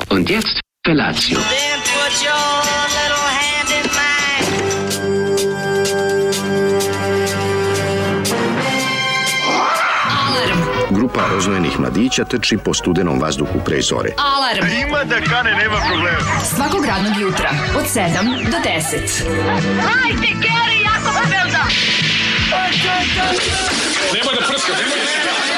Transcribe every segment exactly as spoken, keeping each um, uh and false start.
Und jetzt Felatio. Then put your little hand in mine. Grupa roznojenih mladića trči po studenom vazduhu pre zore. Alarm. Ima da kane, nema problema. Svakog radnog jutra od sedam do deset. Hajde, Geri, jako se velda. Nema da prska, nema da prska.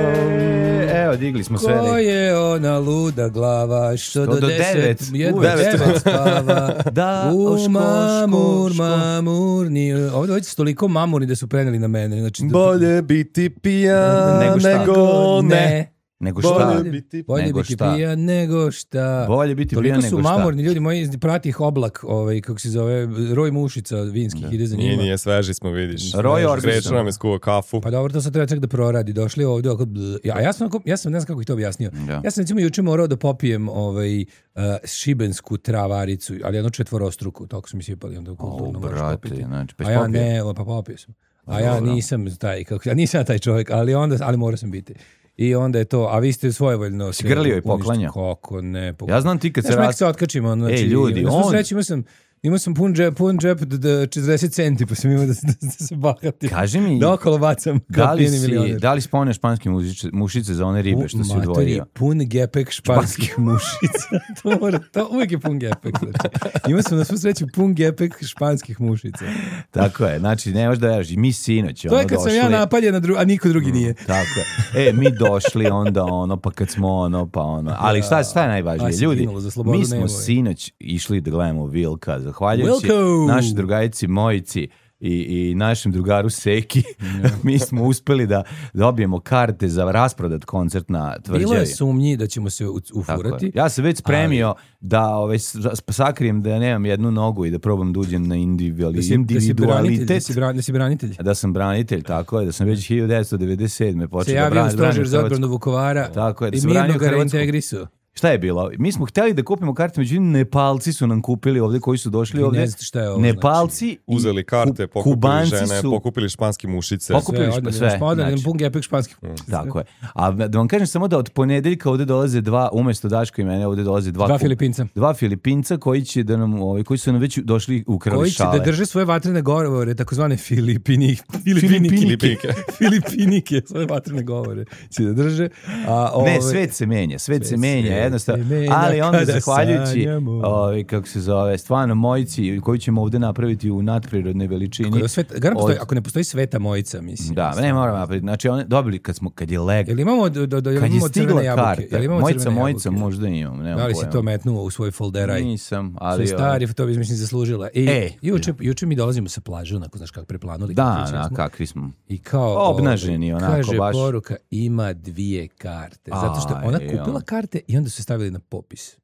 Yeah! Evo, digli smo sve. Ko je ona luda glava što do, do deset, devet, jedva uvek. devet spava. Da, U ško, mamur, ško, ško. mamurni. Ovdje ovdje su toliko mamurni da su preneli na mene. Znači, da- Bolje biti pijan Nego šta? nego ne. Nego šta? Bolje biti Bolje nego biti šta? pijan nego šta. Bolje biti Toliko pijan su nego šta. mamurni ljudi moji, prati ih Oblak, ovaj, kako se zove, Roj Mušica vinskih, ide za Nije, njima. nije, sveži smo, vidiš. Roy Orbison. Kreću nam je skuo kafu. Pa dobro, to sad treba čak da proradi. Došli ovdje, oko, bl- ja, a ja sam, onako- ja sam, ne znam kako ih to objasnio. Da. Ja sam recimo juče morao da popijem ovaj, uh, šibensku travaricu, ali jednu četvorostruku, toliko su mi sipali onda u O, kulturno moraš brate, popiti. znači, pa A ja popio. ne, o, pa popio sam. A ja Dobro. nisam taj, kako, ja nisam ja taj čovjek, ali onda, ali morao sam biti. I onda je to, a vi ste svojevoljno sve grlio i uništili. poklanjao? Kako ne. Pok... Ja znam ti kad se Znaš, nek raz... se otkačimo. ono, Znači, Ej, ljudi, na svu on- sreću imao sam, imao sam pun džep, pun džep d- d- četrdeset centi, pa sam imao da, se- da se bahatim. Kaži mi, Da okolo bacam kao da li, pijeni si, milioner. da li spomneš španske mušice, mušice za one ribe što si Matori, odvojio? pun gepek španskih mušica. to, mora, to uvijek je pun gepek. Znači. Imao sam na svu sreću pun gepek španskih mušica. Tako je, znači ne možeš da veraš. Mi sinoć To ono je kad došli. sam ja napaljen, a, dru- a niko drugi nije. Tako je. E, mi došli onda ono, pa kad smo ono, pa ono. Ali šta, šta je A najvažnije? si Ljudi, ginulo za slobodu mi smo nebo, je. sinoć išli da gledamo Vilka, zahvaljujući Wilko! našoj drugarici Mojici i, i našem drugaru Seki. mi smo uspeli da dobijemo karte za rasprodat koncert na Tvrđavi. Bilo je sumnji da ćemo se u- Tako ufurati. je. Ja sam već spremio da ovaj, s- sakrijem da nemam jednu nogu i da probam da uđem na individuali, Da si, da si branitelj, da individualitet. si, bran, da si branitelj. Da sam branitelj, tako je, da sam već hiljadu devetsto devedeset sedme Se počeo da javio branim, stožer branim za odbranu Hrvatsku. Vukovara Tako je, da i sam mirno branio ga Hrvatsku. reintegrisao. Šta je bilo? Mi smo hteli da kupimo karte, međutim Nepalci su nam kupili ovdje koji su došli Vi ne ovdje. znate šta je ovo, Nepalci i Uzeli karte, Ku- pokupili Kubanci žene, su- pokupili španski mušice. Pokup- Kupili Sve, smo odmah, sve, smo odali znači. pun gepek španskih. Tako je. A da vam kažem samo da od ponedeljka ovdje dolaze dva, umjesto Daško i mene, ovdje dolaze dva, Dva ku- Filipinca. Dva Filipinca koji će da nam, ovaj, koji su nam već došli ukrali Koji će šale. da drže svoje vatrene govore, takozvane Filipini, Filipinike. Filipinike. Filipinike, svoje vatrene govore će da drže. A, Ne, ove- svet se menja, svet se Svet menja, se jednostavno. menja Ali onda kada zahvaljujući, sanjamo. ovaj, kako se zove, stvarno Mojici, koju ćemo ovdje napraviti u nadprirodnoj veličini. Ako, svet, garant postoji, od- ako ne postoji Sveta Mojica, mislim. Da, ne moramo napraviti. Znači, oni dobili kad smo, kad je leg, Jel imamo, do, do, do, jel kad je imamo stigla crvene jabuke? karta, Jel imamo Mojica, crvene Mojica, jabuke? možda imam, nemam Da li si pojma. to metnuo u svoj folderaj? Nisam, Ali ali... stari, to bi mislim zaslužila. I E. juče, juče mi dolazimo sa plaže, onako, znaš kako preplanuli. Da, kako na, smo. kakvi smo. I kao Obnaženi, ovaj, onako, kaže baš. poruka, ima dvije karte. Zato što je ona Aj, kupila ja. karte i onda su se stavili na popis.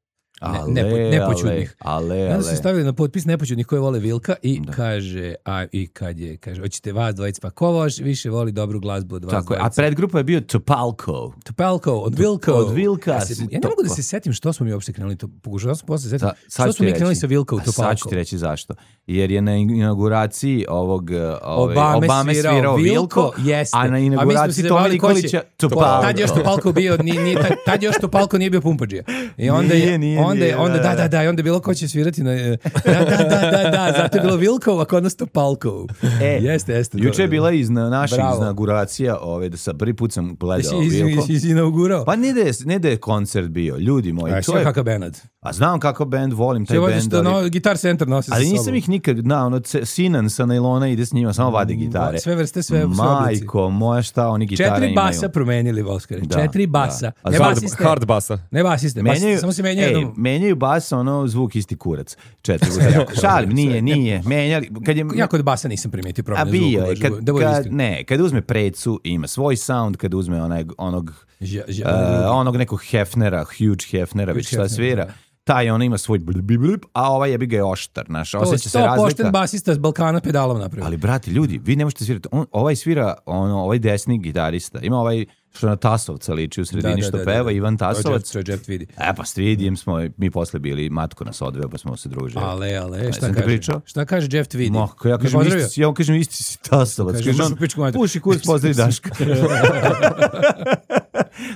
Ne, Ale, nepo, nepoćudnih. Ale, I ale, onda su se ale. stavili na potpis nepoćudnih koji vole Vilka i kaže, a i kad je, kaže, hoćete vas dvojica, pa ko voš više voli dobru glazbu od vas Tako je, a dvojica? predgrupa je bio Topalco. Topalco, od Vilka. od Vilka Ja, se, si ja ne to- mogu da se setim što smo mi uopšte krenuli to. Pokušao sam posle setim. Da, sad Što ću smo mi ti krenuli reći. sa Vilka u A Sad ću Topalco? ti reći zašto. Jer je na inauguraciji ovog uh, ove, Obame, Obame svirao, svirao Vilko, Vilko, jeste. a na A mi smo inauguraciji se Toma bavili ko će- Nikolića To- Topalco. Tad je još Topalco bio, ni, ni, tad, tad je još Topalco nije bio pumpađija. I onda je, Nije, nije, onda, je- nije, onda, da, da, da. da, da, i onda je bilo ko će svirati na... e, Da, da, da, da, da, zato je bilo Vilkov, a kod nas Topalco. E, jeste, jeste. Juče je bila iz na- naših Bravo. inauguracija, ove, da sa prvi put sam gledao Jesi Vilko. iz, iz, inaugurao? Pa ne da, je, ne da je koncert bio, ljudi moji. A to sve je, kakav Benad. a znam kako band, volim taj Sve voziš band, što ali, no, Guitar Center nosi sa ali sobom. nisam ih nikad, na, ono, ce- Sinan sa nailona ide s njima, samo vade gitare. Sve vrste, sve- sve oblici. Majko, moja šta oni gitare Četiri imaju. basa promenili, Voskare. Da, Četiri basa. da. A Ne hard- basiste. Hard basa. Ne basiste. Bas, Menjaju, samo se menjaju ej, jednom. menjaju bas, ono, zvuk isti kurac. Četiri puta. Šalim, nije, nije. Menjali, kad je... Ja kod basa nisam primetio A promjenu bio zvuka. je, kad, da budem kad, iskren. ne, kad uzme precu, ima svoj sound, kad uzme onaj, onog, Ža- ža- uh, onog nekog Hefnera, huge Hefnera, Huge već šta Hefner, svira, da. taj on ima svoj blip, blip, blip, a ovaj jebi ga je oštar, znaš, To osjeća se sto pošten razlika. basista s Balkana pedalom napravio. Ali, brati, ljudi, vi ne možete svirati, on, ovaj svira, ono, ovaj desni gitarista, ima ovaj što na Tasovca liči u sredini što peva, Ivan Tasovac. To je Jeff Tweedy. E, pa s Tweedyjem smo, mi posle bili, matko nas odveo, pa smo se družili. Ale, ale, Ne šta sam ti kaže? pričao? Šta kaže Jeff Tweedy? Mo, ko ja Me kažem, pozdravio? isti, si- ja vam kažem, isti si Tasovac. Kaže, Kaže možeš on, u pičku mater. puši kurac, pozdravi Daška.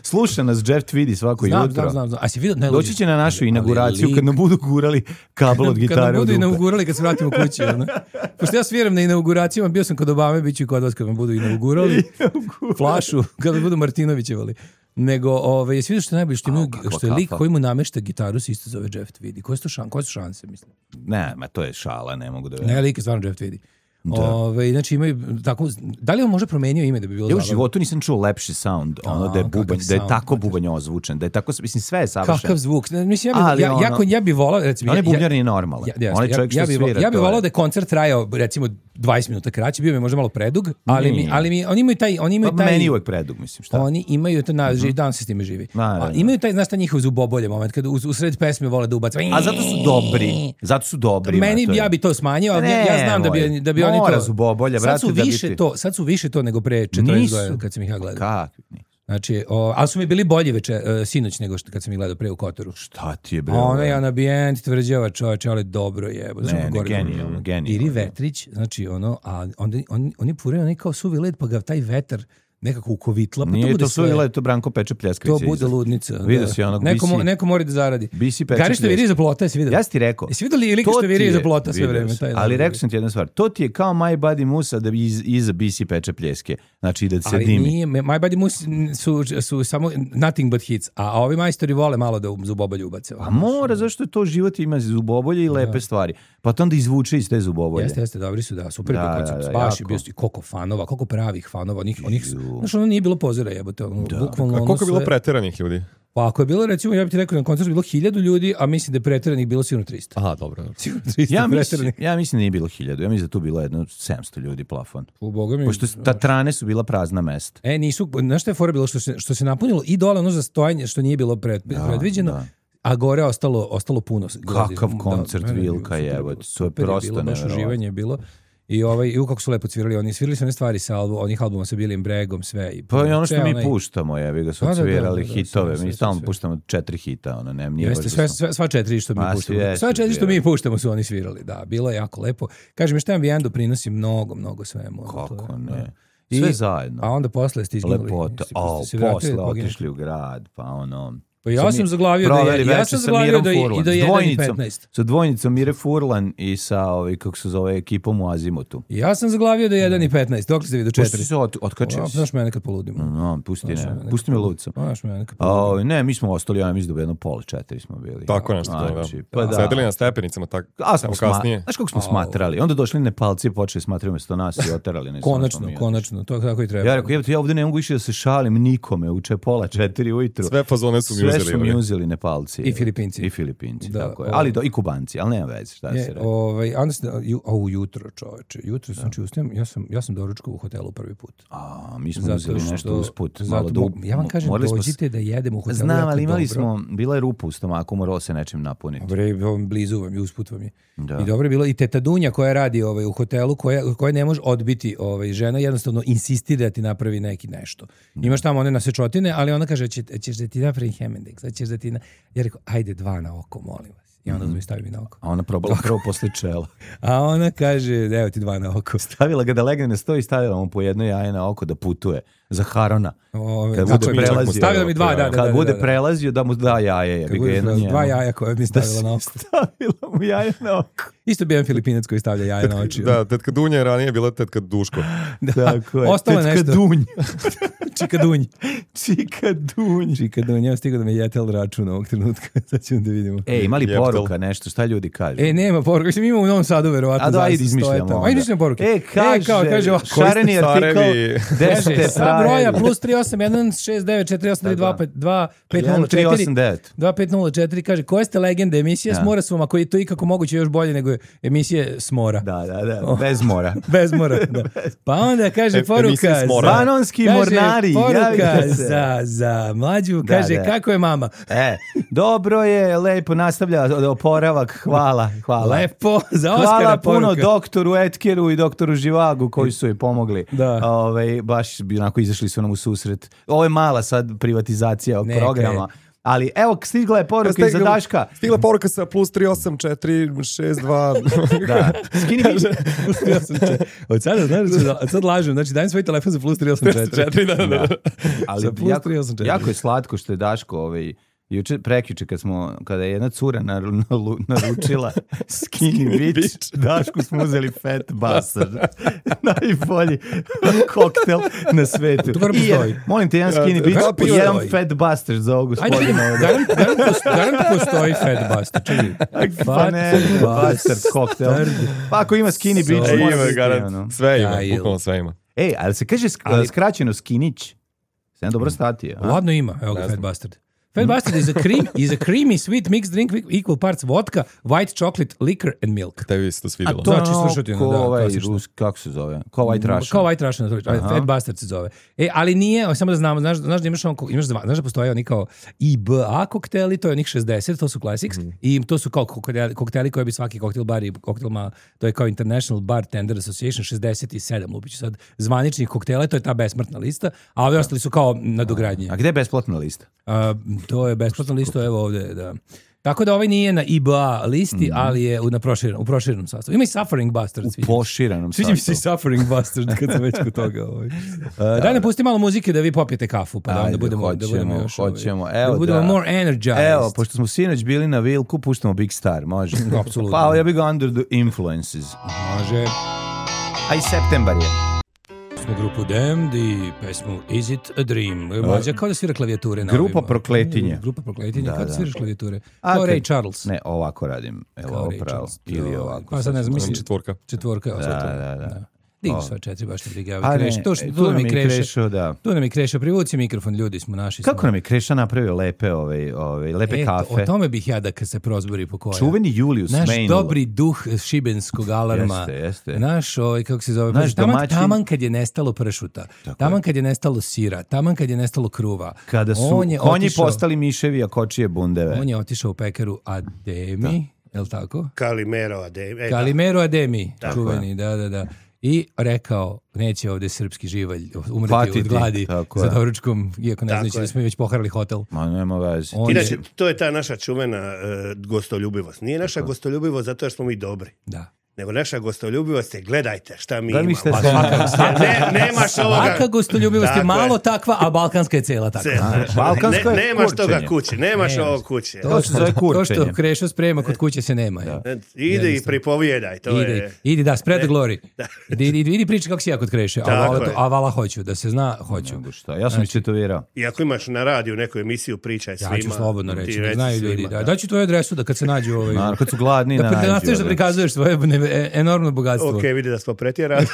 Sluša nas Jeff Tweedy svako Znam, jutro. znam, znam, znam. A si vidio? Ne, Doći će na našu Ali inauguraciju lik- kad nam budu gurali kabel od Kad gitare nam u budu dupe. inaugurali kad se vratimo kući. Ono. Pošto ja sviram na inauguracijama, bio sam kod Obame, bit ću i kod vas kad me budu inaugurali. Flašu, kad me budu Martinovićevali. Nego, ove, jesi vidio što je najbolje, što, imaju, kakva što je lik kafa. koji mu namešta gitaru se isto zove Jeff Tweedy. Koje su, to šan, koje su šanse, mislim? Ne, ma to je šala, ne mogu da verujem. Ne, lik je stvarno Jeff Tweedy. Ove, znači imaju tako, da li on može promenio ime da bi bilo Ja u zabavno? životu nisam čuo lepši sound, ono da je kakav bubanj, da je sound, tako kakav- bubanj ozvučen, da je tako, mislim, sve je savršeno. Kakav zvuk. Ne, mislim, ja bi, Ali ja, ono- jako, ja bi volao, recimo... On je ja- bubnjar nije normalan. Ja, ja, On je ja, čovjek što ja bi, svira, ja bi to je- volao da je koncert trajao recimo dvadeset minuta kraće, bio mi možda malo predug, ali mi, Nije. ali mi, oni imaju taj... Oni imaju Pa taj meni je uvek predug, mislim, šta? Oni imaju to na živi dan se s time živi. Naravno. A imaju taj, znaš, taj njihov zubobolje moment kad u, u sred pesme vole da ubac. A zato su dobri. Zato su dobri. Meni ma, to je- ja bi to smanjio, ali ja, ja znam da bi Nemoj. da bi oni to. Mora zubobolja, sad su brate, da bi više ti- to, sad su više to nego pre četrdeset Nisu. godina kad sam ih ja gledao. Kakvi? Znači, o, ali su mi bili bolji veče, uh, sinoć nego što kad sam ih gledao pre u Kotoru. Šta ti je, bre? A ovo? onaj ambijent tvrđava čoveče, ali dobro je. Ne, ne, genijalno, genijalno. Iri Vetrić, znači ono, a onda on, oni puraju onaj kao suvi led, pa ga taj vetar nekako ukovitla, pa to Nije bude to sve. suvila, to Branko Peče Pljeskavić. To bude ludnica. Vidio da. si onog neko, mo- B C neko mora da zaradi. B C Peče Gari što viri Pljeskavić. iza plota, jesi vidio? Ja si ti rekao. Jesi vidio li lika to što viri ti iza je- plota sve vidio vreme? sam. Taj Ali dan. rekao sam ti jednu stvar. To ti je kao My Buddy Musa da bi iz, iza B C Peče Pljeske. Znači da se Ali dimi. nije, My Buddy Mus su, su samo nothing but hits, a ovi majstori vole malo da u zubobolje ubace. A mora, zašto je to život ima zubobolje i lepe stvari. Pa to onda izvuče iz te zubobolje. Jeste, jeste, dobri su, da, super Da, je bio da, koncept, da, baš je jako. bio i koliko fanova, koliko pravih fanova, onih, onih, znaš, ono nije bilo pozora jebote, ono, bukvalno A ono koliko je bilo sve- preteranih ljudi? Pa ako je bilo, recimo, ja bih ti rekao na koncertu bilo hiljadu ljudi, a mislim da je preteranih bilo sigurno trista. Aha, dobro. dobro. Sigurno trista Ja mislim, preteranih. ja mislim da nije bilo hiljadu. Ja mislim da tu bilo jedno sedamsto ljudi plafon. U Boga mi... Pošto ta trane su bila prazna mesta. E, nisu, znaš šta je fora bilo? Što se, što se napunilo i dole ono za stojanje, što nije bilo pred, predviđeno, da. a gore ostalo, ostalo puno. Kakav Da, koncert ne, ne, Vilka super je, bilo, evo, to je super prosto bilo, baš neverovatno. uživanje je bilo. I ovaj i u kako su lepo svirali, oni svirali su one stvari sa albu, onih albuma sa Billyem Bregom, sve i Pa i ono što ceo mi onaj- puštamo, jevi ga su Da, da, da, odsvirali da, da, hitove. sve, Mi sve, stalno sve. puštamo četiri hita, ono, ne, nije Jeste, baš sve, da smo- sve, sva četiri što mi Ma, puštamo. jesu, Sva četiri što mi svirali. puštamo su oni svirali, da. Bilo je jako lepo. Kažem, šta ambijent doprinosi mnogo, mnogo svemu. ono, to je, Kako da. ne. I- Sve zajedno. A onda posle ste izginuli. Lepota. Jeste- O, ste se vratili posle od poginulih? otišli u grad, pa ono... Pa ja Sad sam mi zaglavio da je- proveli ja večer sam sa zaglavio Mirom da je- i Furlan. da je S jedan i dvojnicom- petnaest. Sa dvojnicom Mire Furlan i sa, ovaj, kako se zove, ekipom u Azimutu. Ja sam zaglavio do jedan i petnaest, dok ste vidio Pošto četiri. si se od, otkačio A, si. Znaš me nekad poludim. No, pusti, Znaš, ne, nekad pusti me poludim. lucom. Znaš me nekad A, poludim. ovaj, ne, mi smo ostali, ja mislim da jedno pola četiri smo bili. Tako nešto, da, Znači, da. pa da. Sedeli na stepenicama, tako, A smo evo sma... kasnije. Znaš kako smo smatrali? Onda došli Nepalci i počeli smatrati umjesto nas i oterali. Ne znam, smo Konačno, mi konačno, to je kako i treba. Ja rekao, jebote, ja ovdje ne mogu više da se šalim nikome, uče pola četiri ujutru. Sve fazone su mi Sve uzeli. su mi bre. uzeli Nepalci. I Filipinci. I Filipinci, Da, tako je. ovaj. Ali do, i Kubanci, ali nema veze, šta Je, se rekao. ovaj, onda ste, ju, a u jutro, čoveče, jutro sam znači, ustajem, ja sam, ja sam doručkao u hotelu prvi put. A, mi smo Zato uzeli što- nešto usput. zato malo da, mo- ja vam kažem, morali smo s- dođite da jedemo u hotelu. Znam, jako ali imali dobro. smo, bila je rupa u stomaku, moralo se nečim napuniti. Bre, ovom blizu vam je, usput vam je. Da. I dobro je bilo i teta Dunja koja radi ovaj, u hotelu, koja, koja ne može odbiti ovaj, žena, jednostavno insistira da ti napravi neki nešto. Imaš tamo one nasečotine, ali ona kaže, će, ćeš da ti napravi Hemendix, ćeš da ti... Na... Ja rekao, ajde dva na oko, molim vas. I onda mi stavi mi na oko. A ona probala prvo posle čela. A ona kaže, evo ti dva na oko. Stavila ga da legne na sto i stavila mu po jedno jaje na oko da putuje. Za Harona. Ove, Kad tako bude je bilo. prelazio. Stavila mi dva, da, da, da. Kad da, bude da, da. prelazio da mu da jaje. Kad Jebi ga bude jedno prelazio, njemu. dva jaja koje mi stavila na oko. Stavila mu jaje na oko. Isto bi jedan Filipinac koji stavlja jaja na oči. Da, tetka Dunja je ranije bila tetka Duško. Tako je. Ostalo je Tetka nešto. Dunj. Čika Dunj. Čika Dunj. Čika Dunj. Ja stigao da me jetel račun ovog trenutka. Sad ćemo da vidimo. E, imali Jeptel. poruka nešto, šta ljudi kažu? E, nema poruka. Mislim, imamo u Novom Sadu, verovatno. A da, zaista ajde, izmišljamo stoje tamo. onda. Ajde, izmišljamo poruke. E, kaže, kao, kaže ovako, šareni Koji ste artikl, carevi? gde Kaže, ste sada broja plus tri osam jedan šest devet četiri osam tri dva pet nula tri osam četiri devet. dva pet nula četiri kaže koje ste legende emisija Da. s Morasom, ako je to ikako moguće još bolje nego emisije s mora. Da, da, da, bez mora. Bez mora, da. Pa onda kaže E, poruka emisija s mora. za- Panonski kaže, mornari, poruka javite se. za, za mlađu, Da, kaže da. kako je mama? E, dobro je, lepo nastavlja oporavak, hvala, hvala. Lepo, za Oskara Hvala puno poruka. doktoru Etkeru i doktoru Živagu koji su joj pomogli. Da. Ovaj, baš bi onako izašli su nam u susret. Ovo je mala sad privatizacija ovog Neka programa. Ali evo, stigla je poruka iza Daška. Stigla poruka sa plus tri osam četiri šest dva. Da. Skini mi. Plus tri osam četiri. Od sada, znaš, od sad lažem, znači dajem svoj telefon za plus tri osam četiri. da, da, da. Ali Za plus jako, tri osam četiri. jako je slatko što je Daško ovaj, juče, prekjuče kad smo, kada je jedna cura naru- nalu- naručila skinny bitch, Dašku smo uzeli fat bastard. Najbolji koktel na svetu. To mora I je- postoji. molim te, jedan skinny Ja, bitch kako i jedan postoji? fat bastard za ovog Ajde, gospodina. garant, garant, postoji, garant postoji fat bastard. Čekaj. Pa ne, bastard koktel. Pa ako ima skinny bitch, E, mora Ima, biti, garant. ono. Sve ima, Ja, il. bukvalno sve ima. Ej, ali se kaže sk- Ali- skraćeno skinić. Sam dobro statio. a? Ladno ima, evo ga Fat Bastard. Fat Bastard is a, cream, is a creamy sweet mixed drink with equal parts vodka, white chocolate, liquor and milk. Tebi se to svidjelo. to- To Znači, je ono svršutino, ko da, ovaj klasično. rus, kako se zove? Ko White Russian. Kao White Russian, to- Fat Bastard se zove. E, ali nije, o, samo da znamo, znaš, znaš da imaš, on, imaš dva, znaš da postoje oni kao I B A kokteli, to je onih šezdeset, to su classics, i to su kao kokteli, kokteli koje bi svaki koktel bar i koktel ma, to je kao International Bartender Association šezdeset sedam, lupiću sad, zvaničnih koktela, to je ta besmrtna lista, a ovi ostali su kao nadogradnje. A gde je besplatna lista? A, to je besplatna lista, evo ovde, da. Tako da ovaj nije na I B A listi, ali je u, na proširenom, u proširenom sastavu. Ima i Suffering Bastard. U sviđa mi se. poširanom Sviđa mi se i sastavu. Suffering Bastard kad sam već kod toga. Ovaj. Uh, daj nam pusti malo muzike da vi popijete kafu, pa da onda Ajde, budemo, da budemo hoćemo, još... ovaj, hoćemo. da Evo budemo da. more energized. Evo, pošto smo sinoć bili na Vilku, puštamo Big Star, može? Apsolutno. Pa ja bih ga Under the Influences. Može. A i septembar je. Smo grupu Damned i pesmu Is It a Dream. Mlađa kao da svira klavijature na Grupa ovima. Prokletinje. Grupa Prokletinje, Da, kao da da. sviraš klavijature. A Kao kad- Ray Charles. Ne, ovako radim. Evo, Kao ovo Ray pravo. Charles. Ili To- ovako. Pa sad ne znam, mislim, Četvorka. četvorka. evo, sad to. Da, da, da. Digni O. sva četiri, baš ne briga. A ne, Kreš, to što, e, tu tu nam nam je je Kreša. Krešo, da. Tu nam je Kreša, privuci mikrofon, ljudi smo naši. Kako smo. nam je Kreša napravio lepe, ove, ove, lepe E, to- kafe? O tome bih ja da kad se prozbori po koja. Čuveni Julius Naš Meinl. dobri duh šibenskog alarma. Jeste, jeste. Naš, ovaj, kako se zove, Naš taman, domaćin. taman kad je nestalo pršuta, taman kad je nestalo sira, taman kad je nestalo kruva. Kada su on je konji otišao- postali miševi, a kočije bundeve. On je otišao u pekaru Ademi, je li tako? Kalimero Ademi. E, Kalimero Ademi, Tako čuveni, da, da, da. I rekao, neće ovde srpski živalj umreti Patiti, od gladi tako za je. doručkom, iako ne Tako znajući je. da smo mi već poharali hotel. Ma nema veze. On Inače, je, to je ta naša čuvena e, gostoljubivost. Nije naša gostoljubivost zato jer smo mi dobri. da. Nego naša gostoljubivost je gledajte šta mi Da li imamo. ste A svaka- svaka- ne, nemaš ovoga. Svaka gostoljubivost je Tako malo takva, a balkanska je cela takva. Ce- balkansko ne, je nemaš kurčenje. toga kući, nemaš Nemaš. ovo kući. To se zove To kurčenje. što Krešo sprema kod kuće se nema. je. E, Ide i pripovjedaj, to Idi, je... idi, da, spread the glory. Idi, idi, idi priči kako si ja kod Kreše. A Tako vala, je. a vala hoću, da se zna, hoću. Nego šta, ja sam istetovirao. I ako imaš na radiju neku emisiju, pričaj svima. Ja ću slobodno ti reći, reci da znaju ljudi. svima, Da, daću tvoju adresu da kad se nađu ovaj... Naravno, kad su gladni, Da, na da nađu, nastaviš da ono. prikazuješ svoje ne- e- enormno bogatstvo. Ok, vidi da smo pretjerali.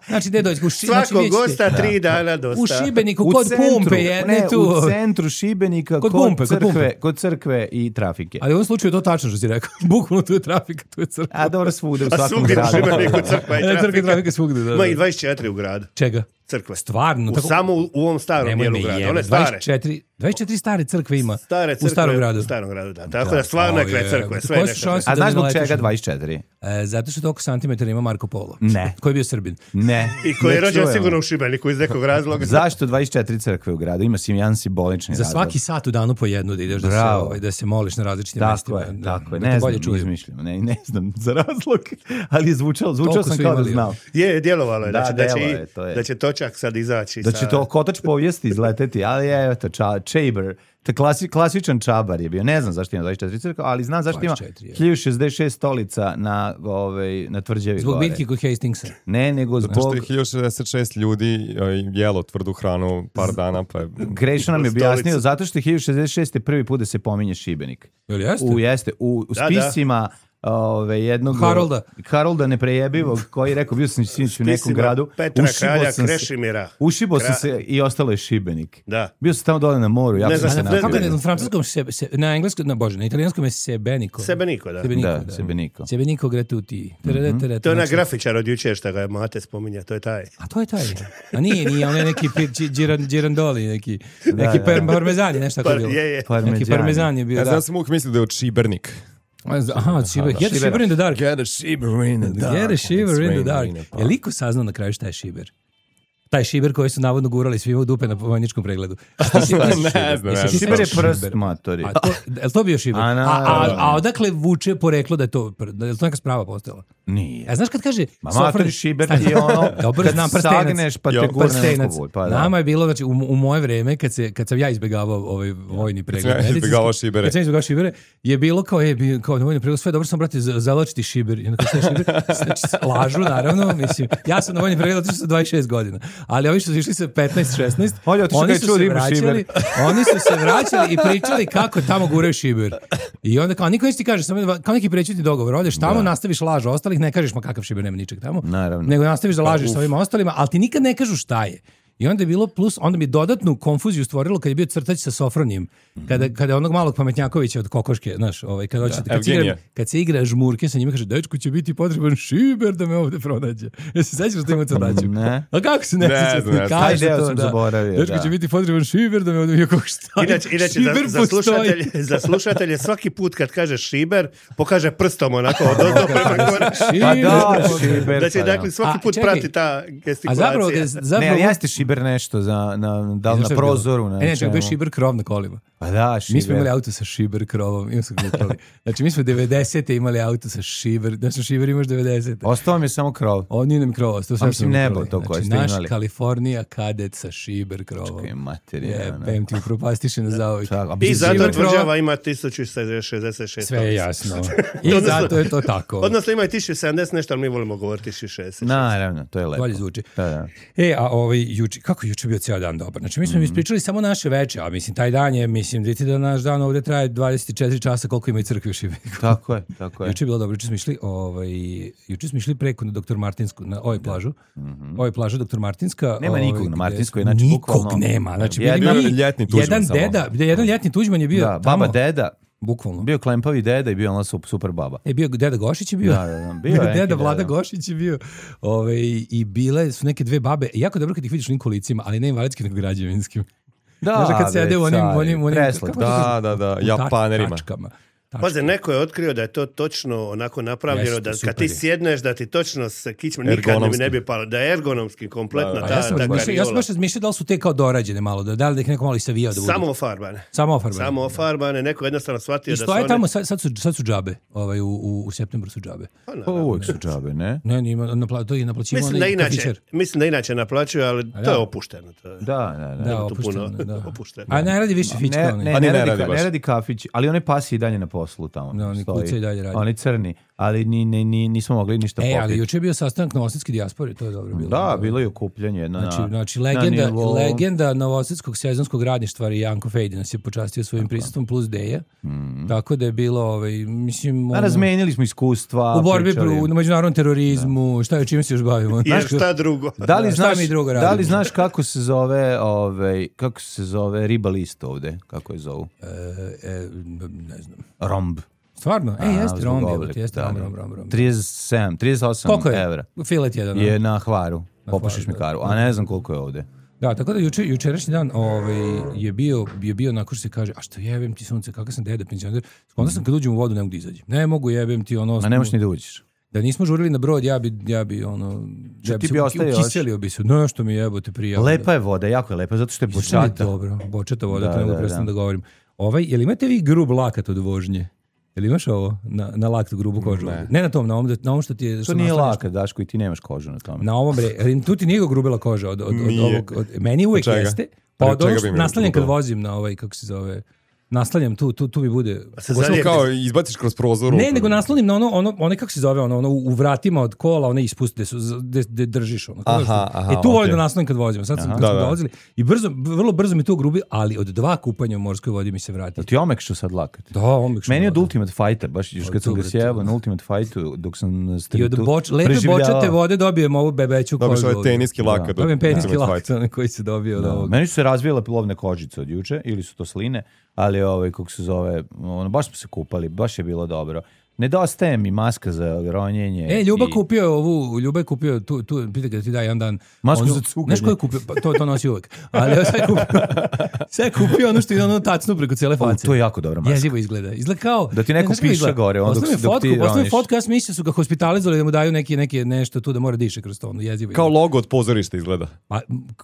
Znači, gde dođe? U Ši- znači, Svakog vidjet ćete- gosta tri dana dosta. U Šibeniku, U kod centru, pumpe jedne ne, tu. u centru Šibenika, Kod kod, pumpe, kod crkve, pumpe. kod crkve i trafike. Ali u ovom slučaju je to tačno što si rekao. Bukvalno tu je trafika, tu je crkva. A dobro, svude u A svakom svugdje u gradu. Šibeniku crkva i E, crkva i trafika. trafika svugde, da, da. Ma i dvadeset četiri u gradu. Čega? Crkve. Stvarno? U, tako- samo u, u ovom starom Nemoj dijelu me grada. jebe, One stare. dvadeset četiri, dvadeset četiri stare crkve ima Stare u crkve starom gradu. U starom gradu, da. Tako da, stvarno je O, kraj je, crkve. Sve koje su nešto. šanse? A Da znaš ne zbog naletiš čega na- dvadeset četiri? E, zato što toliko santimetara ima Marko Polo. Ne. Koji je bio Srbin. Ne. I koji je Ne rođen čujemo. sigurno u Šibeniku iz nekog razloga. Zašto dvadeset četiri crkve u gradu? Ima si jedan simbolični Za razlog. svaki sat u danu po jednu da ideš da se, Bravo. ovaj, da se moliš na različitim Tako mestima. je, da, tako je. da te Ne bolje znam, čuju. izmišljam. Ne, ne znam za razlog, ali je zvučalo, zvučao Toliko sam su kao da imali, znao. Je, djelovalo je da, Da, će, da, će, delo i- je, to je. da će točak sad izaći. Da sa- će to kotač povijesti izleteti, ali je, eto, ča, Čaber, to klasi, klasičan čabar je bio. Ne znam zašto ima dvadeset četiri crkva, ali znam zašto ima dvadeset četiri, je. hiljadu šezdeset šest stolica na, ovaj, na tvrđevi Zbog gore. biljke kod Hastingsa. Ne, nego Zato što zbog... je hiljadu šezdeset šest ljudi e, jelo tvrdu hranu par dana, pa je... Krešo nam je Stolicu. objasnio, zato što je hiljadu šezdeset šest prvi put da se pominje Šibenik. Jel jeste? U, jeste, u, u Da, spisima ove, jednog Harolda. Harolda neprejebivog koji je rekao bio sam sinoć u nekom Spisima gradu. Petra ušibao kralja sam se- Krešimira. Ušibao sam Kra- se i ostalo je Šibenik. Da. Bio sam tamo dole na moru, jako Ne sam znam, se ne- napio. Kako je ne- na francuskom, se, se, na engleskom, na bože, na italijanskom je Sebeniko. Sebeniko, da. Sebeniko, Da, da. Sebeniko. Sebeniko gratuti. Mm-hmm. To je onaj grafičar od jučer što ga Mate spominja, to je taj. A to je taj. A nije, nije, on je neki pir, Gi- Giran, Girandoli, neki, neki da. per, parmezan je nešto tako Par- bilo. je, je. Neki parmezan je bio, Ja da. znam sam uvijek mislio da je od Šibernik. Aha, Shiver. Get a shiver in the dark. Get a shiver in the dark. Get a shiver in the It's dark. raining in the park. Je liko saznao na kraju šta je šiber? Taj šiber koji su navodno gurali svima u dupe na vojničkom pregledu. Šta si Ne šiber? znam, Jesi ne ti znam. Šiber je sećaš prst, šiber? matori. A to, je li to bio šiber? A, A, a, naravno. a odakle vuče poreklo da je to, da je to neka sprava postala? Nije. A znaš kad kaže... Ma Sofronić- matori šiber Stani. ti je ono, Dobro, kad znam, prstenac. sagneš pa te Jo, gurne Prstenac. neko vuj, pa da. Nama je bilo, znači, u, u moje vreme, kad, se, kad sam ja izbjegavao ovaj vojni pregled, ja medicinski, izbjegavao šibere. kad sam izbjegavao šibere, je bilo kao, je, bio, kao na vojni pregled, sve dobro sam, brate, za- zaločiti šiber. I onda kao, šta je šiber? Znači, lažu, naravno, mislim, ja sam na vojni pregled otišao sa dvadeset šest godina, ali ovi što su išli sa petnaest šesnaest, Olja, otišao oni kad je su čuo se da ima vraćali, šiber. oni su se vraćali i pričali kako tamo guraju šiber. I onda kao, niko neće ti kaže, samo kao neki prećutni dogovor, odeš tamo, nastaviš laž ostalih, ne kažeš ma kakav šiber, nema ničeg tamo. Naravno. Nego nastaviš da lažeš sa ovim ostalima, ali ti nikad ne kažu šta je. I onda je bilo plus, onda mi dodatnu konfuziju stvorilo kad je bio crtač sa Sofronijem. Kada, kada je onog malog pametnjakovića od kokoške, znaš, ovaj, kad, hoće, kad, se igra, Evgenija. kad se igra žmurke sa njima, kaže, dečku će biti potreban šiber da me ovde pronađe. Ja se sećaš da ima crtaču? Ne. A kako se ne, Ne sećaš? znam, ne znam. Kaže Taj deo to, sam da. zaboravio, Dečku da. će biti potreban šiber da me ovde bio kako šta. Inače, inače Šiber za, za, postoji. slušatelje, za slušatelje svaki put kad kaže šiber, pokaže prstom onako od ozdo prema gore. Pa da, Šiber. šiber. Da će pa da. dakle svaki A, put čekaj. prati ta A gestikulacija. zapravo, Ne, zapravo ali jeste šiber nešto za, na, da li Znaš šta na je bilo? prozoru, na E, ne, čak bio čemu. šiber krov na kolima. Pa da, šiber. Mi smo imali auto sa šiber krovom, imamo smo gledali. Znači, mi smo devedesete imali auto sa šiber, znači šiber imaš devedesete. Ostao mi je samo krov. On nije nam krov, to sve A mislim smo nebo ukrali. to koje Znači, ste naš imali. Kalifornija kadet sa šiber krovom. Čekaj, materija. Je, ono. pem ti upropastiše na zauvijek. Čak, a I mislim, zato Šiber krova- tvrđava ima tisuću šezdeset šest. Sve je jasno. I zato je to tako. Odnosno ima i tisuću sedamdeset nešto, ali mi volimo govoriti tisuću šezdeset. Naravno, to je lepo. Bolje zvuči. Da, da. E, a ovaj juče, kako juče bio cijel dan dobar? Znači, mi smo Mhm. ispričali samo naše veče, a mislim, taj dan je, mislim, vidite da naš dan ovdje traje dvadeset četiri časa koliko ima i crkve u Šibeniku. Tako je, tako je. Juče je bilo dobro, juče smo išli, ovaj, juče smo išli preko na doktor Martinsku, na ovoj plažu. Ovoj plažu doktor Martinska. Mhm. Nema ovaj, nikog na gde Martinskoj, smo- znači nikog bukvalno- nema. Znači, Jedan bili mi- ljetni Tuđman jedan samo. deda, jedan ljetni Tuđman je bio Da, tamo. baba deda, Bukvalno. bio klempavi deda i bio ona super, super baba. E, bio deda Gošić je bio. Da, da, da, bio je neki deda Vlada deda. Gošić je bio. Ove, I bile su neke dve babe. Jako dobro kad ih vidiš u onim kolicima, ali ne invalidskim, nego građevinskim. Da, Znaš, kad sede u onim, bre, onim, onim preslatko. kako to kaže? Da, da, da, U tač- Japanerima. tačkama. Paze, neko je otkrio da je to točno onako napravljeno, Jeste, da super kad ti je. sjedneš da ti točno se kičma nikad ne bi, Ergonomski. ne bi palo, da je ergonomski kompletno Da, da. A ta, ja sam ta razmišljao, ja sam kariola. baš razmišljao da li su te kao dorađene malo, da, da li da ih neko malo i savijao da budu. Samo ofarbane. Samo ofarbane. Samo ofarbane, neko jednostavno shvatio I da su stoje one... tamo, sad, sad, su, sad su džabe, ovaj, u, u, u septembru su džabe. Pa, Pa naravno. uvijek su džabe, ne? Ne, nima, napla, to je naplaćivo Mislim da, onaj inače, kafićer. mislim da inače naplaćuju, ali to da. je opušteno. To je. Da, da, da. Da, tu opušteno. puno Da. opušteno. A ne radi više fička. Ne, onaj. ne, Pa ne, ni ne radi, radi ka- baš. ne radi kafić, ali onaj pas je i dalje na poslu tamo. Da, oni stoji. kuca i dalje radi. Oni crni, ali ni, ni, ni, nismo mogli ništa E, ali popiti. juče je bio sastanak novosadske dijaspore, to je dobro bilo. Da, bilo je okupljanje jedno Znači, na, znači na legenda, nivou- legenda novosadskog sezonskog radništva i Janko Fejdi nas je počastio svojim prisustvom plus Deja. Tako da je bilo, ovaj, mislim... A ono, razmenili smo iskustva. u borbi pričali. pro, na međunarodnom terorizmu, šta je, čime se još bavimo? Jer šta drugo? Da li, Da, šta znaš, mi drugo da li radimo? znaš kako se zove ovaj, kako se zove riba list ovde? Kako je zovu? E, e, ne znam. Romb. Stvarno? E, A, jeste zbog romb, oblika, jebote, jeste da, romb, da. romb, romb, romb. trideset sedam, trideset osam Koliko je? evra. Filet jedan. Je ono. na Hvaru. Popašiš Hvaru, mi karu. A ne znam koliko je ovde. Da, tako da juče, jučerašnji dan ovaj, je bio, je bio onako što se kaže, a što jebem ti sunce, kakav sam deda penzioner. Onda sam kad uđem u vodu ne mogu da izađem. Ne mogu jebem ti ono... A ne možeš ni da uđeš. Da nismo žurili na brod, ja bi, ja bi ono... Ja ti se bi uki- ostavio još? ukiselio bi se. Nešto mi jebote prijavno. Lepa je voda, jako je lepa, zato što je Bočata. bočata. Dobro, bočata voda, Da, to ne mogu da, prestati da. da govorim. Ovaj, jel imate vi grub lakat od vožnje? Jel imaš ovo? Na, na laktu grubu kožu? Ne. Ne na tom, na ovom, da- na ovom što ti je... To što nije naslanjaš- laka, Daško, i ti nemaš kožu na tome. Na ovom, bre, jer tu ti nije grubila koža od, od, od Nije. ovog... Od, meni uvijek Od čega? jeste. Pa Od od čega ovog bi što mi naslanjam kad grubila? vozim na ovaj, kako se zove... Naslanjam tu, tu, tu mi bude... Se Samo zalijepi. kao izbaciš kroz prozor. Ne, nego naslonim na ono, ono, one kako se zove, ono, ono u vratima od kola, one ispuste, gde, su, gde, gde držiš. Ono, Aha, znaš, aha, e tu volim okej. da naslonim kad vozimo. Sad sam, kad Da, smo da. dolazili i brzo, vrlo brzo mi to grubi, ali od dva kupanja u morskoj vodi mi se vrati. Jel ti omekšao sad lakat? Da, omekšao. Meni je od da. Ultimate Fighter, baš još kad sam ga dobro, sjebao to. na Ultimate Fightu dok sam na I od streetu boč, lepe preživljavao. bočate vode dobijem ovu bebeću Dobiš kožu. ovaj ovdje. teniski lakat. Dobijem peniski Ultimate lakat, Fight. onaj koji se dobio od Da. ovog. Meni su se razvijele plovne kožice od juče, ili su to sline, ali ovaj, kako se zove, ono, baš smo se kupali, baš je bilo dobro. Nedostaje mi maska za ronjenje. E, Ljuba i- kupio ovu, Ljuba je kupio, tu, tu pita ga da ti da jedan dan. Masku onu- za cuganje. Znaš ko je kupio? Pa, to, to nosi uvek. Ali evo sad je kupio, sad je kupio ono što je ono tacnu preko cijele O, face. to je jako dobra maska. Jezivo izgleda. Izgleda kao... Da ti neko ne, znaš kako piše izgleda? gore, onda dok Poslao mi si- dok fotku, ti poslao mi roniš. fotku, ja sam mislio su ga hospitalizovali da mu daju neki, neki nešto tu da mora diše kroz to. Ono, jezivo Kao izgleda. logo od pozorišta izgleda. Pa,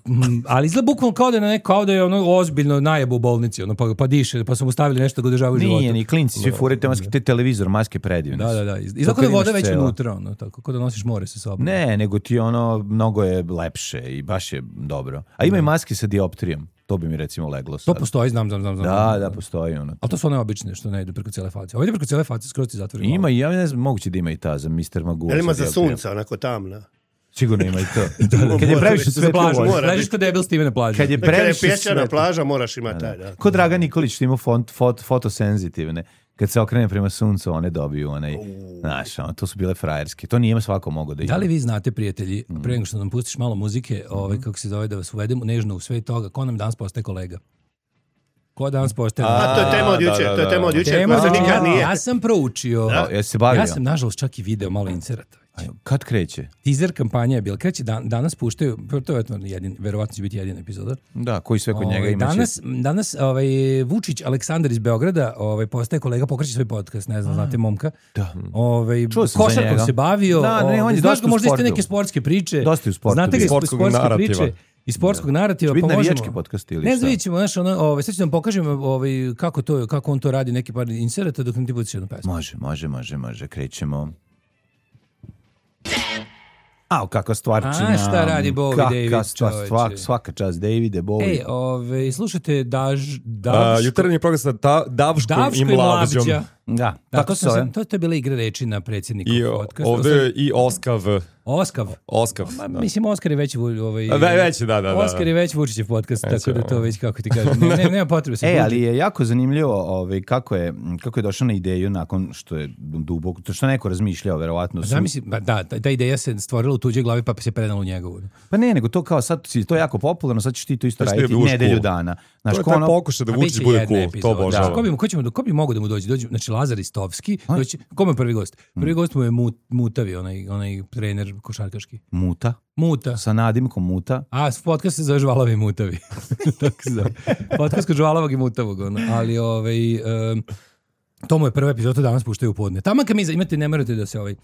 mm, ali izgleda bukvalno kao da je, na neko, kao da je ono ozbiljno najebo u bolnici, ono, pa, pa diše, pa su mu stavili nešto da ga održavaju u životu. Nije, ni klinci, svi furaju te maske, te televizor, maske predivne. Da, su. da, da. Izgleda To kao da je kad voda imaš već cela. unutra, ono, tako, kao da nosiš more sa sobom. Ne, nego ti ono, mnogo je lepše i baš je dobro. A ima i maske sa dioptrijom, to bi mi recimo leglo To sad. postoji, znam, znam, znam. znam. Da, da, postoji ono. Ali to su one obične što ne idu preko cijele face. Ovo ide preko cijele face, skroz ti zatvori Ima glavu. i, ja ne znam, moguće da ima i ta za mister Magoo. Jel ima sa za dioptrijom. sunca, onako tamna? Sigurno ima i to. Kad je Mora previše biti. sve Za plažu, mora ležiš biti. kod debil Steve na plaži. Kad je Kada je previše pješčana sve. plaža, moraš imati taj, da. Kod Dragan Nikolić što ima font, fot, fotosenzitivne. Kad se okrene prema suncu, one dobiju onaj, znaš, ono, to su bile frajerske. To nije svako mogao da ima. Da li vi znate, prijatelji, pre nego što nam pustiš malo muzike, ovaj, kako se zove, da vas uvedemo nežno u sve toga, ko nam danas postaje kolega? Ko danas postaje? A to je tema od Da, juče, da, to je da. tema od juče, Tema, koja se znači, nikad ja, nije. ja sam proučio. Da, jesi se bavio? Ja sam, nažalost, čak i video malo inserata. Aj, kad kreće? Teaser kampanja je bila. Kreće dan, danas puštaju, to je jedin, verovatno će biti jedina epizoda. Da, koji sve kod njega Ovaj, ima danas, danas ovaj, Vučić Aleksandar iz Beograda ovaj, postaje kolega, pokreće svoj podcast, ne znam, znate momka. Da. Ovaj, Čuo sam za košarkom njega. se bavio. Da, ne, on je ovaj, dosta znaš ga u možda iste sportu. neke sportske priče. Dosta je u sportu Znate ga bio. iz Sportskog sportske narativa. priče. Iz sportskog narativa. Će biti pa navijački možemo- podcast ili Ne šta? znam, vidjet ćemo, znaš, ono, ovaj, sad ću da vam pokažem ovaj, kako, to, kako on to radi, neki par inserata dok nam ti pustiš jednu pesmu. Može, može, može, može, krećemo. Au, kakva stvarčina. A, šta radi Bowie Kakva David, stvar, čoveče. svak, svaka čast Davide, Bowie. Ej, ovaj, slušajte Daž, A, Daško, jutarnji program sa da, Davškom Davško i i Mlavđom. Mlavđa. Da, Da, tako to, se sam zove. sam, to, to je bila igra reči na predsjedniku I o- podcasta. ovde je i Oskav. Oskav. Oskav. Ma, da. mislim, Oskar je već, vu- ovaj, A, ve- već je, da, da, da. Oskar je već Vučićev podcast, Već tako je, da to ovo. već, kako ti kažem, ne, ne, nema potrebe se E, budi. ali je jako zanimljivo ovaj, kako, je, kako je došao na ideju nakon što je duboko, to što je neko razmišljao, verovatno. Su, Zamisli, ba, da, ta, ta ideja se stvorila u tuđoj glavi pa se prenala u njegovu. pa ne, nego to kao sad, si- to je jako popularno, sad ćeš ti to isto Sad ćeš ti raditi da budeš nedelju cool. dana. Znaš, To je ko taj ono- pokušaj da A Vučić biće bude jedna cool. epizoda. To obožavam. Ko bi, ko, ćemo, ko bi mogao da mu dođe? dođe znači, Lazar Istovski. Doći, kome je prvi gost? Prvi gost mu je Mut, Mutavi, onaj, onaj trener košarkaški. Muta, Muta. sa nadimkom Muta. A, podcast se zove Žvalavi i Mutavi. Tako se zove. Podcast kod Žvalavog i Mutavog. Ono. Ali, ovaj, um, to mu je prva epizoda, to danas puštaju u podne. Tamo kad mi za- imate, ne morate da se ovaj,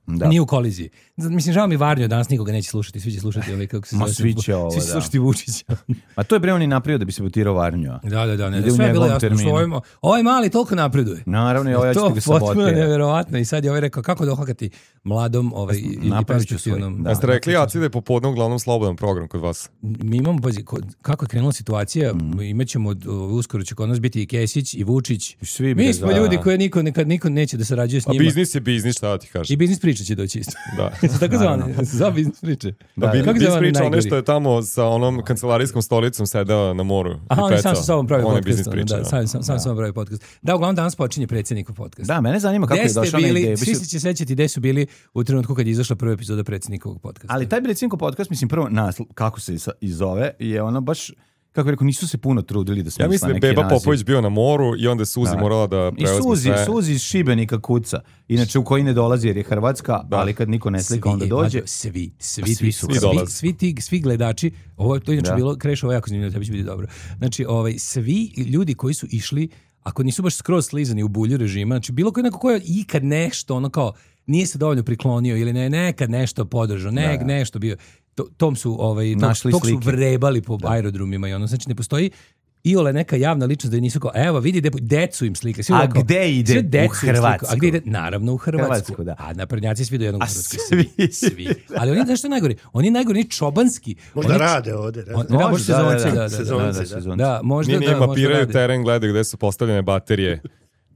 Da. nije u koliziji. Z- Mislim, žao mi Varnjo, danas nikoga neće slušati, svi će slušati ovaj, kako se Ma, zove. svi će ovo, Svi će da. slušati Vučića. A to je bre on i napravio da bi se potirao Varnjo. Da, da, da, ne, Ide da, u sve je bilo njegovom jasno. terminu. Što ovaj, ovaj mali toliko napreduje. Naravno, i ovaj to ćete ga potpuno sabotira. neverovatno. I sad je ovaj rekao kako dohakati mladom ovaj, i, i Napravit ću perspektivnom. svoj, da. Jeste rekli, ja ide popodne uglavnom slobodan program kod vas. Mi imamo, pazi, ko- kako je krenula situacija, Mm. imaćemo, od- o, uskoro će kod nas biti i Kesić i Vučić. I svi bre, Mi smo da. ljudi koje niko, nekad, niko neće da sarađuje s A njima. biznis je biznis, šta da ti kažem. I biznis priča će doći isto. Da. Tako zvane, za biznis priče. Da, Da, da. Kako se Biz zove onaj priča ono najgori? što je tamo sa onom kancelarijskom stolicom sedeo na moru. Aha, i on je sam pecao. sa sobom pravi On je podcast. biznis ono, priča. Da, da. sam, sam, sam, sam pravi podcast. Da, uglavnom danas počinje predsjednikov podcast. Da, mene zanima kako Gde je ste došao na bili, ideju. svi Mislim, se će sećati gde su bili u trenutku kad je izašla prva epizoda predsjednikovog podcasta. ali taj Brecinko podcast, mislim, prvo nasl, kako se isa- i zove, je ono baš, kako bi rekao, nisu se puno trudili da smisla Ja mislim da je neki Beba naziv. Popović bio na moru i onda je Suzi Da. morala da I preuzme Suzi, sve. Suzi iz Šibenika kuca. Inače u koji ne dolazi jer je Hrvatska, ali kad niko ne slika onda Svi, dođe. mlađo, Svi, svi, Pa svi svi, su svi, svi svi, dolaze. svi, ti, svi gledači, ovo je to inače Da. bilo, Kreš, ovo je jako zanimljivo, tebi će biti dobro. Znači, ovaj, svi ljudi koji su išli, ako nisu baš skroz slizani u bulju režima, znači bilo koji neko ko je ikad nešto, ono kao, nije se dovoljno priklonio ili ne, nekad nešto podržao, ne, nešto bio, to, tom su, ovaj, tog, Našli tog su slike. vrebali po aerodromima i ono, znači ne postoji iole neka javna ličnost da nisu kao, evo vidi de, decu im slika. Svi A kao, gde ide? sve decu U im slika. Hrvatsku. A gde ide? Naravno u Hrvatsku. Hrvatsku, da. A naprednjaci svi do jednog u A Hrvatskoj. svi. Svi. Ali oni, znaš što je najgori? Oni najgori, oni čobanski. Možda oni, rade ovde. Ne? On, da, možda sezonci, da, da, da. Sezonci, da, da. sezonci. Da, možda Nije, nije da, možda mapiraju rade. teren, gledaju gde su postavljene baterije.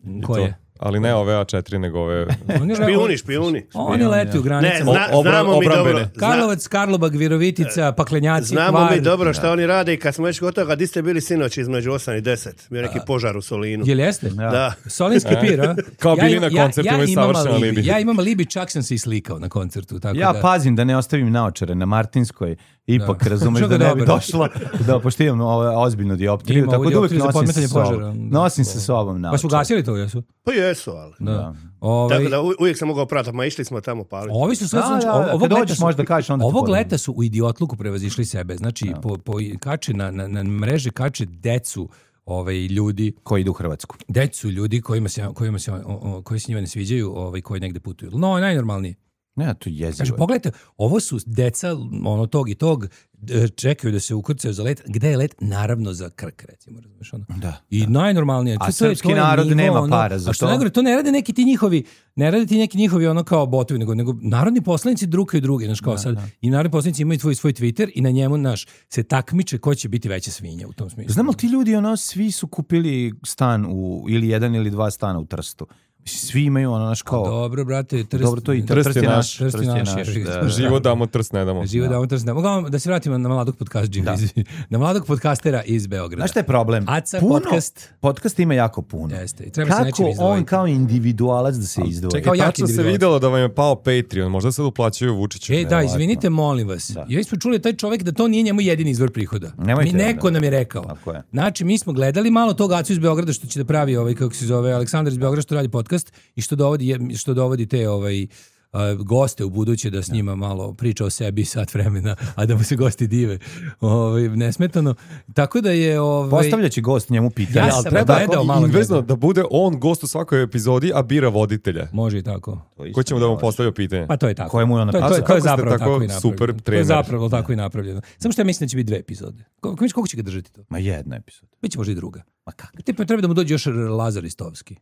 I Koje? to. Ali ne ove A četiri, nego ove... Oni, Špijuni, špijuni. Oni leti u Ne, granicama. zna, O- obra- znamo mi obrambene. dobro. Zna, Karlovac, Karlobag, Virovitica, Paklenjaci, znamo Hvar. mi dobro šta oni rade i kad smo već gotovi, di ste bili sinoć između osam i deset? Bio neki požar u Solinu. Jel jeste? Da. Solinski pir, a? Kao bili imam- na koncertu, imaju imam savršen alibi. alibi. Ja imam alibi, čak sam se i slikao na koncertu. Tako Ja da, pazim da ne ostavim naočare na Martinskoj, ipak Da. razumeš Što da ga ne bi dobro. došlo, da pošto imam ovo ozbiljnu dioptriju, Ima tako ovu da uvijek dioptriju za nosim sa podmetanje sobom. požara. Nosim sa sobom Pa su naočare. gasili to, jesu? Pa jesu, ali. Da. Ovaj, Tako da u- uvijek sam mogao pratiti, ma išli smo tamo paliti. Ovi su sve, Da, znači, da, ovo- da, ovog kad leta dođeš su, možda kažeš, onda ti ovog podigne. leta su u idiotluku prevazišli sebe. Znači, po, po, kače na, na, na mreži kače decu ovaj, ljudi, Koji idu u Hrvatsku. decu ljudi kojima se, kojima se, o, o, koji se njima ne sviđaju, ovaj, koji negde putuju. No, najnormalnije. Ne, to jezivo. Kaže, je. pogledajte, ovo su deca ono tog i tog, e, čekaju da se ukrcaju za let. Gde je let? Naravno za Krk, recimo, razumiješ ono. Da. I najnormalnije. A to je- srpski to je narod nivo, nema ono, para za a što to. najgore, to ne rade neki ti njihovi, ne rade ti neki njihovi ono kao botovi, nego, nego narodni poslanici drukaju druge, znaš kao sad. I narodni poslanici imaju svoj, svoj Twitter i na njemu, naš, se takmiče ko će biti veća svinja u tom smislu. Znam li ti ljudi, ono, svi su kupili stan u, ili jedan ili dva stana u Trstu. Mislim, svi imaju ono, naš kao... Dobro, brate, trst, Dobro, to i Trst Trst je je naš. naš. Trst je naš, naš, jebi da, ga. da. Živo damo, trst ne damo. Živo da, da, da, da se vratimo na mladog podcast, Jimmy, iz- na mladog podcastera iz Beograda. Znaš šta je problem? Aca Puno- podcast. Podcast ima jako puno. Jeste, i treba se Kako nečim on izdvojiti. kao individualac da se izdvoji? Kao Čekaj, jaki tačno se individualac. videlo da vam je pao Patreon, možda sad uplaćaju Vučiću. E, da, izvinite, molim vas. Da. Ja smo čuli taj čovjek da to nije njemu jedini izvor prihoda. Nemojte, Mi, neko da. nam je rekao. Tako je. Znači, mi smo gledali malo tog Acu iz Beograda što će da pravi ovaj, kako se zove, Aleksandar iz Beograda što radi podcast i što dovodi, je- što dovodi te ovaj, a, goste u buduće da s njima malo priča o sebi sat vremena, a da mu se gosti dive ovaj, nesmetano. Tako da je... Ovaj, Postavljaći gost njemu pitanje. Ja ali sam treba- gledao malo Inverzno, gledao. da bude on gost u svakoj epizodi, a bira voditelja. Može i tako. To isto Ko ćemo da mu može. postavlja pitanje? Pa to je tako. Kojemu je on to, je- to, je- napisao? to je Kako ste zapravo tako tako i napravljeno. super To je trener? zapravo tako i napravljeno. Samo što ja mislim da će biti dve epizode. Kako, kako će ga držati to? Ma jedna epizoda. Biće možda i druga. Ma kako? Tipa treba da mu dođe još Lazar Istovski.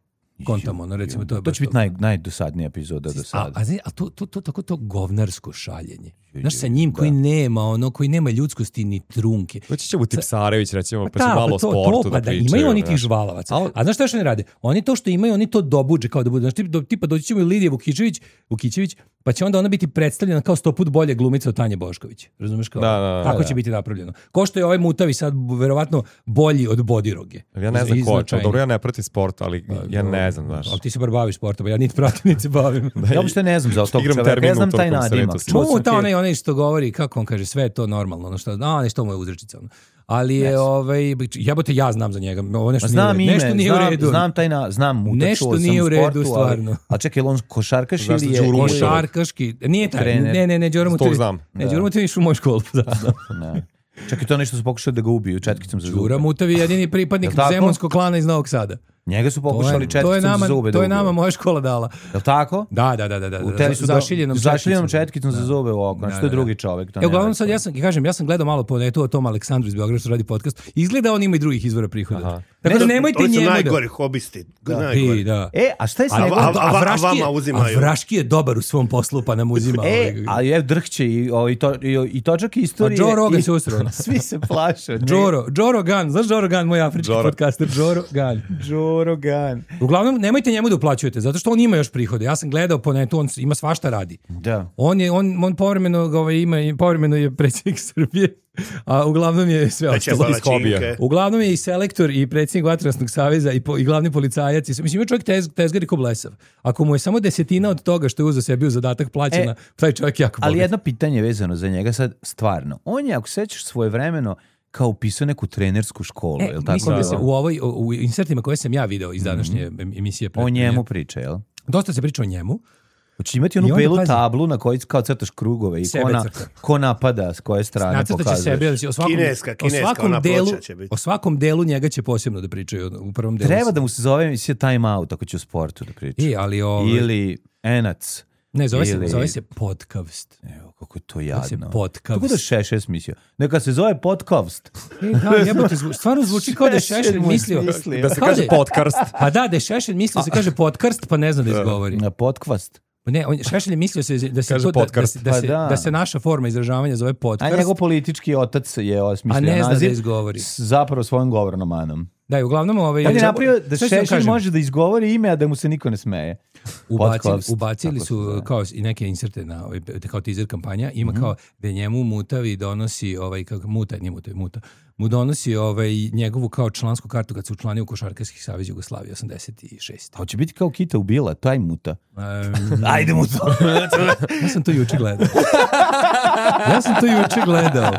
Kontamo, ono, recimo, to je To baš će biti naj, najdosadnija epizoda do A, sada. a, zi- a to, to, to, tako to govnarsko šaljenje. Znaš, sa ju, njim koji da. nema, ono, koji nema ljudskosti ni trunke. Doći će u Tipsarević, recimo, pa Da, će malo o to, sportu to, da pa da pričaju. imaju oni tih znaš. žvalavaca. Al- A znaš šta što ne rade? Oni to što imaju, oni to dobuđe kao da budu. Znaš, tipa, do- tipa doći ćemo i Lidija Vukićević, Vukićević, pa će onda ona biti predstavljena kao sto put bolje glumica od Tanje Bošković. Razumeš kao? Da, da, da, Tako da. će biti napravljeno. Ko što je ovaj Mutavi sad verovatno bolji od Bodiroge. Ja ne znam ko je to. Značajnije. Dobro, ja ne pratim sport, ali ja dobro. ne znam, znaš. Ali ti se bar baviš sportom, ja niti pratim, niti se bavim. Ja uopšte ne znam za tog Igram čoveka. termin Ja znam u taj tokom nadimak. sretu. Čuo Mu sam ta ti- onaj, onaj što govori, kako on kaže, sve je to normalno, ono što, a ne što mu je uzrečica. Ono. Ali je, ovaj, jebote, ja znam za njega, ovo nešto Ma nije u znam redu. ime, Nešto nije u znam, redu. znam taj na, znam mu, Nešto čuo sam nije u redu, sportu, stvarno. Ali, a čekaj, je li on košarkaš Znaš ili da je... Đuru ili- Mušović? Košarkaški, nije taj, Trener. ne, ne, ne, Đuro Tog Mutović. znam. Ne, Đuro Mutović išao u moju školu. Da, da. Ne. Čekaj, to nešto su pokušali da ga ubiju, četkicom za zube. Đuro Mutović je jedini pripadnik Jel tako? zemunskog klana iz Novog Sada. Njega su To pokušali je, to je četkicom nama, za zube da to je ubiju. nama moja škola dala. Jel tako? Da, da, da, da, da. U da, te, za, zašiljenom zašiljenom četkicom. četkicom za zube u oko. Znači, Da, to je da, da. drugi čovek. To E, uglavnom nema sad veze. ja sam, kažem, ja sam gledao malo po netu o tom Aleksandru iz Beograda što radi podcast. Izgleda on ima i drugih izvora prihoda. Tako da nemojte Oni su njemu da... najgori hobisti. Da, najgori. i, da. E, a šta je sa A, njegovom... a, a, a, Vraški je- vama uzimaju. A Vraški je dobar u svom poslu, pa nam uzima. E, ovaj- ali je drhće i, o, i, to, i, i točak istorije. A Joe Rogan i- se usrao. Svi se plaše. od njega. Joro, Joro Gun, znaš Joro Gun, moj afrički Joro. podcaster, Joro Gun. Joe Rogan. Uglavnom, nemojte njemu da uplaćujete, zato što on ima još prihode. Ja sam gledao po netu, on ima svašta radi. Da. On je, on, on povremeno, ovaj, ima, povremeno je predsjednik Srbije, a uglavnom je sve Veće ostalo. palačinke. Uglavnom je i selektor i predsjednik Vatrogasnog saveza i, po, i glavni policajac. I, sve- mislim, ima čovjek tez, tezgar i ko blesav. Ako mu je samo desetina od toga što je uzeo sebi u zadatak plaćena, E, taj čovjek jako bogat. Ali jedno pitanje vezano za njega sad, stvarno. On je, ako sećaš svojevremeno, kao upisao neku trenersku školu, E, je li tako? mislim da se bilo? u ovoj u, u insertima koje sam ja video iz današnje em- emisije O njemu priča, jel? dosta se priča o njemu. Hoće imati I onu onda, belu pazi. tablu na kojoj kao crtaš krugove i ko, Sebe na, crta. ko napada, s koje strane Nacrtaće pokazuješ. sebe, da će o svakom, Kineska, o kineska, svakom ona delu, ploča će biti. o svakom delu njega će posebno da pričaju u prvom delu. Treba da mu se zove emisija Time Out ako će o sportu da priča. I, ali ovaj, Ili Enac. ne, zove se, ili- zove se podcast. Evo, kako je to jadno. Podcast. Kako da Šešelj mislio? Neka se zove podcast. E, da, jebote, zvu, stvarno zvuči kao da je Šešelj mislio. Da se Kao kaže je- podcast. Pa da, da je Šešelj mislio se kaže podcast, pa ne zna da izgovori. Na podcast. Ne, on, Šešelj je mislio se da se, Kaže to, da, da, podcast. se, da, Pa se, da. da se naša forma izražavanja zove A podcast, njegov politički otac je osmislio a ne zna da naziv izgovori. s zapravo svojom govornom manom. Da, i uglavnom ovaj... On je napravio da Šta ću vam Šešelj kažem? može da izgovori ime, a da mu se niko ne smeje. Ubacili, Podcast, ubacili tako se su zove. kao i neke inserte na ovaj, kao teaser kampanja, ima Mhm. kao da njemu Mutavi donosi ovaj kako Muta, nije Mutavi, Muta. Mu donosi ovaj njegovu kao člansku kartu kad se učlanio u Košarkaški savez Jugoslavije osamdeset šeste. A hoće biti kao Kita ubila, taj muta. Um, Ajde mu to. ja sam to juče gledao. Ja sam to juče gledao.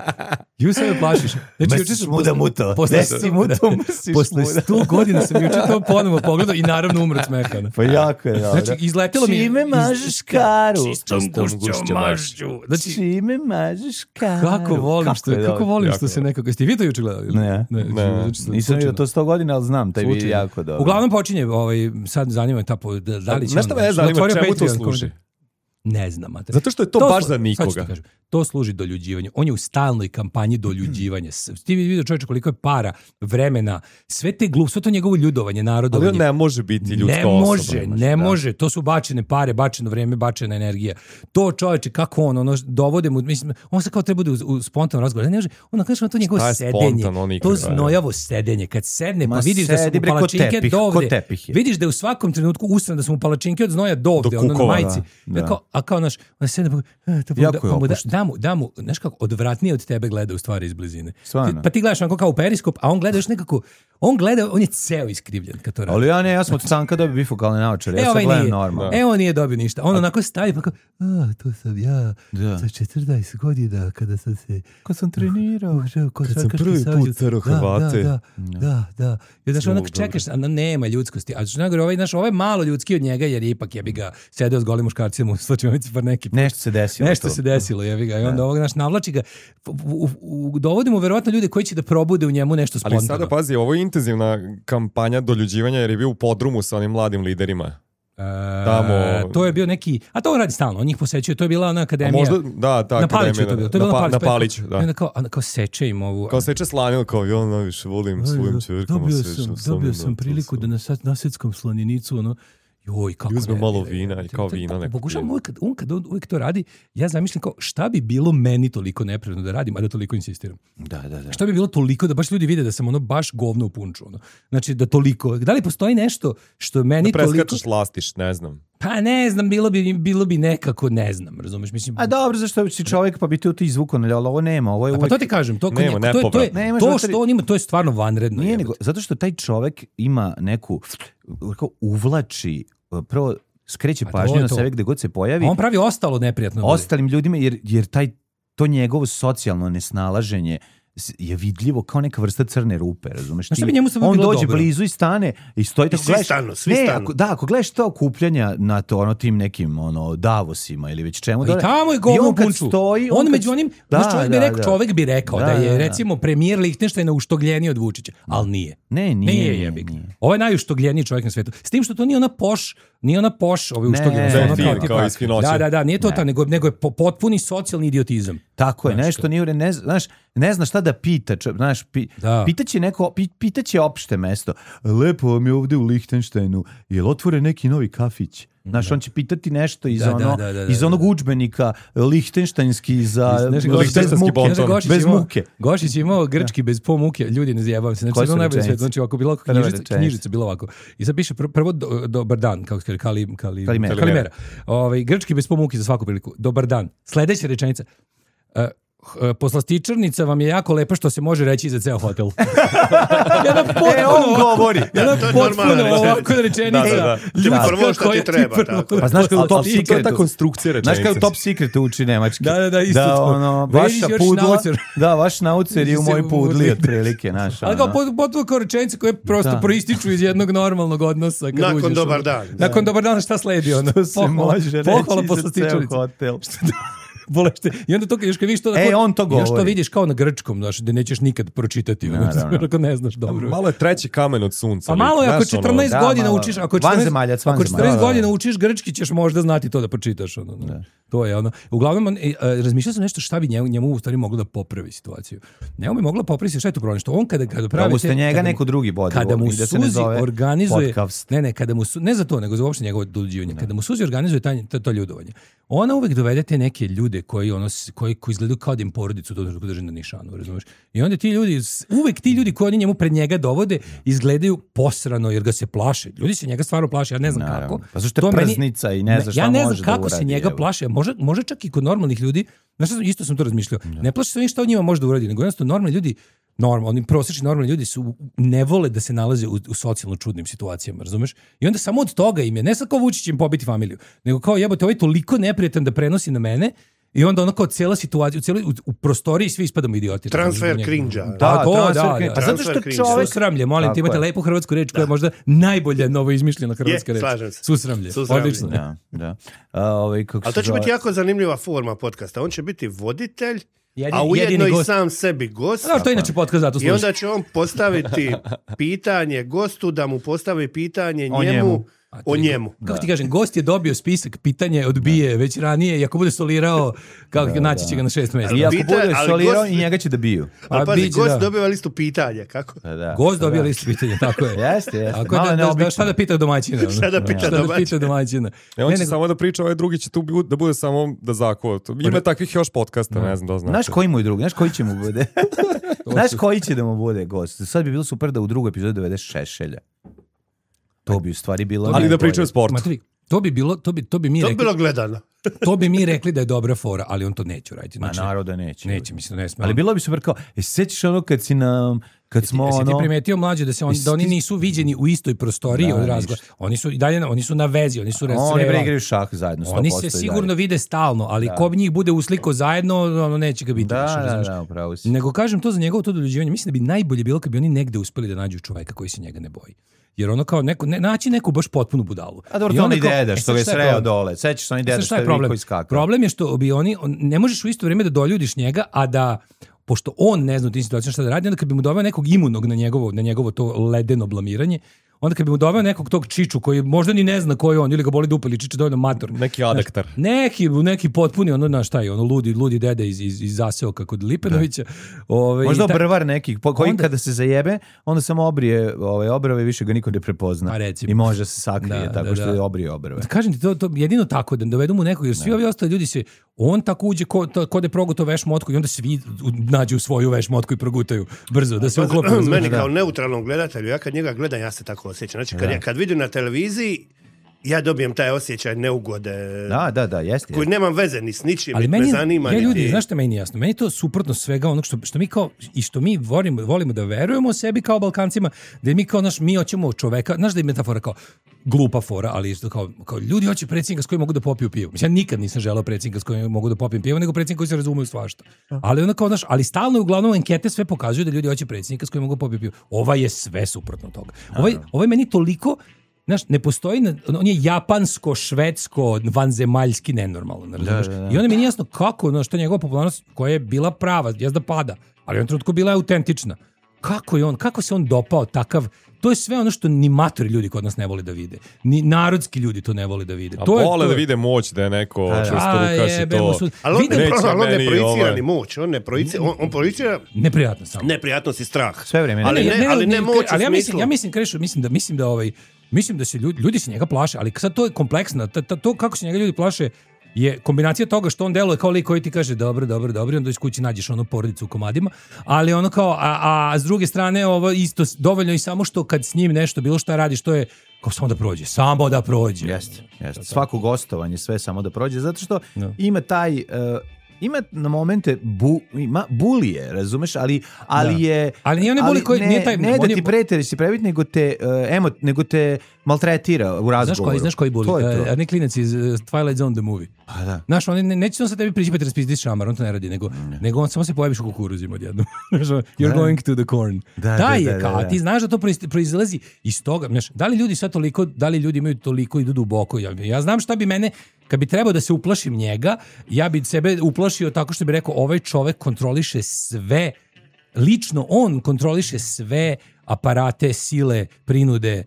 Ju se me plašiš. Znači, juče sam muda muto. Posle, Desi muto, mrsiš posle muda. sto godina sam juče to ponovo pogledao i naravno umro od smeha. Pa jako je dobro. Znači, izletelo mi... Čime iz- mažeš karu? Čistom gušćom mašću. Znači, Čime mažeš karu? kako volim što, je kako dobro. volim Jako što se dobro. nekako... Jeste i vi to juče gledali? ili? Ne. ne, Ne. juče sam Nisam vidio slučajno. to sto godina, ali znam, taj vidi Slučajno. jako dobro. Uglavnom počinje, ovaj, sad zanima me ta... po- Da, da li će Znaš šta on- me zanima, otvorio čemu to Patreon, služi? komentar. Ne znam, mater. Zato što je to baš slu- za sad ću ti nikoga. kažem, to služi doljuđivanju. On je u stalnoj kampanji doljuđivanja. S- Ti vidio čovječe koliko je para, vremena, sve te glup, sve to njegovo ljudovanje, Ali narodovanje. on ne može biti ljudska Ne osoba. može, ne da. može. To su bačene pare, bačeno vreme, bačena energija. To čovječe, kako on, ono, dovode mu, mislim, on se kao treba da u, u spontanom razgovoru. Ne može, on kaže to njegovo Šta je sedenje, spontano, on to nikad, znojavo sedenje. Kad sedne, pa Ma vidiš da su sedi, mu bre, ko palačinke tepih, ko dovde. tepih je. Vidiš da je u svakom trenutku usran da su mu palačinke od znoja dovde, Do ono na kukova, majici. da, da. Kao, a kao naš, on sedne, pa, e, to pa, Jako da, je pa mu da, opušten. da mu, da mu, znaš kako, odvratnije od tebe gleda u stvari iz blizine. Stvarno. Ti- Pa ti gledaš onako kao u periskop, a on gleda još nekako, on gleda, on je ceo iskrivljen kad to radi. Ali ja ne, ja sam od stanka dobio bifokalne naočare, ja E, sad ovaj gledam nije. normalno. E, on nije dobio ništa. On onako stavi pa kao, a, to sam ja, Da. sa četrnaest godina kada sam se... Kad sam trenirao. Kad sam prvi put sreo Hrvate. Da, da, da, da. I znaš, onak čekaš, a nema ljudskosti. A znaš, ovaj, znaš, ovaj malo ljudski od njega, jer je ipak jebi ga sedeo s golim muškarcima u slačionici par neki put. Nešto se desilo. Nešto tu. se desilo, jebi ga. I onda ovog naš navlači ga, u, u, u, dovodi mu verovatno ljude koji će da probude u njemu nešto Ali spontano. sada pazi, ovo je intenzivna kampanja doljuđivanja jer je bio u podrumu sa onim mladim liderima. E, Tamo- To je bio neki, a to on radi stalno, on njih posećuje, to je bila ona A akademija. možda, da, ta na Paliću je akademija, to bilo, to je na, bilo pa- na Paliću. na Paliću, I da. onda kao, onda kao seče im ovu... Kao seče slaninu, kao ja najviše volim svojim čerkama. Dobio sečem sam, slaninu, dobio sam to priliku sam. da na sad nasetskom slaninicu, ono, joj, kako I uzme ne, malo ne, vina ne, i kao to- vino to- neko Pokušavam pije. uvijek, kad- on kad on uvijek to radi, ja zamišljam kao šta bi bilo meni toliko neprirodno da radim, a da toliko insistiram. Da, da, da. Šta bi bilo toliko da baš ljudi vide da sam ono baš govno u punču, ono. Znači da toliko, da li postoji nešto što meni Da toliko... preskačeš lastiš, ne znam. Pa ne znam, bilo bi, bilo bi nekako, ne znam, razumeš, mislim... A dobro, zašto si čovjek pa bi te to izvukao, ali ovo nema, ovo je A pa uvijek... to ti kažem, to, kod Nema, njega- to, je, to, je, nepovratno. Nemaš to zato- što on ima, to je stvarno vanredno. Nije jebote. nego, zato što taj čovjek ima neku, kao uvlači, prvo skreće Pa to pažnju je na to. sebe gde god se pojavi, A on pravi ostalo neprijatno. da bude. ostalim ljudima, jer, jer taj, to njegovo socijalno nesnalaženje s- je vidljivo kao neka vrsta crne rupe, razumeš? Znaš šta Ti- bi njemu samo on bilo dođe dobro? blizu i stane i stoji tako svi gledaš- stanu, svi ne, stanu. Ako, da, ako gledaš to okupljanja na to, ono, tim nekim ono, Davosima ili već čemu. I dole- tamo je i govno on kad punču. stoji, on kad- među onim, Da, znaš, čovjek, bi da, rekao, da. čovjek bi rekao da, Da, je da, da. recimo premijer Lihtenštajna uštogljeniji od Vučića, ali nije. Ne, nije, Nije, nije, jebi ga. nije. Ovo je najuštogljeniji čovjek na svetu. S tim što to nije ona poš, nije ona poš, ovaj Ne, uštogljeni. da je ono fin, kao, tipa- kao iz Finoće. Da, da, da, nije to ta, nego, nego je po- potpuni socijalni idiotizam. Tako je, Znaš, nešto nije, u re- ne, zna- znaš, ne zna šta da pita, čo, znaš, pi, Da. pitaće neko, pi, pitaće opšte mesto, lepo vam je ovde u Lihtenštajnu, je li otvore neki novi kafić? Znaš, on će pitati nešto iz, Da, da, ono, da, da, da, iz da. onog udžbenika Lihtenštajnski za Znaš, bez, Gošić- bez muke. bonton. Kaže, Gošić Bez imao- muke. Gošić je imao grčki bez po muke. Ljudi, ne zajebam se. Znači, Koje to je su najbolje rečenice? svet. Znači, ako bilo Prva knjižica, rečenica. knjižica bilo ovako. I sad piše pr- prvo do, dobar dan, kako se kaže, kali, kali, Kalimera. kalimera. Ovaj, grčki bez po muke za svaku priliku. Dobar dan. Sledeća rečenica. Uh, h- poslastičarnica vam je jako lepa što se može reći za ceo hotel. Jedna potpuno, E, on govori. jedna To je potpuno normalna rečenica. ovako rečenica. Da, da, da. Ljudska Prvo što ti koja treba, prvo- tako. Pa znaš kao u Top Ali to je ta Secretu. konstrukcija Znaš rečenice. kao u Top Secretu uči nemački. Da, da, da, isto da, to. ono, Where is vaša your pudla, schnauzer? da, vaš naucer je u Se moj pudli, pudli. otprilike, znaš. Ali kao ono. pot- potpuno kao rečenice koje prosto Da. proističu iz jednog normalnog odnosa. Kad Nakon uđeš, dobar ono. dan. Nakon dobar dan šta sledi? Ono? To se Pohvala- može pohvala reći za ceo poslastičarnici. hotel. bolešte. I onda to, još kad vidiš to, E, tako, on to još to govori. vidiš kao na grčkom, znaš, da nećeš nikad pročitati, ono, ako ne znaš dobro. Malo je treći kamen od sunca. Pa malo je, ako znaš, ono, četrnaest da, godina malo. učiš, ako četrnaest, Vanzemaljac, ako vanzemaljac. četrnaest Da, da, da. godina učiš grčki, ćeš možda znati to da pročitaš. Ono, ono. To je ono. Uglavnom, on, e, a, razmišljao sam nešto šta bi njemu, njemu u stvari moglo da popravi situaciju. Njemu bi moglo popraviti šta je to problem, što on kada, kada pravi... Da uste njega kada mu- neko drugi bodi. Kada mu da se ne Suzi zove organizuje... podcast. Ne, ne, kada mu su, ne za to, nego za uopšte njegovo dođivanje. Kada mu Suzi organizuje taj, to, to ljudovanje, ona uvek dovede te neke ljude koji, ono, s- koji, koji izgledaju kao da im porodicu to drži na nišanu, razumeš? I onda ti ljudi, s- uvek ti ljudi koji oni njemu pred njega dovode, izgledaju posrano jer ga se plaše. Ljudi se njega stvarno plaše, ja ne znam Naravno. kako. Pa zašto je To meni- prznica i ne zna šta Ja ne može znam da kako se uradi, njega evo. plaše. Može, može čak i kod normalnih ljudi. Znaš, šta sam- isto sam to razmišljao. Ne plaše se oni šta od njima može da uradi, nego jednostavno normalni ljudi, normalni, oni prosječni normalni ljudi su ne vole da se nalaze u, u socijalno čudnim situacijama, razumeš? I onda samo od toga im je, ne sad kao Vučić im pobiti familiju, nego kao jebote, ovaj je toliko neprijatan da prenosi na mene. I onda ono kao cijela situacija, u, cijeloj, u, u prostoriji svi ispadamo idioti. Transfer Njega. cringe-a. Da, Da, to, transfer da, cringe. da. A zato što Transfer cringe. čovek... Susramlje, molim Tako ti, imate je. lepu hrvatsku reč koja je možda najbolja novo izmišljena hrvatska Je, reč. slažem se. Susramlje. Susramlje. Odlično. Da, da. A, ovaj, kako Ali se to će zove? biti jako zanimljiva forma podcasta. On će biti voditelj, Jedini- a ujedno jedini i gost. sam sebi gost. Da, to je inače podcast zato I služi. onda će on postaviti pitanje gostu, da mu postavi pitanje O njemu, njemu. o njemu. Kako ti kažem, gost je dobio spisak, pitanje odbije već ranije i ako bude solirao, kako naći će ga na šest mjesta. I ako Pita- bude ali solirao gost- i njega će da biju. Ali A pazi, biće, gost da. dobiva listu pitanja, kako? Da, da. Gost dobio Da. listu pitanja, tako je. Jeste, jeste. Tako je, Malo da, da, da, neobično. šta da pita domaćina? ono? Šta da pita Šta da domaćina? pita domaćina? E, on Ne, će nego- samo da priča, ovaj drugi će tu bu- da bude samo da zakuva. Ima takvih još podcasta, ne znam da znaš. Znaš koji mu je drugi? Znaš koji će mu bude? Znaš koji će da mu bude gost? Sad bi bilo super da u drugoj epizodi dovede Šešelja. To bi u stvari bilo... Ali da najbolje. pričaju o sportu. Ma, to bi- to bi bilo, to bi, to bi mi To bi rekli, bilo gledano. to bi mi rekli da je dobra fora, ali on to neće raditi. Ma Znači, naroda neće. neće, mislim, ne sme. Ali bilo bi super kao, e, sećaš ono kad si nam, kad smo Jesi ti ono... primetio mlađe da se on, Jesi da oni ti- nisu viđeni u istoj prostoriji Da, od razgovora. Oni su i dalje na- oni su na vezi, oni su Oni resreva. bre igraju šah zajedno, sto Oni posto se i sigurno dalje. vide stalno, ali ko bi njih bude usliko zajedno, ono neće ga biti. Da, više, da, razumeš? da, upravo si. Nego kažem to za njegovo to doljuđivanje, mislim da bi najbolje bilo kad bi oni negde uspeli da nađu čoveka koji se njega ne boji. Jer ono kao neko, ne, naći neku baš potpunu budalu. A dobro, I to onda oni kao- deda e, što sad ga je šta je sreo problem? dole. Sećaš se oni deda Sad što šta je je problem? Viko iskakao. Problem je što bi oni, on- ne možeš u isto vrijeme da doljudiš njega, a da pošto on ne zna u tim situacijama šta da radi, onda kad bi mu doveo nekog imunog na njegovo, na njegovo to ledeno blamiranje, onda kad bi mu doveo nekog tog čiču koji možda ni ne zna ko je on, ili ga boli dupe, ili čiče dovoljno mator. Neki adektar. Neki, neki potpuni, ono, znaš šta je, ono, ludi, ludi dede iz, iz, iz zaseoka kod Lipenovića. Ove, Možda i ta- brvar nekih, po- koji Onda- kada se zajebe, onda samo obrije ovaj, obrave, više ga niko ne prepozna. Pa recimo. I može se sakrije Da, tako da, što da. je obrije obrave. Kažem ti, to, to jedino tako, da dovedu mu nekog, jer svi ovi ostali ljudi se, on tako uđe ko, to, ko da je progutao veš motku i onda svi u- nađu svoju veš motku i progutaju brzo, da se uklope. razumeš? Meni kao neutralnom gledatelju, ja kad njega gledam, ja se tako osjećam. Znači, kad, ja, kad vidim na televiziji, ja dobijem taj osjećaj neugode, Da, da, da, jeste. koji nemam veze ni s ničim, Ali niti meni, me zanima. ja ljudi, niti- znaš što meni nije jasno? Meni je to suprotno svega onog što, što mi kao, i što mi volimo, volimo da verujemo sebi kao Balkancima, da mi kao, naš, mi hoćemo čoveka, znaš da je metafora kao glupa fora, ali isto kao, kao ljudi hoće predsjednika s kojim mogu da popiju pivo. Mislim, ja nikad nisam želeo predsjednika s kojim mogu da popijem pivo, nego predsjednika koji se razumeju svašta. Ali onda kao, znaš, ali stalno uglavnom ankete sve pokazuju da ljudi hoće predsjednika s kojim mogu da popiju pivo. Ovaj je sve suprotno toga. Ovaj, ovaj meni toliko, znaš, ne postoji, na- on je japansko, švedsko, vanzemaljski nenormalno, razumeš? da, da. I onda mi nije jasno kako, no, što je njegova popularnost koja je bila prava, jezda pada, ali u jednom trenutku bila je autentična. Kako je on, kako se on dopao takav, to je sve ono što ni matori ljudi kod nas ne vole da vide. Ni narodski ljudi to ne vole da vide. A to je, vole to da je- vide moć, da je neko da. čvrsto A, rukaš i jebe mu to. su- Ali on Vidim- ne, Neće pro- ali on ne meni projicira ovaj- ni moć, on ne projicira, on, on projicira Neprijatno samo. neprijatnost i strah. Sve vrijeme. Ali Ne, ne, ali ne moć u ali ja mislim, smislu. ja mislim, Krešo, mislim da mislim da ovaj mislim da se ljudi, ljudi se njega plaše, ali sad to je kompleksno, ta- ta- to kako se njega ljudi plaše je kombinacija toga što on deluje kao lik koji ti kaže dobro, dobro, dobro, i onda iz kući nađeš ono porodicu u komadima, ali ono kao, a, a s druge strane ovo isto s- dovoljno i samo što kad s njim nešto, bilo šta radiš, to je kao samo da prođe, samo da prođe. Jeste, jeste. Svako gostovanje, sve samo da prođe, zato što Da. ima taj... uh, ima na momente bu, ima bulije, razumeš, ali ali Da. je Ali nije onaj buli koji- ne, nije taj- ne on da je ti bu- prete, da si previt, nego te uh, emo, nego te maltretira u razgovoru. Znaš koji, znaš koji boli? To je to. Uh, Arne Klinac iz uh, Twilight Zone the movie. Pa da. Znaš, on ne, neće on sa tebi prići pa te raspizdiš šamar, on to ne radi, nego, nego on samo se pojaviš u kukuruzima odjednom. Znaš, ono, You're going to the corn. Da, Taj da, je da, kao, da, a da. ti znaš da to proiz- proizlazi iz toga. Znaš, da li ljudi sad toliko, da li ljudi imaju toliko idu duboko? Ja, ja znam šta bi mene, kad bi trebao da se uplašim njega, ja bi sebe uplašio tako što bi rekao ovaj čovek kontroliše sve, lično on kontroliše sve aparate, sile, prinude,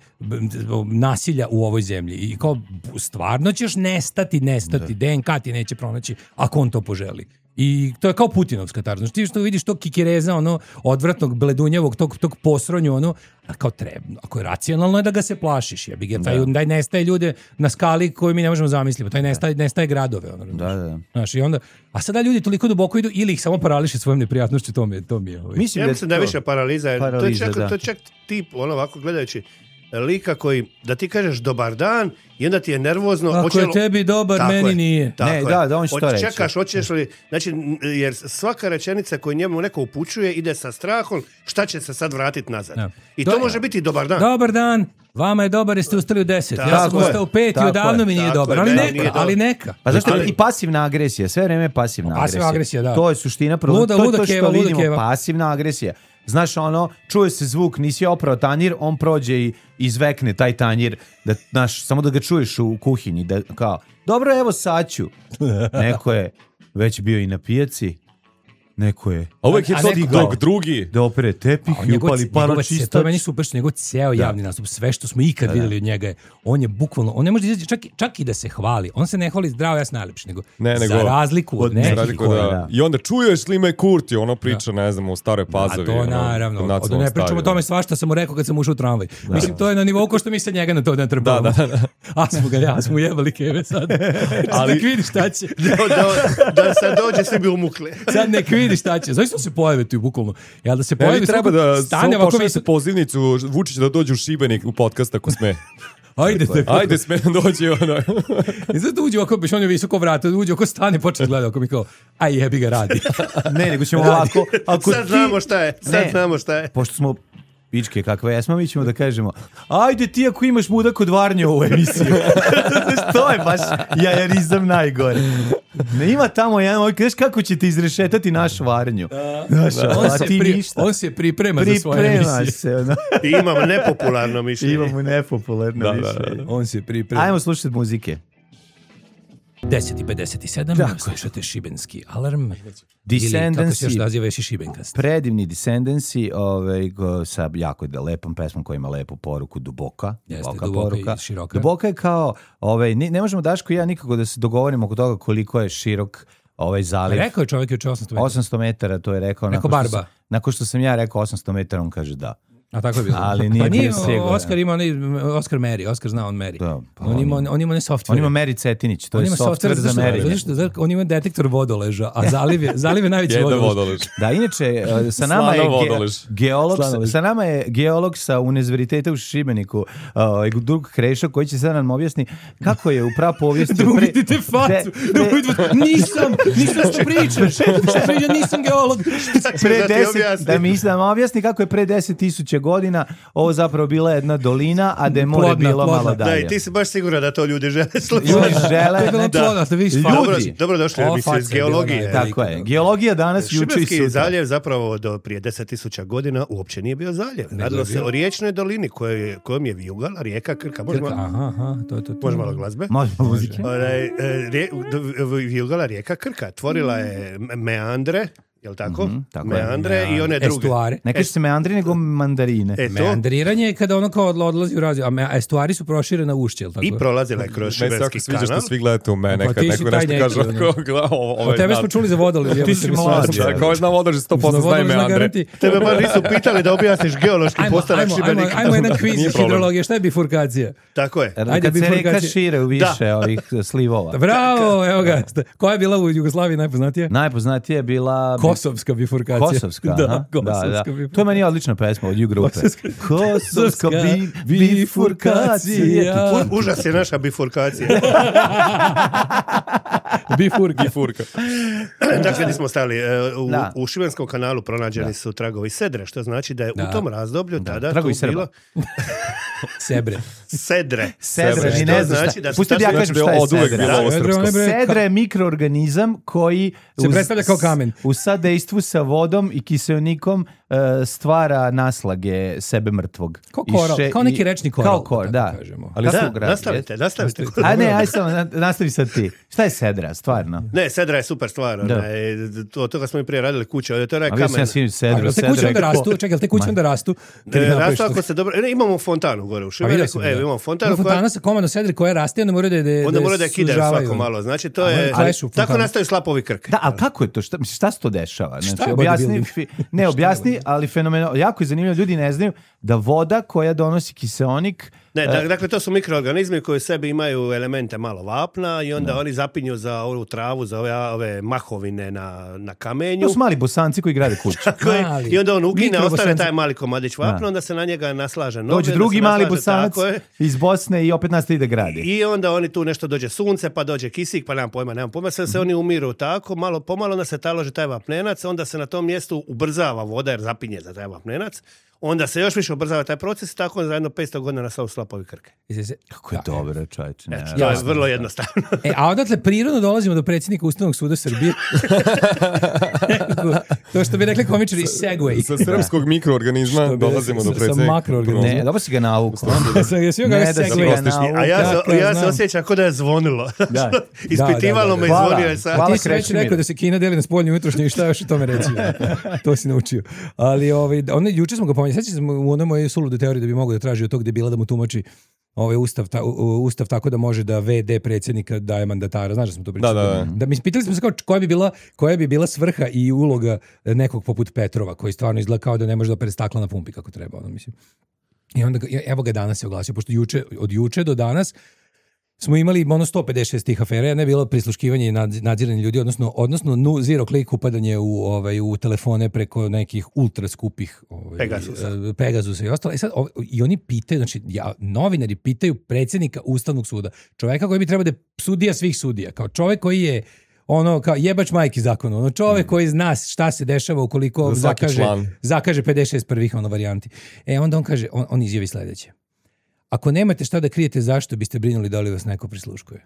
nasilja u ovoj zemlji. I kao, stvarno ćeš nestati, nestati, D N K ti neće pronaći ako on to poželi. I to je kao Putinovska tarza. Znači ti što vidiš tog kikireza, ono, odvratnog, bledunjavog, tog, tog posronju, ono, a kao treba, ako je racionalno je da ga se plašiš, jebi ga, taj, daj nestaje ljude na skali koju mi ne možemo zamisliti, taj nestaje, nestaje gradove, ono, da, da. Znaš, i onda, a sada ljudi toliko duboko idu ili ih samo parališe svojom neprijatnošću, to mi je, to mi je. Ovaj. Mislim, ja da mislim da je više paraliza, paraliza, to je čak, to je čak tip, ono, ovako gledajući, lika koji, da ti kažeš dobar dan i onda ti je nervozno. Ako oće, je tebi dobar, tako meni je, nije. Tako ne, je. da, da on što reći. Čekaš, hoćeš li, znači, jer svaka rečenica koju njemu neko upućuje ide sa strahom, šta će se sad vratiti nazad. Ja. I to, to može biti dobar dan. Dobar dan, vama je dobar jer ste ustali u deset. Tako ja sam je, ustao u pet i odavno mi nije dobar. Ali neka, nije ali neka. Pa zašto i pasivna agresija, sve vreme je pasivna agresija. Pasivna agresija, da. To je suština problema. Luda, to je luda to što keva, vidimo, keva. pasivna agresija. Znaš, ono, čuje se zvuk, nisi oprao tanjir, on prođe i izvekne taj tanjir, da, znaš, samo da ga čuješ u kuhinji, da, kao, dobro, evo sad ću. Neko je već bio i na pijaci, neko je... A uvek je to dok drugi. Da opere tepih i upali paročistač. To je meni super što njegov ceo javni nastup, sve što smo ikad da, vidjeli od njega je, on je bukvalno, on ne može izaći čak, čak i da se hvali, on se ne hvali zdravo, ja sam najlepši, nego, ne, nego za razliku od nekih. Razliku, da. Da. I onda čuješ li me Kurti, ono priča, da. Ne znam, u Staroj Pazovi. A to naravno, ono, od ne pričamo o tome svašta sam mu rekao kad sam ušao u tramvaj. Da. Mislim, to je na nivou ko što mi se njega na to ne trpamo. Da, da, da. A smo ga, ja smo jebali keve sad. Ali nek vidi šta će. Da, da, da sad dođe, svi bi umukli. Sad nek vidi šta će. Zašto se pojave tu bukvalno? Jel da se pojavi, treba da stane ovako mi se pozivnicu Vučić da dođe u Šibenik u podcast ako sme. Ajde, te. Ajde, sme dođe ono. I zato uđe ovako, biš on je visoko vrata, uđe oko stane, počne gleda, ako mi kao, aj jebi ga radi. Ne, nego ćemo ovako. Ako sad ti... znamo šta je, sad ne, znamo šta je. Pošto smo pičke kakve jesmo, mi ćemo da kažemo, ajde ti ako imaš muda kod Varnje u emisiju. To je baš jajarizam najgore. Ne ima tamo jedan ovaj, znaš kako ćete izrešetati naš Varnju. Da, znaš, da. On, se pri, on se priprema, priprema za svoje emisije. Se, ono. I imamo nepopularno mišljenje. Imamo nepopularno da, mišljenje. Da, da. On se priprema. Ajmo slušati muzike. deset i pedeset sedam, slušate Šibenski alarm. Descendancy, ili kako se još naziva još i Šibenkast. Predivni Descendancy, ovaj, go, sa jako lepom pesmom koja ima lepu poruku, duboka. Jeste, duboka, duboka poruka. i široka. Duboka je kao, ovaj, ne, ne možemo Daško i ja nikako da se dogovorimo oko toga koliko je širok ovaj zaliv. Rekao je čovjek juče osamsto metara. osamsto metara, to je rekao. Rekao nakon Barba. Što sam, nakon što sam ja rekao osamsto metara, on kaže da. A tako je bilo. Ali nije pa nije, bio siguran. Oskar ima onaj, Oskar meri, Oskar zna on meri. Da, pa on, ima, on ima ne software. On ima Meri Cetinić, to on je software za merenje. Zašto? On ima detektor vodoleža, a zaliv je, zaliv je najveći vodolež. vodolež. Da, inače, sa nama je ge, geolog, sa nama je geolog sa Univerziteta u Šibeniku, uh, drug Krešo, koji će sad nam objasni kako je u prapovijesti... Drug vidite facu, drug vidite, nisam, nisam što pričaš, što pričaš, nisam geolog. Pre deset, da mi islam objasni kako je pre deset tisuća godina ovo zapravo bila jedna dolina, a da je more plodna, bilo plodna. malo dalje. Da, i ti si baš siguran da to ljudi žele slušati. Ljudi žele... Da, da, da vidiš, dobro, dobro došli u emisiju iz geologije. Tako je. Geologija danas, juče i sutra. Šibenski zaljev zapravo do prije deset tisuća godina uopće nije bio zaljev. Radilo se o riječnoj dolini koje, kojom je vijugala rijeka Krka. Može Krka, malo, aha, aha, to, to, to. može malo glazbe? Može muzike. Vijugala rijeka Krka. Tvorila je meandre, jel tako? Mm-hmm, tako meandre je. I one druge. Estuare. Ne kaže se meandri, nego mandarine. E, to? Meandriranje je kada ono kao odlazi u razvoj, a estuari su proširene ušće, jel tako? I prolazila je kroz Šibenski kanal. Sviđa što svi gledate u mene, Pa kad ti si neko taj nešto neki, kaže, ono. ko gleda ovo, ovo O tebe smo čuli za vodolez. Ti si mlad. Ko zna vodolež, sto posto zna ime Andre. Tebe bar nisu pitali da objasniš geološki postanak Šibenika. Ajmo jedan kviz iz hidrologije, šta je bifurkacija? Tako je. Ajde, kad se reka šire u više ovih slivova. Bravo, evo ga. Koja je bila u Jugoslaviji najpoznatija? Najpoznatija je bila... Kosovska bifurkacija. Kosovska, da, aha. Kosovska da, da. bifurkacija. To je meni odlična pesma od Ju grupe. Kosovska, Kosovska bi, bifurkacija. Užas je naša bifurkacija. Bifurka. Bifurka. Dakle, gdje smo stali? U, Da. u Šibenskom kanalu pronađeni Da. su tragovi sedre, što znači da je Da. u tom razdoblju Da. tada Tragovi tu Srba. bilo Sebre. sedre. Sedre, Što ni ne znaš znači šta. da su Pusti da ja tačno- kažem šta je od uvek sedra. bilo ovo Sedre, srpsko. one bre- Sedra je mikroorganizam koji Se uz- predstavlja kao kamen. Uz sad dejstvu sa vodom i kiseonikom uh, stvara naslage sebe mrtvog. Kao koral, I še- kao neki i- rečni koral. Kao kor, da. Kažemo. Ali Da, su grad, nastavite, jes? nastavite. A ne, aj samo, na- nastavi sad ti. Šta je sedra, stvarno? Ne, sedra je super stvar. Da. onaj, to, od toga smo i prije radili kuće. ovdje, To je A onaj vidio sam kamen. ja svi A sedru, jel te sedra kuće je onda ko- rastu? Čekaj, jel te kuće Ma. onda rastu? Kad ih E, napraviš rastu to? ako se dobro... Ne, imamo fontanu gore u A Šibeniku. vidio sam, E, da. imamo fontanu Ima koja... fontana sa komandom sedre koja raste, onda moraju da, da, Onda da mora da je kidaju sužavaju. svako malo. Znači, to Ali je... klešu Tako fontanu. nastaju slapovi krk. Da, ali kako je to? Šta, mislim, šta se to dešava? Znači, je objasni, bodybuilding? fi- ne, objasni, ali fenomeno, jako je zanimljivo, ljudi ne znaju da voda koja donosi kiseonik, Ne, e, da- dakle, to su mikroorganizmi koji u sebi imaju elemente malo vapna i onda oni zapinju za ovu travu, za ove, ove mahovine na, na kamenju. to su mali bosanci koji grade kuću. Tako je. Mali. I onda on ugine, Mikrobosanci. ostane taj mali komadić vapna, Da. onda se na njega naslaže noge. Dođe onda drugi se mali naslaže, bosanac tako je. iz Bosne i opet nastavi da gradi. I onda oni tu nešto dođe sunce, pa dođe kisik, pa nemam pojma, nemam pojma, sve se oni umiru tako, malo pomalo onda se taloži taj vapnenac, onda se na tom mjestu ubrzava voda jer zapinje za taj vapnenac, onda se još više ubrzava taj proces i tako za jedno petsto godina nastaju slapovi krke. Jesi se- Kako je Da. dobro, čovječe. ne, Eto, ne, to je Jasno. vrlo jednostavno. E, a odatle prirodno dolazimo do predsjednika Ustavnog suda Srbije. To što bi rekli komičari, segway. Sa srpskog mikroorganizma Što bi dolazimo rekli, do sa- sa predsjednika. makroorganizma. Ne, dobro si ga navukao. Sam jesi joj Ne ga da si segway. ga nauku. A ja, Kakav se, ja se znam. osjećam kao da je zvonilo. Da. Ispitivalo Da, da, da. me i Hvala. zvonio je sad. Hvala. Ti si već Krešimir. rekao da se Kina deli na spoljnju i unutrašnju i šta još o tome reći. To si naučio. Ali ovaj, ono, juče smo ga pomenuli. Sjećam se u onoj mojoj sulude teoriji da bi mogao da traži od tog debila da mu tumači ovaj ustav, ta, u- ustav tako da može da ve de predsjednika daje mandatara. Znaš da smo to pričali? Da, da, da. Da, mi pitali smo se kao koja bi bila, koja bi bila svrha i uloga nekog poput Petrova koji stvarno izgleda kao da ne može da opere stakla na pumpi kako treba. Ono, mislim. I onda, ga- evo ga danas se oglasio, pošto juče, od juče do danas smo imali ono sto pedeset šest tih afera, jedna je bilo prisluškivanje i nad- nadziranje ljudi, odnosno, odnosno nu, zero click upadanje u, ovaj, u telefone preko nekih ultra skupih ovaj, Pegasusa. e, Pegasusa i ostalo. E sad, ov- i oni pitaju, znači ja, novinari pitaju predsjednika Ustavnog suda, čoveka koji bi trebao da je sudija svih sudija, kao čovek koji je ono kao jebač majki zakonu, ono čovek koji zna šta se dešava ukoliko Za svaki zakaže, član. zakaže pedeset šest prvih ono varijanti. E onda on kaže, on, on izjavi sledeće. Ako nemate šta da krijete, zašto biste brinuli da li vas neko prisluškuje?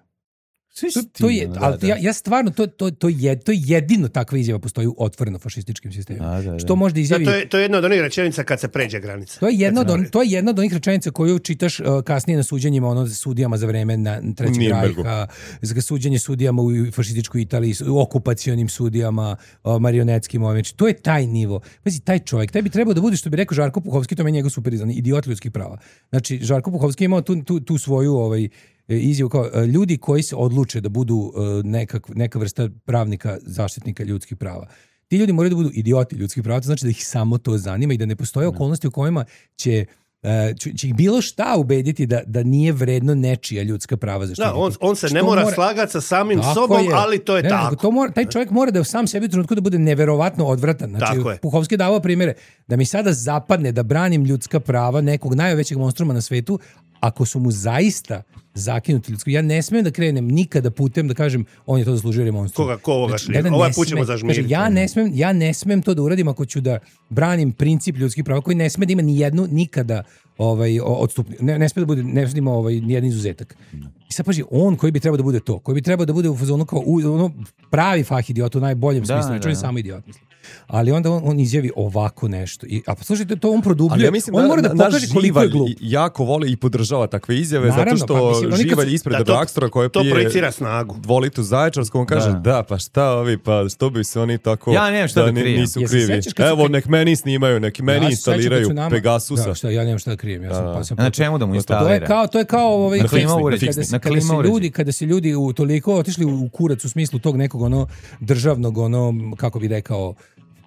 To, to je, Da, ali da. ja, ja stvarno, to, to, to, je, to je jedino takva izjava postoji u otvoreno fašističkim sistemima. Da, da, da. Što može da Da, izjavi... to, je, to je jedna od onih rečenica kad se pređe granica. To je jedna od, Kad se on, to je jedna od onih rečenica koju čitaš uh, kasnije na suđenjima ono sudijama za vreme na Trećeg Nürnbergu. rajha, za suđenje sudijama u fašističkoj Italiji, su- okupacionim sudijama, uh, marionetskim ovim. Znači, to je taj nivo. Pazi, taj čovjek, taj bi trebao da bude, što bi rekao Žarko Puhovski, to meni je njegov super izdan, idiot ljudskih prava. Znači, Žarko Puhovski je imao tu, tu, tu svoju ovaj, e, izjavu kao e, ljudi koji se odluče da budu e, nekak, neka vrsta pravnika, zaštitnika ljudskih prava. Ti ljudi moraju da budu idioti ljudskih prava, to znači da ih samo to zanima i da ne postoje okolnosti u kojima će e, će, će ih bilo šta ubediti da, da nije vredno nečija ljudska prava zaštititi. Da, on, on se Što ne mora, slagati sa samim Tako sobom, je. ali to je Ne, ne, tako. nego to mora, taj čovjek mora da sam sebi u trenutku da bude neverovatno odvratan. Znači, Tako je. Puhovski je davao primjere da mi sada zapadne da branim ljudska prava nekog najvećeg monstruma na svetu, ako su mu zaista zakinuti ljudsko. Ja ne smijem da krenem nikada putem da kažem on je to zaslužio jer je monstrum. Koga, ko ovoga Znači, šlije? ne, ne, Ovaj ne put ćemo sme- zažmiriti. kaže, ja ne smem, ja ne smem to da uradim ako ću da branim princip ljudskih prava koji ne sme da ima ni jednu nikada ovaj odstupni, ne, ne sme da bude, ne sme da ima ovaj ni jedan izuzetak. I sad paži, on koji bi trebao da bude to, koji bi trebao da bude u fazonu kao u, ono pravi fah idiot u najboljem Da, smislu, da, znači on je da. samo idiot, mislim. Ali onda on, on izjavi ovako nešto. I, a pa slušajte, to on produbljuje. Ali ja mislim on da, mora da na- naš pokaže koliko je Živalj glup. jako voli i podržava takve izjave, Naravno, zato pa što mislim, oni kad su- Živalj ispred Da, to- Drakstora koje to pije projicira snagu. dva litra zaječarskog, on kaže Da. da. pa šta ovi, pa što bi se oni tako Ja nemam šta da ni- krijem. nisu Jel se krivi. sećaš kad su Evo, pri- nek meni snimaju, nek meni Ja se sećam kad instaliraju su nama- Pegasusa. Da, šta, ja nemam šta da krijem. Ja sam, pa sam Na čemu da mu To je instalira? kao to je kao ovaj Na kada- klima kada, uređaj, se- na kada klima se uređaj. ljudi kada se ljudi u toliko otišli u kurac u smislu tog nekog ono državnog ono kako bi rekao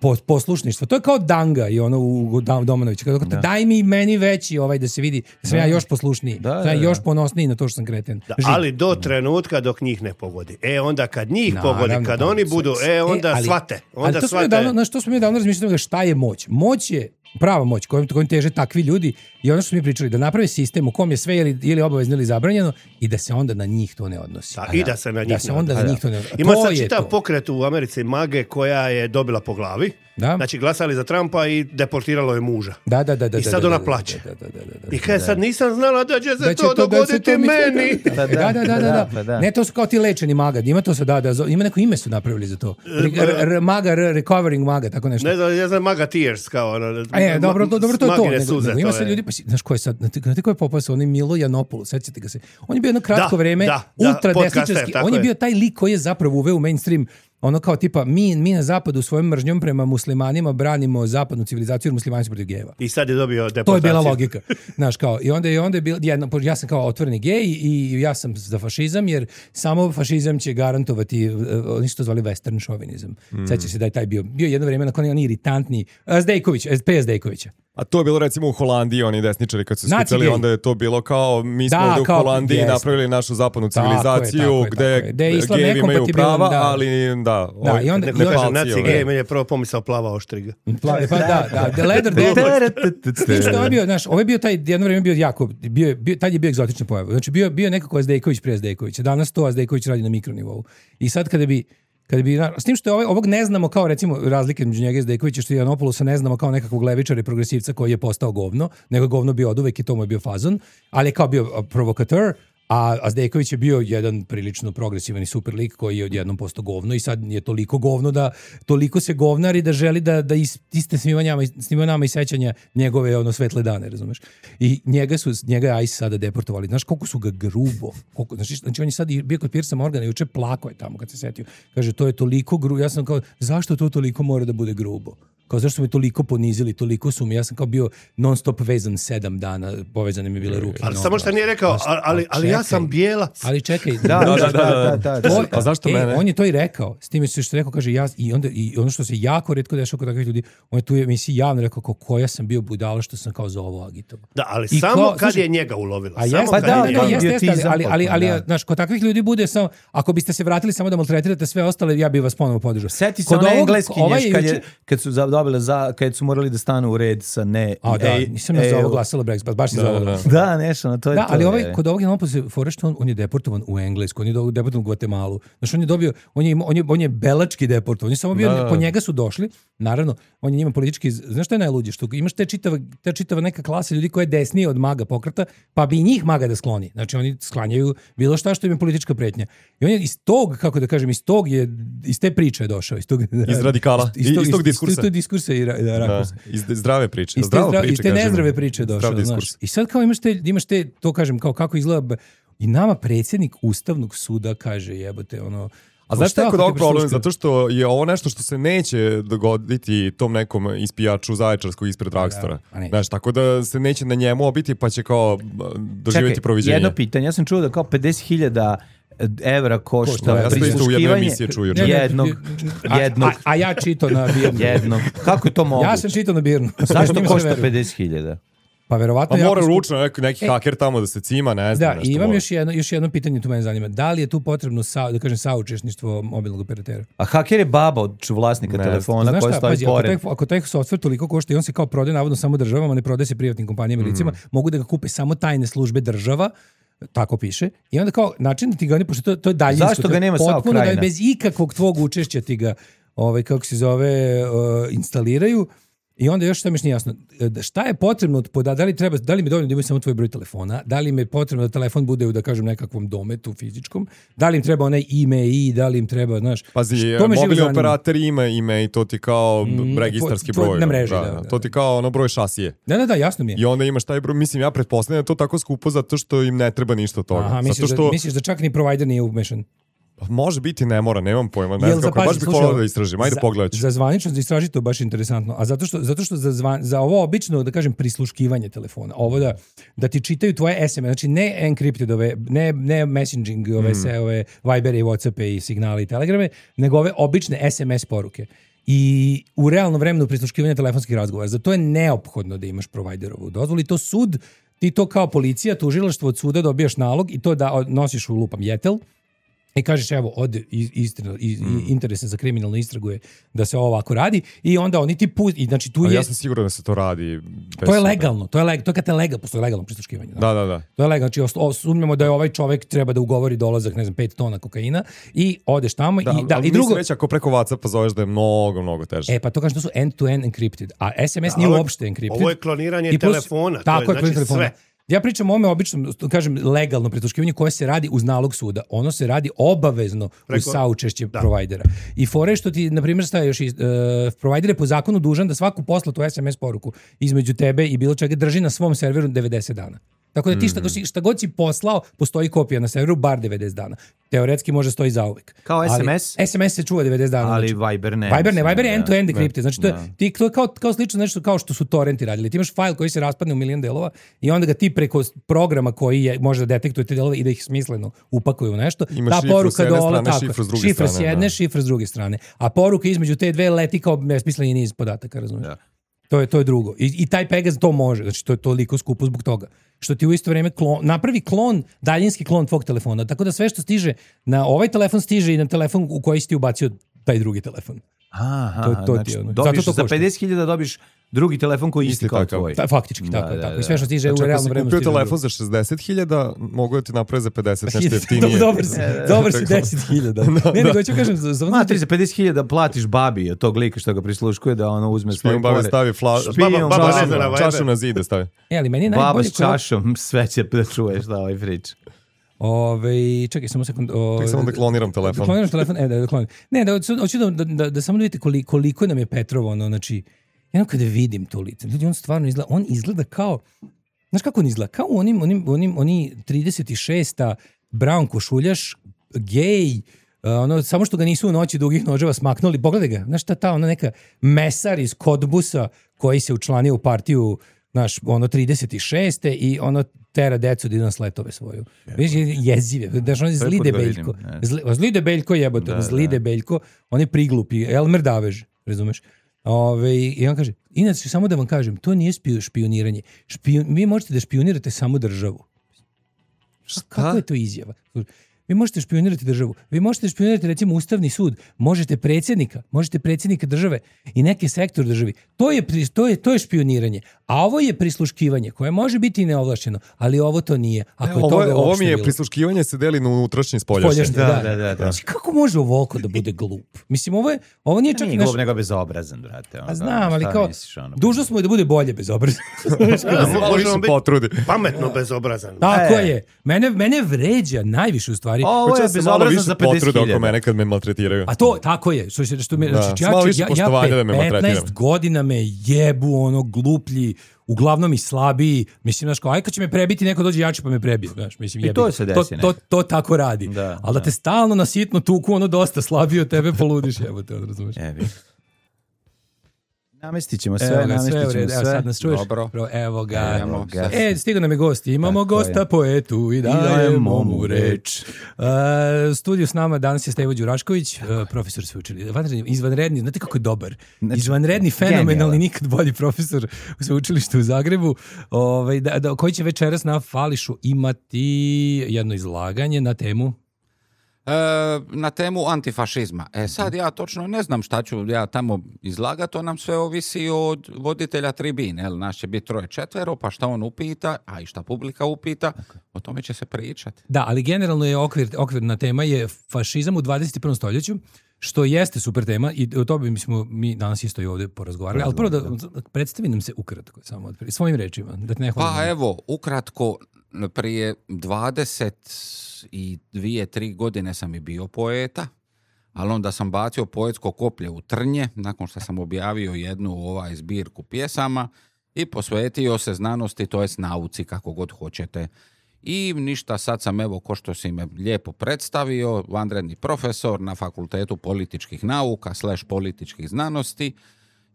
po- poslušništva. To je kao Danga i ono u Dam- Domanovića. Kako, daj mi meni veći ovaj da se vidi da sam ja još poslušniji. Da, Da, sam ja da, još da. ponosniji na to što sam kreten. Da, Živ. ali do trenutka dok njih ne pogodi. E, onda kad njih Naravno, pogodi, kad pa, oni sve- budu, sve- e, onda ali- shvate. ali Onda to smo mi shvate. davno, znaš, to smo mi davno razmišljali šta je moć. Moć je prava moć kojom, kojom teže takvi ljudi i ono što smo mi pričali, da naprave sistem u kom je sve ili, ili obavezno ili zabranjeno i da se onda na njih to ne odnosi. Da, i da se na njih Da se ne onda odnosi. na njih to ne odnosi. Ima To sad je čitav to. pokret u Americi Mage koja je dobila po glavi. Da. Znači glasali za Trumpa i deportiralo je muža. Da, da, da, da. I sad da, ona da, plaće. Da, da, da, da, da. I kaže, sad nisam znala da će se Da će to to- da se dogoditi to mi- meni. Da, da, da, da, da. Pa da. Ne, to su kao ti lečeni maga. Ima to se da, da, ima neko ime su napravili za to. R- r- maga, r- recovering maga, tako nešto. Ne znam, ja znam Maga Tears kao ono. A je, dobro, to, dobro, to je to. Magine Nego, suze, nego ima to se je. ljudi, pa si, znaš ko je sad, znate, znate ko je popao sa onim Milo Janopoulos, sećate ga se. On je bio jedno kratko Da, vreme da, da, ultra podcaster, desničarski. tako On je je. bio taj lik koji je zapravo uveo u mainstream ono kao tipa mi, mi na zapadu svojom mržnjom prema muslimanima branimo zapadnu civilizaciju jer muslimani su protiv gejeva. I sad je dobio deportaciju. To je bila logika. Znaš, kao, i onda je, onda je bilo, jedno, ja sam kao otvoreni gej i ja sam za fašizam, jer samo fašizam će garantovati, uh, oni su to zvali western šovinizam. Mm. Sećaš se da je taj bio, bio jedno vrijeme nakon oni iritantni, uh, Zdejković, P S Dejkovića. A to je bilo recimo u Holandiji, oni desničari kad su Naci skupljali, gej. onda je to bilo kao mi smo Da, ovdje u kao- Holandiji jeste. napravili našu zapadnu Tako je, civilizaciju tako je, gde tako je. Gde je islam gejevi imaju nekompatibilan, prava, da. ali da, Da, ovi i onda- Neko i onda- kaže Nepalci, naci ovi. gej, meni je prvo pomisao plava oštriga. Pla- Pa da, da, The Leather Daddy. S tim što je ovaj bio, znaš, ovaj bio taj, jedno vrijeme bio jako, bio, bio, tad je bio egzotična pojava. Znači bio, bio nekako Zdejković prije Zdejkovića. Danas to Zdejković radi na mikronivou. I sad kada bi Kada bi, s tim što je ovaj, ovog ne znamo kao recimo razlike između njega i Zdejkovića, što je Janopoulosa ne znamo kao nekakvog levičara i progresivca koji je postao govno, nego je govno bio oduvek i to mu je bio fazon, ali je kao bio provokateur, a, a Zdejković je bio jedan prilično progresivan i super lik koji je odjednom postao govno i sad je toliko govno da toliko se govnari da želi da, da is, iste snima nama, snima nama i sećanja njegove ono svetle dane, razumeš? I njega su, njega je I C E sada deportovali. Znaš koliko su ga grubo, koliko, znači, znači on je sad bio kod Piersa Morgana i juče plako je tamo kad se setio. Kaže, to je toliko grubo. Ja sam kao, zašto to toliko mora da bude grubo? Kao zašto su me toliko ponizili, toliko su mi, ja sam kao bio non stop vezan sedam dana, povezane mi bile ruke. Ali noge. samo što nije rekao, Ali- ali, ali, ali ja čekaj. sam bijelac. Ali čekaj, Da, da, da, da, da. to- A zašto e, mene? On je to i rekao. S time što je rekao, kaže ja i onda i ono što se jako retko dešava kod takvih ljudi, on je tu u emisiji javno rekao kako koja sam bio budala što sam kao za ovo agitovao. Da, ali I samo kao- kad slušaj, je njega ulovila. A Samo jeste, Pa kad da, je da, njega da, to je jeste, jeste, ali, idiotizam ali, ali, ali potpuno, da. znaš, kod takvih ljudi bude samo, ako biste se vratili samo da maltretirate sve ostale, ja bih vas ponovo podržao. Seti se Kod one ovog- engleski ovaj nješ kad, je, juče- kad su za- dobile za, kad su morali da stanu u red sa ne. A da, ej, nisam ja za ej, ovo glasala Brexit, baš si za ovo da. glasala. Da, nešto, no, to je Da, to. ali ovaj, je. kod ovog Janopoulosa se fora što on, on je deportovan u Englesku, on je do- deportovan u Gvatemalu. Znači on je dobio, on je, imao- on je, on je belački deportovan, on je samo bio, Da, da. po njega su došli, naravno, on je njima politički, znaš šta je najluđe, što imaš te čitava, te čitava neka klasa ljudi koja je desnije od maga pokreta, pa bi i njih maga da skloni. Znači oni sklanjaju bilo šta što im je politička pretnja. I on je iz tog, kako da kažem, iz tog je, iz te priče je došao. Iz, tog, Iz radikala, iz, tog, iz tog diskursa. Iz tog diskursa i ra, da, Da, rakursa. iz zdrave priče. Iz te, Zdrava zdra- priča, iz te kažemo. nezdrave priče je Zdrav došao, znaš. diskurs. I sad kao imaš te, imaš te, to kažem, kao kako izgleda, b- i nama predsjednik Ustavnog suda kaže jebote, ono... A znaš šta je ako kod ti ovog problem? prisluškuje? Zato što je ovo nešto što se neće dogoditi tom nekom ispijaču Zaječarskog ispred Dragstora. a neće. Znaš, tako da se neće na njemu obiti pa će kao doživjeti Čekaj, proviđenje. jedno pitanje, ja sam čuo da kao pedeset hiljada evra košta Košta, ja sam isto u jednoj emisiji čuo juče. Ne, ne, jednog, a, jednog, a, a ja čito na Birnu. jednog. Kako je to moguće? Ja sam čitao na Birnu. Zašto Njima se košta veruje. pedeset hiljada? Pa verovatno Pa jako mora skupo. ručno neki, neki E, haker tamo da se cima, ne znam. Da, nešto i imam mora. još jedno, još jedno pitanje, tu mene zanima. Da li je tu potrebno sa, da kažem saučesništvo mobilnog operatera? A haker je baba od ču- vlasnika Ne, telefona Znaš koja šta, stoji pazi, ako pored. taj, ako taj software toliko košta i on se kao prodaje navodno samo državama, ne prodaje se privatnim kompanijama i licima, mogu da ga kupe samo tajne službe država, tako piše. I onda kao način da ti ga oni, pošto to, to je daljinsko. Zašto to ga je nema SAO potpuno da je Krajina? bez ikakvog tvog učešća ti ga, ovaj, kako se zove, uh, instaliraju. I onda još šta mi još nije jasno, da šta je potrebno od poda, da li treba, da li mi je dovoljno da imaju samo tvoj broj telefona, da li mi je potrebno da telefon bude u, da kažem, nekakvom dometu fizičkom, da li im treba onaj ime i da li im treba, znaš, Pazi, to me živo mobilni zanima. operator ima ime i to ti kao Mm, registarski tvoj- broj. na mreži, da, da, da, to ti kao ono broj šasije. Da, da, da, jasno mi je. I onda imaš taj broj, mislim, ja pretpostavljam da je to tako skupo zato što im ne treba ništa od toga. Aha, misliš, zato što, da, misliš da čak ni provider nije umešan? može biti, ne mora, nemam pojma, ne Jel znam za- kako, baš pazi, bih slušaj, volao da istražim, ajde za- pogledat ću. Za zvanično za istražiti to je baš interesantno. A zato što, zato što za, zvan, za ovo obično, da kažem, prisluškivanje telefona, ovo da, da ti čitaju tvoje es em es, znači ne encrypted ove, ne, ne messaging, ove, sve ove Vibere i Whatsappe i signale i telegrame, nego ove obične es em es poruke. I u realnom vremenu prisluškivanja telefonskih razgovora. Zato je neophodno da imaš providerovu dozvolu i to sud, ti to kao policija, tužilaštvo od suda dobijaš nalog i to da nosiš u lupam jetel, I kažeš, evo, ode iz, istina, iz, mm. interesa za kriminalnu istragu je da se ovo ovako radi i onda oni ti pusti, i znači tu Ali je... ja sam siguran da se to radi. Bez to je suda. legalno, to je, leg, to je kad te legal, postoje legalno prisluškivanje. Da, da, da. To je legalno, znači o, sumnjamo da je ovaj čovek treba da ugovori dolazak, ne znam, pet tona kokaina i odeš tamo Da, i... Da, ali i drugo, mislim već ako preko WhatsAppa zoveš da je mnogo, mnogo teže. E, pa to kažem, to su end-to-end encrypted, a es em es Da, nije ovo je- uopšte encrypted. ovo je kloniranje I plus- telefona, to Tako je, je, kloniranje znači, telefona. sve. Ja pričam o ome običnom, kažem, legalno prisluškivanje koje se radi uz nalog suda. Ono se radi obavezno Preko- uz saučešće da. provajdera. I fore što ti, na primjer, staje još, uh, provajder je po zakonu dužan da svaku poslatu es em es poruku između tebe i bilo čega drži na svom serveru devedeset dana. Tako da ti šta, god- šta god si poslao, postoji kopija na serveru bar devedeset dana. Teoretski može stoji zauvek. Kao Ali es em es? es em es se čuva devedeset dana. Ali znači. Viber ne. Viber ne, Viber je Da. end-to-end encrypted. Znači to je, Da. ti, to je kao, kao slično nešto kao što su torrenti radili. Ti imaš fajl koji se raspadne u milion delova i onda ga ti preko programa koji je, može da detektuje te delove i da ih smisleno upakuju u nešto. Imaš Ta šifru poruka s jedne dola, strane, tako, šifru s druge šifra s strane, jedne, da. šifra s druge strane. A poruka između te dve leti kao besmisleni niz podataka, razumiješ? Da. To je to je drugo. I, i taj Pegas to može, znači to je toliko skupo zbog toga. Što ti u isto vrijeme klon, napravi klon, daljinski klon tvog telefona. Tako da sve što stiže na ovaj telefon stiže i na telefon u koji si ti ubacio taj drugi telefon. Aha, To- to ti znači, je ono. dobiš Zato to za košta. pedeset hiljada dobiš drugi telefon koji je isti Isti kao takav. tvoj. Ta, faktički, Da, tako je, da, tako. da. I sve što stiže Znači, u ako realnom si vremenu kupio stiže u telefon za šezdeset hiljada, mogu da ti naprave za pedeset, nešto drugo. jeftinije. Dobar si, dobar si deset hiljada. Ne, nego ću kažem, za, za, Ma, ti za pedeset hiljada platiš babi od tog lika što ga prisluškuje da ono uzme svoj Špijun bave pored. stavi fla... Špijun Baba- baba čašu- ne zna na Viber. čašu na zide stavi. E, ali meni je Baba najbolje... s čašom, sve će da čuješ da ovaj priča. Ove, čekaj, samo sekund. O, Tek samo da kloniram telefon. Da kloniram telefon, e, da, da kloniram. Ne, da, hoću da, da, da, da samo da vidite koliko, koliko nam je Petrov, ono, znači, jedno kada vidim to lice, ljudi, on stvarno izgleda, on izgleda kao, znaš kako on izgleda? Kao onim, onim, onim, oni trideset šesta brown košuljaš, gej, uh, ono, samo što ga nisu u noći dugih noževa smaknuli, pogledaj ga, znaš šta ta, ona neka mesar iz Kodbusa koji se učlanio u partiju, znaš, ono trideset šeste i ono tera decu da idu na sletove svoju. Viš, jezive. Daš, on je zli Prvi put ga debeljko. vidim, ne. Zli, zli debeljko jebote, Da, zli da. debeljko, on je priglupi, Elmer Davež, razumeš? Ove, I on kaže, inače, samo da vam kažem, to nije spiju- špioniranje. Špion, vi možete da špionirate samo državu. Kako je to izjava? Vi možete špionirati državu. Vi možete špionirati recimo Ustavni sud. Možete predsjednika. Možete predsjednika države i neki sektor državi. To je, pri- to je, to je špioniranje. A ovo je prisluškivanje koje može biti i neovlašćeno, ali ovo to nije. Ako je Ovo, toga je, ovo uopšte mi je bilo. prisluškivanje se deli na unutrašnje i spoljašnje. Spoljašnje, Da, da, da, da. Znači, kako može ovoliko da bude glup? Mislim, ovo, je, ovo nije čak... Nije naš- glup, nego bezobrazan, brate. Ono, A znam, ali šta kao, misliš, ono? dužnost mu je da bude bolje bezobrazan. Da se malo više Možemo biti potrudi. pametno bezobrazan. Tako E. je. Mene, mene vređa najviše u stvari. Ovo Hoće je da se malo bezobrazan više za pedeset potrude oko hiljada. mene kad me maltretiraju. A to, tako je. Što, se- što me, Da, znači, s malo ja, više ja, ja poštovanja da me pe- maltretira. petnaest godina me jebu, ono, gluplji, uglavnom i slabiji. Mislim, znaš, kao, aj kad će me prebiti, neko dođe jači pa me prebije. Znaš, mislim, I jebi. to se desi to, to, to tako radi. Da, Ali da da. te stalno na sitno tuku, ono dosta slabiji od tebe, poludiš, jebote, ono, razumeš. Evi. Namestit ćemo sve, Evo ga, namestit sve u ćemo redu. Evo, sve. sad nas čuješ? Dobro. Bro, evo ga. Evo ga. E, stigao nam je gost. Imamo Tako gosta je. poetu i dajemo dajemo mu mu reč. Uh, studiju s nama danas je Stevo Đurašković, uh, profesor sveučilišta. Vanredni, izvanredni, znate kako je dobar? Znači, Izvanredni, fenomenalni, genijalan. nikad bolji profesor u sveučilištu u Zagrebu, ovaj, da, da, koji će večeras na Fališu imati jedno izlaganje na temu. E, na temu antifašizma. E sad ja točno ne znam šta ću ja tamo izlagati, to nam sve ovisi od voditelja tribine, jel, nas će biti troje četvero, pa šta on upita, a i šta publika upita, o tome će se pričati. Da, ali generalno je okvir, okvirna tema je fašizam u dvadeset prvom stoljeću, što jeste super tema i o tome mi smo mi danas isto i ovdje porazgovarali, ali prvo da predstavi nam se ukratko, samo od, svojim rečima, da te ne hvalim. Pa evo, ukratko, prije dvadeset i dvije, tri godine sam i bio poeta, ali onda sam bacio poetsko koplje u trnje, nakon što sam objavio jednu ovaj zbirku pjesama i posvetio se znanosti, to jest nauci, kako god hoćete. I ništa, sad sam, evo, ko što si me lijepo predstavio, vanredni profesor na Fakultetu političkih nauka slash političkih znanosti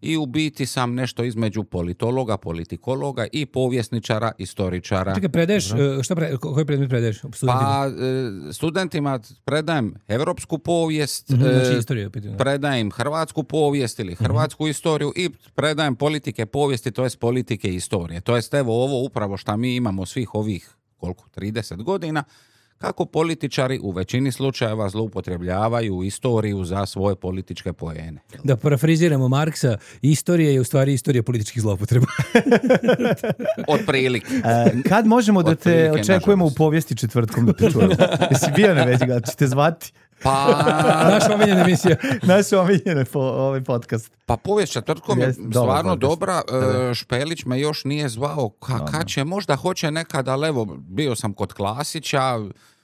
i u biti sam nešto između politologa, politikologa i povjesničara, istoričara. Čekaj, predaješ, e, šta pre, ko- koji predmet predaješ studentima? Pa e, studentima predajem evropsku povijest, Mhm, e, znači istoriju, pitanje. predajem hrvatsku povijest ili hrvatsku istoriju i predajem politike povijesti, to jest politike i istorije. To jest evo ovo upravo što mi imamo svih ovih koliko, trideset godina, kako političari u većini slučajeva zloupotrebljavaju istoriju za svoje političke poene. Da parafriziramo Marksa, istorija je u stvari istorija političkih zloupotreba. Od prilike. E, kad možemo da te Otprilike, očekujemo u nažalost. povijesti četvrtkom da te čujemo? Jesi bio na već, ga ćete zvati? Pa, Naša omiljena emisija. Naš omiljene po, ovaj podcast. pa povijest četvrtkom je Jest, dobar stvarno podcast. dobra. Da. E, Špelić me još nije zvao. Ka, kad će, možda hoće nekada, ali evo, bio sam kod Klasića,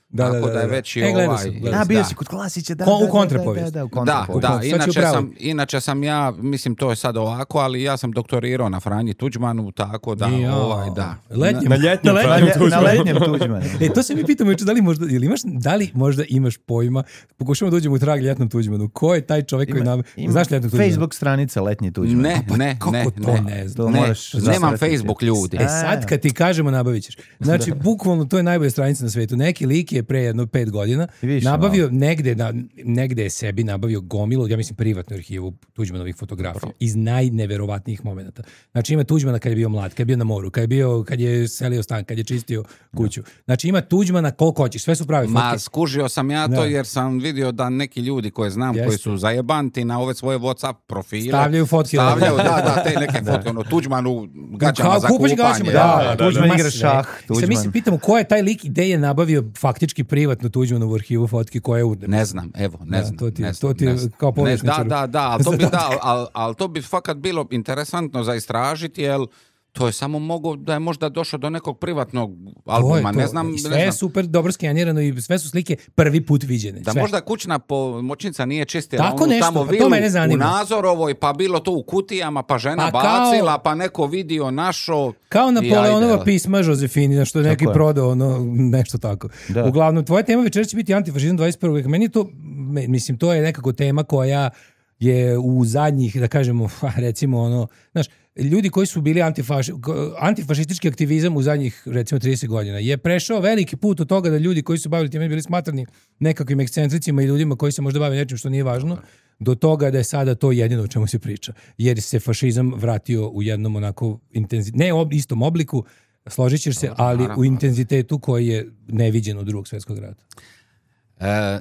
Da, tako da, da, da, je da. već i E, gledao ovaj... sam, gledao A, bio da. si kod Klasića, da, Ko- u da, da, kontrapovijest. Da, da, u Da, kontrapovijest. da, Sad ću inače pravi. sam, inače sam ja, mislim to je sad ovako, ali ja sam doktorirao na Franji Tuđmanu, tako da, Ja. ovaj, da. Letnjem, Na ljetnjem na Na, Franju lje- na letnjem Tuđmanu. E, to se mi pitamo juče, da li možda, ili imaš, da li možda imaš pojma, pokušamo da uđemo u trag ljetnom Tuđmanu, ko je taj čovjek koji nam, Ima znaš ljetnog Tuđmana? Facebook stranica Letnji Tuđman. Ne, Pa ne, kako ne, to ne. ne znam? To Ne, moraš nemam zasretiti. Facebook ljudi. E sad kad ti kažemo nabavit ćeš. Znači, bukvalno to je najbolja stranica na svetu. Neki lik je pre jedno pet godina I više, nabavio negde, na, negde je sebi nabavio gomilu, ja mislim privatnu arhivu Tuđmanovih fotografija iz najneverovatnijih momenata. Znači ima Tuđmana kad je bio mlad, kad je bio na moru, kad je, bio, kad je selio stan, kad je čistio kuću. Znači ima Tuđmana koliko hoćeš, sve su prave Ma, fotke. skužio sam ja to Da. jer sam vidio da neki ljudi koje znam, Jeste. koji su zajebanti na ove svoje WhatsApp profile, Stavljaju fotke. stavljaju, da, da, te neke fotke, ono, Tuđman u gaćama Kao za kupaš kupanje. gaćama, da, da, da, Tuđman Ma igra sve. šah, I sad mi Tuđman. se pitamo ko je taj lik gde je nabavio faktički privatnu Tuđmanovu arhivu fotki koja je u... Ne znam, evo, ne Da, znam. to ti je- ne to znam, ti je ne znam. kao Ne, povjesničaru. Da, da, da, ali to bi, Zadatak. da, ali, ali to bi fakat bilo interesantno za istražiti, jer to je samo mogo da je možda došao do nekog privatnog To je albuma, to. ne znam, I ne sve znam. je super dobro skenirano i sve su slike prvi put viđene. Da sve. možda kućna pomoćnica nije čistila Tako onu nešto, tamo pa to vilu mene u zanima. Nazorovoj, pa bilo to u kutijama, pa žena Pa kao- bacila, pa neko vidio našo. Kao i Napoleonova ajde. pisma Žozefini, što je neki je. prodao, ono, nešto tako. Da. Uglavnom, tvoja tema večera će biti antifašizam dvadeset prvog veka. Meni je to, me- mislim, to je nekako tema koja je u zadnjih, da kažemo, recimo, ono, znaš, ljudi koji su bili antifaši, antifašistički aktivizam u zadnjih, recimo, trideset godina je prešao veliki put od toga da ljudi koji su bavili time bili smatrani nekakvim ekscentricima i ljudima koji se možda bave nečim što nije važno, do toga da je sada to jedino o čemu se priča. Jer se fašizam vratio u jednom onako intenzi... ne u istom obliku, složit ćeš se, ali naravno. u intenzitetu koji je neviđen od drugog svjetskog rata. E,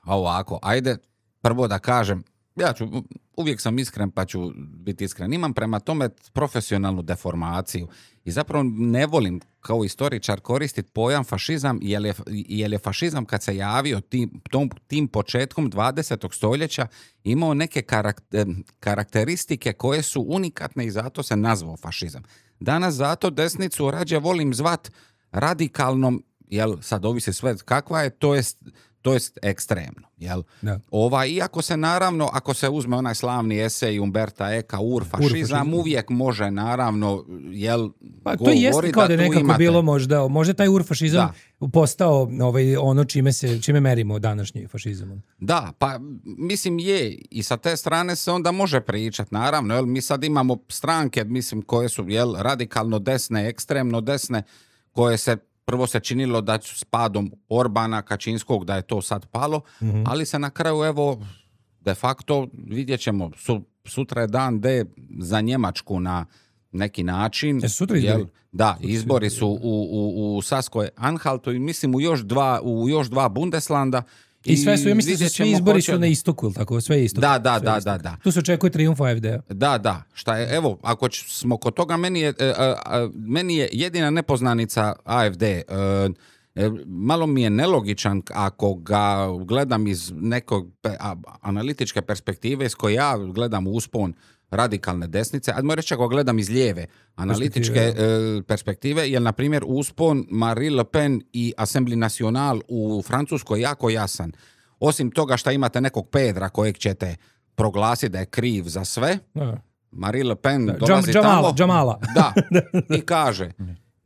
ovako, ajde prvo da kažem, ja ću, uvijek sam iskren pa ću biti iskren. Imam prema tome profesionalnu deformaciju i zapravo ne volim kao istoričar koristiti pojam fašizam, jer je, jer je fašizam kad se javio tim, tom, tim početkom dvadesetog stoljeća imao neke karakter, karakteristike koje su unikatne i zato se nazvao fašizam. Danas zato desnicu rađe volim zvat radikalnom, jel sad ovisi sve kakva je, to jest to jest ekstremno, jel? Da. Ova, iako se naravno, ako se uzme onaj slavni esej Umberta Eka, urfašizam, Urfašizam. uvijek može naravno, jel, Pa to jeste govorit kao da je tu nekako imate- bilo možda, možda taj urfašizam postao ovaj, ono čime, se, čime merimo današnji fašizam. Da, pa mislim je i sa te strane se onda može pričat, naravno, jel, mi sad imamo stranke, mislim, koje su, jel, radikalno desne, ekstremno desne, koje se prvo se činilo da su s padom Orbana, Kačinskog, da je to sad palo, Mhm. ali se na kraju, evo, de facto vidjet ćemo, su, sutra je dan D za Njemačku na neki način. Jesu sutra izbori? Jel, da, izbori su u, u, u Saskoj Anhaltu i mislim u još dva, u još dva Bundeslanda. I sve su, ja mislim da vidjet su svi ćemo izbori hoće- su na istoku, ili tako? Sve je istok. Da, da, Sve je da, istok. da, da. Tu se očekuje trijumf A F D-a. Da, da, šta je, evo, ako ć- smo kod toga, meni je, e, e, e, meni je jedina nepoznanica A F D. E, e, malo mi je nelogičan ako ga gledam iz nekog pe- a- analitičke perspektive s koje ja gledam uspon radikalne desnice, ajmo reći ako gledam iz lijeve analitičke e, perspektive, jer na primjer uspon Marine Le Pen i Assembly National u Francuskoj jako jasan. Osim toga što imate nekog Pedra kojeg ćete proglasiti da je kriv za sve, Da. Marine Le Pen Da, dolazi Džam- Džamala, tamo Džamala. da, i kaže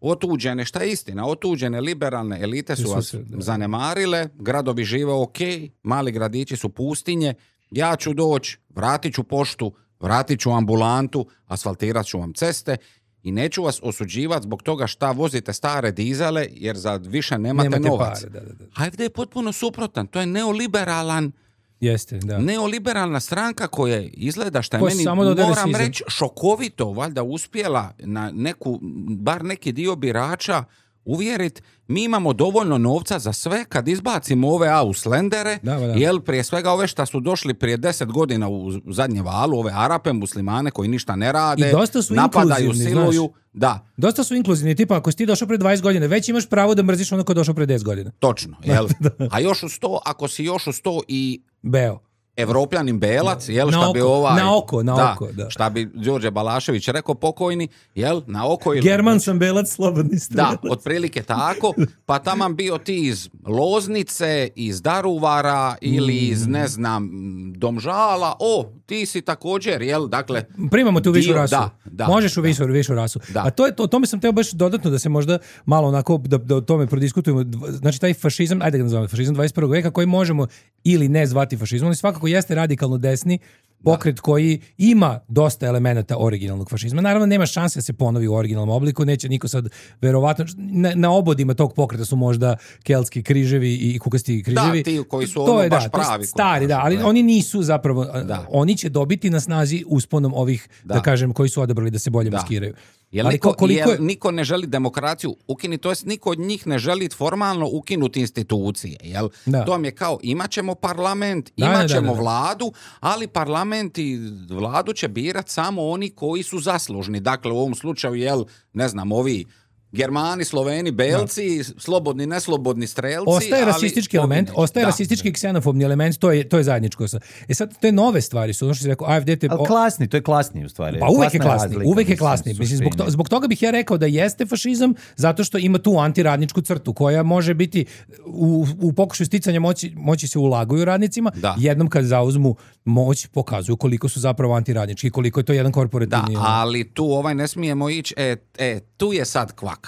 otuđene, šta je istina, otuđene liberalne elite su Su vas se, da. zanemarile, gradovi žive ok, mali gradići su pustinje, ja ću doći, vratit ću poštu, vratit ću ambulantu, asfaltirat ću vam ceste i neću vas osuđivati zbog toga šta vozite stare dizele jer za više nemate, Nemate novac. pare, da, da, da. A F D je potpuno suprotan, to je neoliberalan Jeste, da. neoliberalna stranka koja izgleda šta je Ko meni, samo dodaje moram rasizam. reći, šokovito, valjda uspjela na neku, bar neki dio birača uvjeriti, mi imamo dovoljno novca za sve kad izbacimo ove Auslendere, Da, da. jel prije svega ove što su došli prije deset godina u zadnje valu, ove Arape, muslimane koji ništa ne rade, I dosta su napadaju, inkluzivni, siluju, znaš. da, Dosta su inkluzivni, tipa ako si ti došao pre dvadeset godina, već imaš pravo da mrziš ono ko je došao pre deset godina. točno, jel? A još u sto, ako si još u sto i Beo. Evropljanin belac, jel, Na šta bi oko, ovaj... na oko, na da, oko, da. Šta bi Đorđe Balašević rekao pokojni, jel, na oko... Ili, German sam belac, slobodni strelac. da, otprilike tako, pa taman bio ti iz Loznice, iz Daruvara ili iz, ne znam, Domžala, o, ti si također, jel, dakle... Primamo tu višu dio- rasu. Da, da. Možeš u višu, višu rasu. Da. A to je to, o tome sam teo baš dodatno da se možda malo onako, da, da o tome prodiskutujemo. Dv- Znači taj fašizam, ajde ga nazovemo fašizam dvadeset prvog veka koji možemo ili ne zvati fašizmom, ali svakako jeste radikalno desni pokret koji ima dosta elemenata originalnog fašizma. Naravno, nema šanse da se ponovi u originalnom obliku, neće niko sad, verovatno, na, na obodima tog pokreta su možda keltski križevi i kukasti križevi. Da, ti koji su To ono je, baš da, to je pravi. stari, da, ali Ne. oni nisu zapravo, Da. oni će dobiti na snazi usponom ovih, da, Da. kažem, koji su odabrali da se bolje Da. maskiraju. Jel Ali niko, ko- koliko jel je- niko ne želi demokraciju ukinuti, to jest niko od njih ne želi formalno ukinuti institucije, jel? Da. To vam je kao, imat ćemo parlament, Da, da, imat da, ćemo da, da. vladu, ali parlament i vladu će birat samo oni koji su zaslužni. Dakle, u ovom slučaju, jel, ne znam, ovi Germani, Sloveni, Belci, slobodni, neslobodni strelci. Ostaje ali rasistički ovi element, neće. ostaje Da. rasistički i ksenofobni element, to je, to je zajedničko. sa- E sad, te nove stvari su, ono što si rekao, A F D te... Ali o- klasni, to je klasni u stvari. Pa uvek je Klasna klasni, razlika, uvek je mislim, klasni. Mislim, zbog, to, suštini. zbog toga bih ja rekao da jeste fašizam, zato što ima tu antiradničku crtu koja može biti u, u pokušaju sticanja moći, moći se ulaguju radnicima, Da. jednom kad zauzmu moć pokazuju koliko su zapravo antiradnički, koliko je to jedan Da, korporativni... ono. ali tu ovaj ne smijemo ići, e, e, tu je sad kvaka.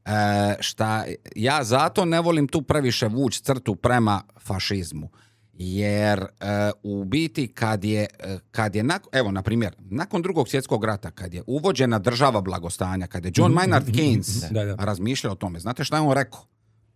E, šta, ja zato ne volim tu previše vući crtu prema fašizmu. Jer e, u biti kad je, e, kad je nak- evo na primjer, nakon drugog svjetskog rata, kad je uvođena država blagostanja, kad je John Maynard Keynes Da, da. razmišljao o tome, znate šta je on rekao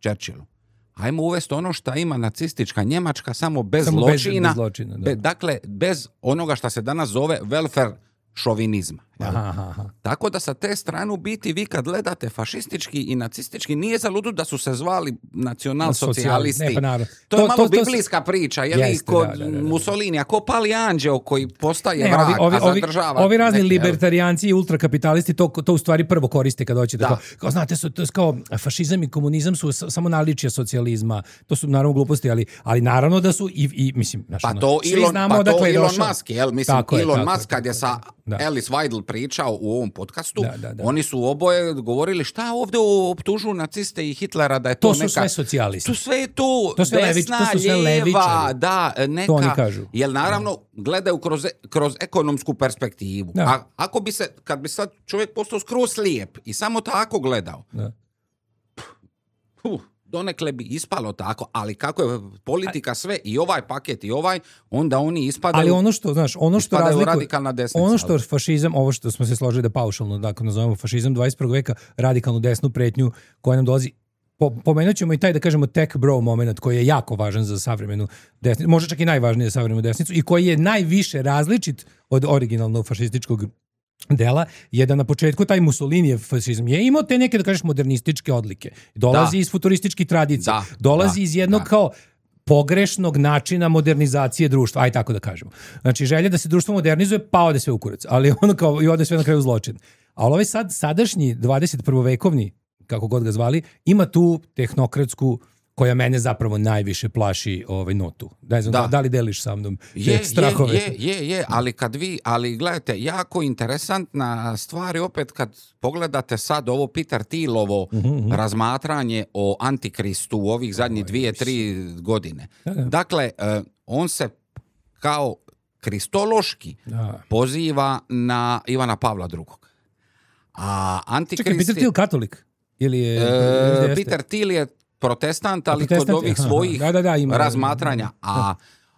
Churchillu? Ajmo uvesti ono što ima nacistička Njemačka, samo bez Samo bez- zločina. bez zločina, da. Be- dakle, bez onoga što se danas zove welfare šovinizma. jel? Aha, aha, aha. Tako da sa te strane u biti vi kad gledate fašistički i nacistički nije za ludu da su se zvali nacionalsocijalisti. Ne, pa naravno. To je To- malo to- to- biblijska priča, je li Jeste, kod da, da, da, da. Mussolinija, ko pali anđeo koji postaje Ne, vrag, ovi, ovi, a ovi, zadržava ovi razni neke, jel? libertarijanci i ultrakapitalisti to, to u stvari prvo koriste kad hoće da, Da. kao, kao, znate, su, to je kao fašizam i komunizam su s- samo naličija socijalizma, to su naravno gluposti, ali, ali naravno da su i, i mislim, znaš, Pa ono, to svi Elon, znamo pa to odakle je Elon došao. Musk, jel? Mislim, Tako je, Elon tako je, Musk kad je sa Da. Alice Weidel pričao u ovom podcastu, Da, da, da. oni su oboje govorili šta ovdje optužuju naciste i Hitlera da je to, To su neka... sve socijalisti. To sve je to, To sve levič- desna, to su sve lijeva, levičari. da, neka... To oni kažu. Jel naravno gledaju kroz, kroz ekonomsku perspektivu. Da. A ako bi se, kad bi sad čovjek postao skroz slijep i samo tako gledao, Da. huh, donekle bi ispalo tako, ali kako je politika sve i ovaj paket i ovaj, onda oni ispadaju... Ali ono što, znaš, ono što ispadaju razlikuje, radikalna desnica, ono što ali- fašizam, ovo što smo se složili da paušalno, dakle, nazovemo fašizam dvadeset prvog veka, radikalnu desnu pretnju koja nam dolazi. Po, pomenut ćemo i taj, da kažemo, tech bro moment koji je jako važan za savremenu desnicu, možda čak i najvažniji za savremenu desnicu i koji je najviše različit od originalnog fašističkog dela, je da na početku taj Mussolinijev fašizam je imao te neke, da kažeš, modernističke odlike. Dolazi Da. iz futurističkih tradicija. Da, Dolazi da, iz jednog da. kao pogrešnog načina modernizacije društva, aj tako da kažemo. Znači, želja da se društvo modernizuje, pa ode sve u kurac, ali ono kao i ode sve na kraju zločin. Ali ovaj sad, sadašnji dvadeset prvovekovni, kako god ga zvali, ima tu tehnokratsku koja mene zapravo najviše plaši ovaj notu. Ne znam, da, Da. da li deliš sa mnom Je, te strahove? je, je, je, je, ali kad vi, ali gledajte, jako interesantna stvar je opet kad pogledate sad ovo Peter Thielovo razmatranje o Antikristu u ovih zadnjih dvije, tri godine. Dakle, eh, on se kao kristološki Da. poziva na Ivana Pavla drugog. A Antikrist Čekaj, Peter je- Thiel katolik? Ili je... E, jeste? Peter Thiel je protestant, ali Protestant kod je, ovih aha, svojih da, da, da, ima. razmatranja. A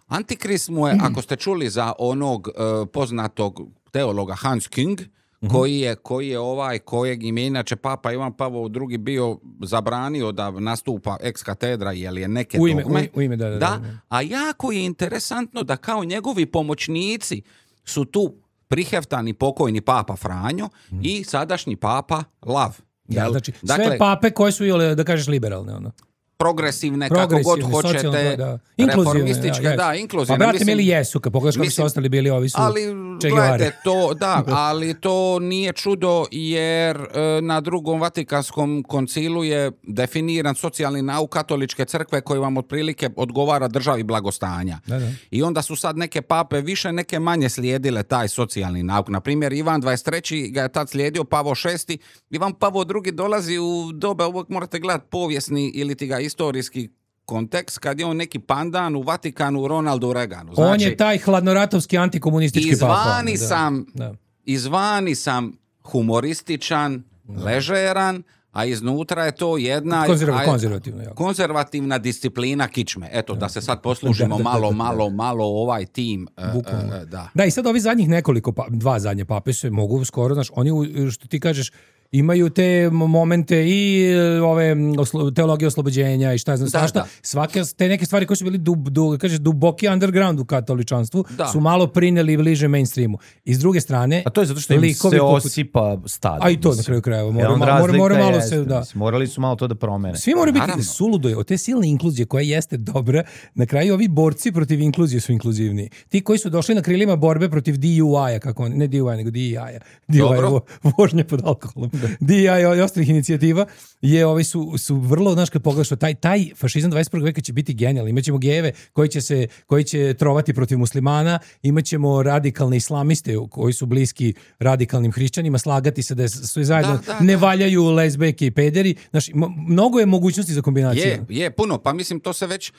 Antikrist mu je, ako ste čuli za onog e, poznatog teologa Hans Küng, koji je, koji je ovaj, kojeg im je inače Papa Ivan Pavao drugi bio zabranio da nastupa ex katedra, jer je neke U ime, dogme. u ime, da, da, da. A jako je interesantno da kao njegovi pomoćnici su tu priheftani pokojni Papa Franjo i sadašnji Papa Lav. Da, Jel? znači, sve Dakle, pape koje su, jole, da kažeš, liberalne, ono. progresivne, kako god Progresivne, hoćete, socijalno, da, da. Inkluzivne, reformističke, ja, da, jesu. inkluzivne. Pa brate, mislim- mili jesu, kad pogledaš kako su mislim- ostali bili, ovi su Ali, Che Guevara. gledajte, to, da, ali to nije čudo jer e, na drugom Vatikanskom koncilu je definiran socijalni nauk katoličke crkve koji vam otprilike odgovara državi blagostanja. Da, da. I onda su sad neke pape više, neke manje slijedile taj socijalni nauk. Na primjer, Ivan dvadeset treći ga je tad slijedio, Pavo šesti. Ivan Pavo drugi dolazi u doba, uvijek morate gledati povijesni ili ti ga istorijski kontekst, kad je on neki pandan u Vatikanu Ronaldu Reaganu. Znači, On je taj hladnoratovski antikomunistički papa. izvani Da, sam, da. izvani sam humorističan, ležeran, a iznutra je to jedna Konzerva- aj- konzervativno, jako. konzervativna disciplina kičme. Eto, da se sad poslužimo Da, da, da, malo, da, da. malo, malo ovaj tim. e, Bukvalno. e, da. Da, i sad ovi zadnjih nekoliko, pa, dva zadnje pape se mogu skoro, znaš, oni, u- što ti kažeš, imaju te momente i e, ove oslo- teologije oslobođenja i šta ja znam, Da, svašta. da. Svake te neke stvari koje su bili dub, du, kažeš, duboki underground u katoličanstvu Da. su malo prineli bliže mainstreamu. I s druge strane, A to je zato što im likovi se poput- osipa stado. A i to na mislim. kraju krajeva. E, Mora, onda mora, mora, razlika mora malo jeste, se, da. mislim, morali su malo to da promene. Svi moraju biti Naravno. suludo je. Od te silne inkluzije koja jeste dobra, na kraju ovi borci protiv inkluzije su inkluzivniji. Ti koji su došli na krilima borbe protiv D U I-a, kako on, ne D U I, nego D E I-a. D U I je Dobro. vo- vožnje pod alkoholom. D E I i ostalih inicijativa je, ovi su, su vrlo, znaš, kad pogledaš, taj, taj fašizam dvadeset prvog veka će biti genijalni. Imaćemo gejeve koji će, se, koji će trovati protiv muslimana, imaćemo radikalne islamiste koji su bliski radikalnim hrišćanima, slagati se da je sve zajedno Da, da, ne da. valjaju lezbejke i pederi. Znaš, m- mnogo je mogućnosti za kombinaciju. Je, je, puno. Pa mislim, to se već e,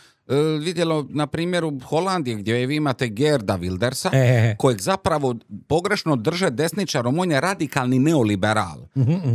vidjelo na primjeru Holandije, gdje vi imate Gerda Wildersa, E, e, e. kojeg zapravo pogrešno drže desničarom. On je radikalni neoliberal,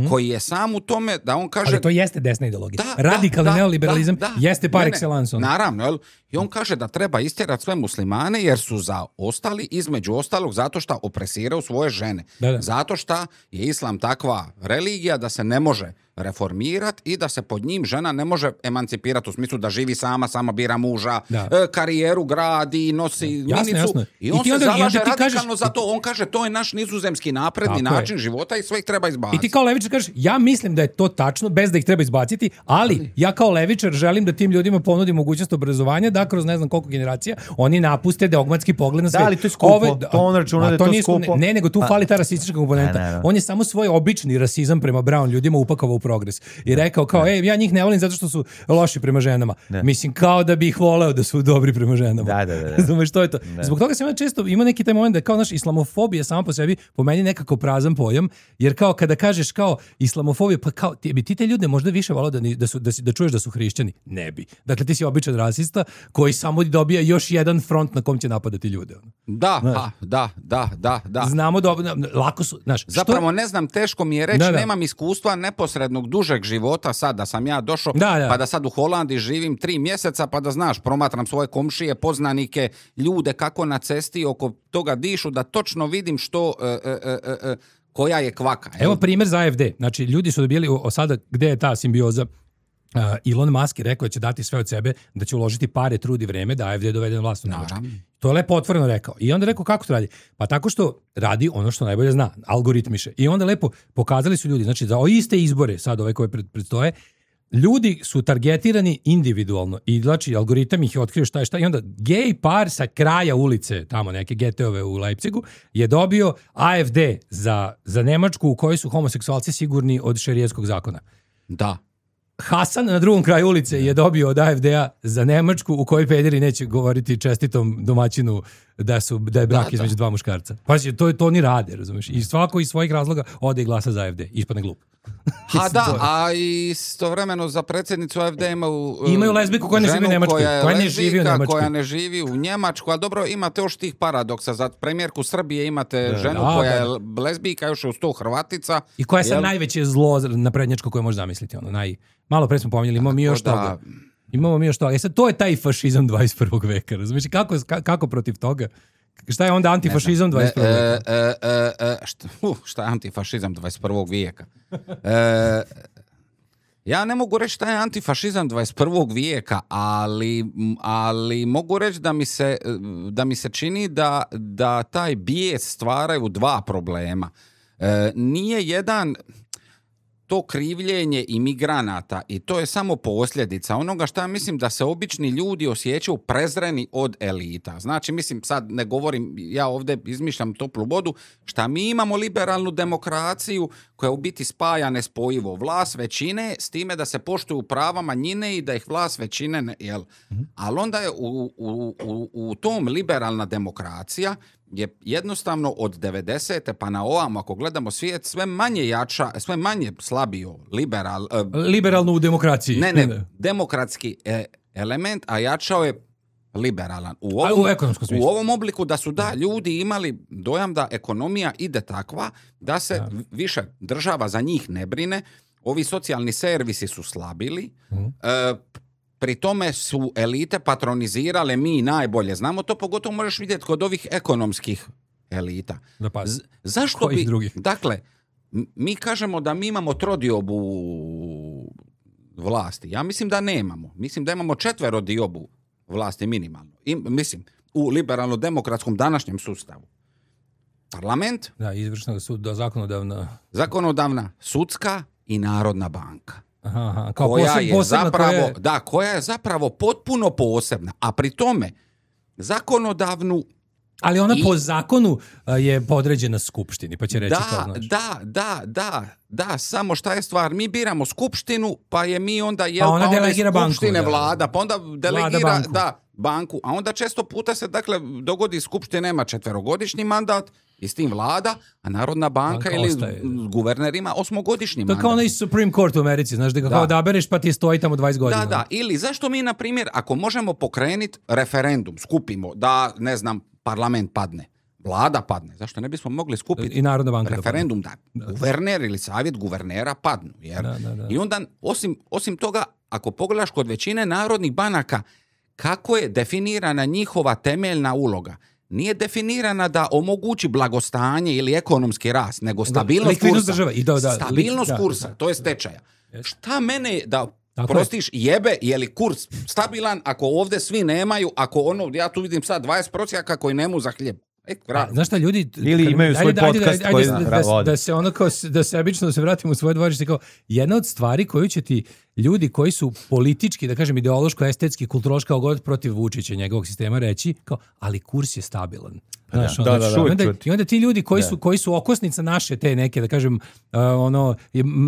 koji je sam u tome da on kaže... Ali to jeste desna ideologija. Da, Radikalni da, neoliberalizam da, da. jeste par Ne, ne, excellence. ono. Naravno, jel? I on kaže da treba istjerati sve muslimane jer su zaostali, između ostalog, zato što opresiraju svoje žene. Da, da. Zato što je islam takva religija da se ne može reformirati i da se pod njim žena ne može emancipirati u smislu da živi sama, sama bira muža, Da. e, karijeru gradi, nosi Jasno, minicu. jasno. I I on ti se onda- i onda zalaže ti radikalno kažeš- za to. On kaže to je naš nizozemski napredni Tako je. način života i sve ih treba I izbaciti. ti kao levičar kažeš, ja mislim da je to tačno, bez da ih treba izbaciti, ali ja kao levičar želim da tim ljudima ponudim mogućnost obrazovanja, da kroz ne znam koliko generacija oni napuste dogmatski pogled na Da, svet. ali to je skupo. Ove- To on računa a da je to nije sku- skupo. Ne, nego tu A- fali ta rasistička komponenta. Ne, ne, ne. On je samo svoj obični rasizam prema brown ljudima upakovao u progres. I rekao kao, ej, ja njih ne volim zato što su loši prema ženama. Mislim, kao da bi ih voleo da su dobri prema ženama. Da, da, da, da. Razumeš, što je to? Zbog toga sam ja često, ima neki taj moment da kao naš islamofobija sama po sebi po meni nekako prazan pojam, jer kao kada kažeš kao islamofobija, pa kao ti bi ti te ljude možda više volao da, ni- da, su, da, si, da čuješ da su hrišćani? Ne bi. Dakle, ti si običan rasista koji samo dobija još jedan front na kom će napadati ljude. ono. Da, pa, da, da, da, da. Znamo da, lako su, znaš, što- Zapravo ne znam, teško mi je reći, Da, da. nemam iskustva neposrednog dužeg života sad da sam ja došao, Da, da. pa da sad u Holandiji živim tri mjeseca, pa da znaš, promatram svoje komšije, poznanike, ljude kako na cesti oko toga dišu, da točno vidim što, e, e, e, e, koja je kvaka. jel? Evo primjer za A F D. Znači, ljudi su dobili, o, sada, gde je ta simbioza? Uh, Elon Musk je rekao da će dati sve od sebe, da će uložiti pare, trud i vreme da A F D dovede na vlast u Nemačkoj. Naravno. To je lepo otvoreno rekao. I onda rekao kako to radi? Pa tako što radi ono što najbolje zna, algoritmiše. I onda lepo pokazali su ljudi, znači za o iste izbore, sad ove koje pred, predstoje, ljudi su targetirani individualno i znači algoritam ih je otkrio šta je šta i onda gej par sa kraja ulice, tamo neke getove u Leipzigu, je dobio A F D za, za Nemačku u kojoj su homoseksualci sigurni od šerijskog zakona. Da. Hasan na drugom kraju ulice je dobio od A F D-a za Nemačku u kojoj pederi neće govoriti čestitom domaćinu da su da je brak Da, da. između dva muškarca. Pazi, to to oni rade, razumeš? I svako iz svojih razloga ode i glasa za A F D. Ispadne glup. Ha da, a istovremeno za predsjednicu A F D imaju... uh, Imaju lezbijku koja ne živi u ženu Njemačkoj, koja je koja ne živi u lezbijka, Njemačkoj. koja ne živi u Njemačku, ali dobro, imate još tih paradoksa. Za premijerku Srbije imate ženu Da, koja da, je da. lezbijka, još je uz to Hrvatica. I koja je sad Jel? najveće zlo naprednjačko koje možeš zamisliti. Ono, naj... Malo pre smo pominjali, imamo mi još da- toga. Imamo mi još toga. E sad, to je taj fašizam dvadeset prvog veka. Razumiješ? Kako, ka- kako protiv toga? Šta je onda antifašizam dvadeset prvog Ne, veka? e, e, e, e, šta, uh, šta je antifašizam dvadeset prvog vijeka? E, ja ne mogu reći šta je antifašizam dvadeset prvog vijeka, ali, ali mogu reći da mi se, da mi se čini da, da taj bijes stvaraju dva problema. E, nije jedan... to krivljenje imigranata i to je samo posljedica onoga šta mislim da se obični ljudi osjećaju prezreni od elita. Znači, mislim, sad ne govorim, ja ovdje izmišljam toplu vodu, šta mi imamo liberalnu demokraciju koja u biti spaja nespojivo vlast većine s time da se poštuju prava manjine i da ih vlast većine ne, jel? Mm-hmm. Ali onda je u, u, u, u tom liberalna demokracija je jednostavno od devedesete pa na ovamo, ako gledamo svijet, sve manje jača, sve manje slabio liberal... Uh, Liberalno u demokraciji. Ne, ne, demokratski e, element, a jačao je liberalan. U ovom, a u ekonomskom smislu. U ovom obliku da su da ljudi imali dojam da ekonomija ide takva, da se da. više država za njih ne brine, ovi socijalni servisi su slabili, mm. e, pri tome su elite patronizirale, mi najbolje znamo to, pogotovo možeš vidjeti kod ovih ekonomskih elita. Da pa, Z- zašto kojih bi... drugih? Dakle, mi kažemo da mi imamo trodiobu vlasti. Ja mislim da nemamo. Mislim da imamo četverodiobu vlasti minimalno. I, mislim, u liberalno-demokratskom današnjem sustavu. Parlament, da, izvršna suda, zakonodavna... zakonodavna, sudska i Narodna banka. Aha, aha. Kao koja poseb, je posebna, zapravo, koja je... da, koja je zapravo potpuno posebna, a pri tome zakonodavnu. Ali ona i... po zakonu a, je podređena skupštini, pa će reći da, to znači. Da, da, da, da, samo šta je stvar, mi biramo skupštinu, pa je mi onda jel, pa ona pa delegira banku, skupštine da. vlada, pa onda delegira banku. da, banku, a onda često puta se dakle dogodi skupština nema četverogodišnji mandat i s tim vlada, a Narodna banka, banka ili ostaje. Guverner ima osmogodišnji mandat. To kao onaj Supreme Court u Americi, znaš, da ga da. kao odabereš pa ti stoji tamo dvadeset godina. Da, da, ili zašto mi, na primjer, ako možemo pokrenuti referendum, skupimo da, ne znam, parlament padne, vlada padne, zašto ne bismo mogli skupiti i Narodna banka referendum da, da guverner ili savjet guvernera padnu. Jer, da, da, da. I onda, osim, osim toga, ako pogledaš kod većine narodnih banaka, kako je definirana njihova temeljna uloga? Nije definirana da omogući blagostanje ili ekonomski rast, nego stabilnost da, kursa. Države. I da, da, stabilnost da, kursa, da, to je stečaja. Yes. Šta mene da tako prostiš jebe, je li kurs stabilan ako ovdje svi nemaju, ako ono, ja tu vidim sad dvadeset prosjaka koji nemu za hljeb. E, A, znaš šta, ljudi... Ili kad, imaju svoj ajde, podcast ajde, ajde, koji da, da, da, da se ono kao, da se obično da se vratimo u svoje dvorište, kao jedna od stvari koju će ti ljudi koji su politički, da kažem ideološko, estetski, kulturološko god protiv Vučića i njegovog sistema reći, kao, ali kurs je stabilan. Znaš, da, onda, da, da, i, onda, čut. I onda ti ljudi koji da. su, koji su okosnica naše te neke, da kažem, uh, ono,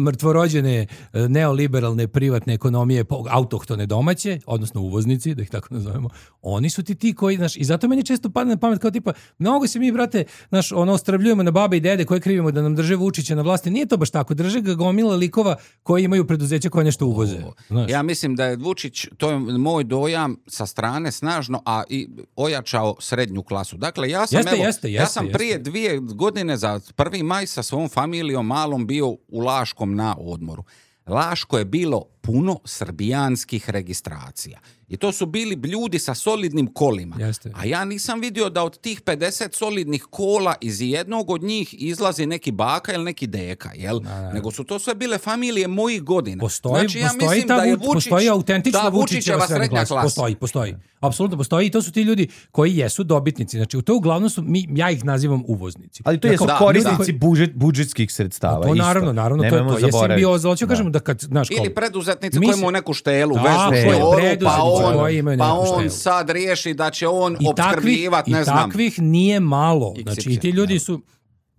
mrtvorođene uh, neoliberalne privatne ekonomije, autohtone domaće, odnosno uvoznici, da ih tako nazovemo, oni su ti ti koji, znaš, i zato meni često padne na pamet kao tipa, mnogo se mi, brate, znaš, ono, ostrvljujemo na babe i dede koje krivimo da nam drže Vučića na vlasti. Nije to baš tako, drže ga gomila likova koji imaju preduzeća koje nešto uvoze. Znaš. Ja mislim da je Vučić, to je moj dojam sa strane snažno, a i ojačao srednju klasu. Dakle, ja sam, jeste, evo, jeste, ja jeste, sam jeste. prije dvije godine za prvi maj sa svom familijom malom bio u Laškom na odmoru. Laško je bilo puno srbijanskih registracija. I to su bili ljudi sa solidnim kolima. Jeste. A ja nisam vidio da od tih pedeset solidnih kola iz jednog od njih izlazi neki baka ili neki deka, jel? Da, da. Nego su to sve bile familije mojih godina. Postoji, znači, ja postoji, mislim ta, da je Vučić, postoji autentična Vučićeva srednja klasa. klasa. Postoji, postoji. Apsolutno postoji i to su ti ljudi koji jesu dobitnici. Znači, u to uglavnom su, mi, ja ih nazivam uvoznici. Ali to jesu korisnici da. budžet, budžetskih sredstava. To naravno, isto. naravno, to, to je simbioza. Hoću kažemo da kad, znaš, kao, ili preduzetnici koji imaju neku štelu, da, vežu štoru, pa on, pa on štelu. sad riješi da će on I opskrbljivati, ne znam. I takvih nije malo. Znači, i ti ljudi su,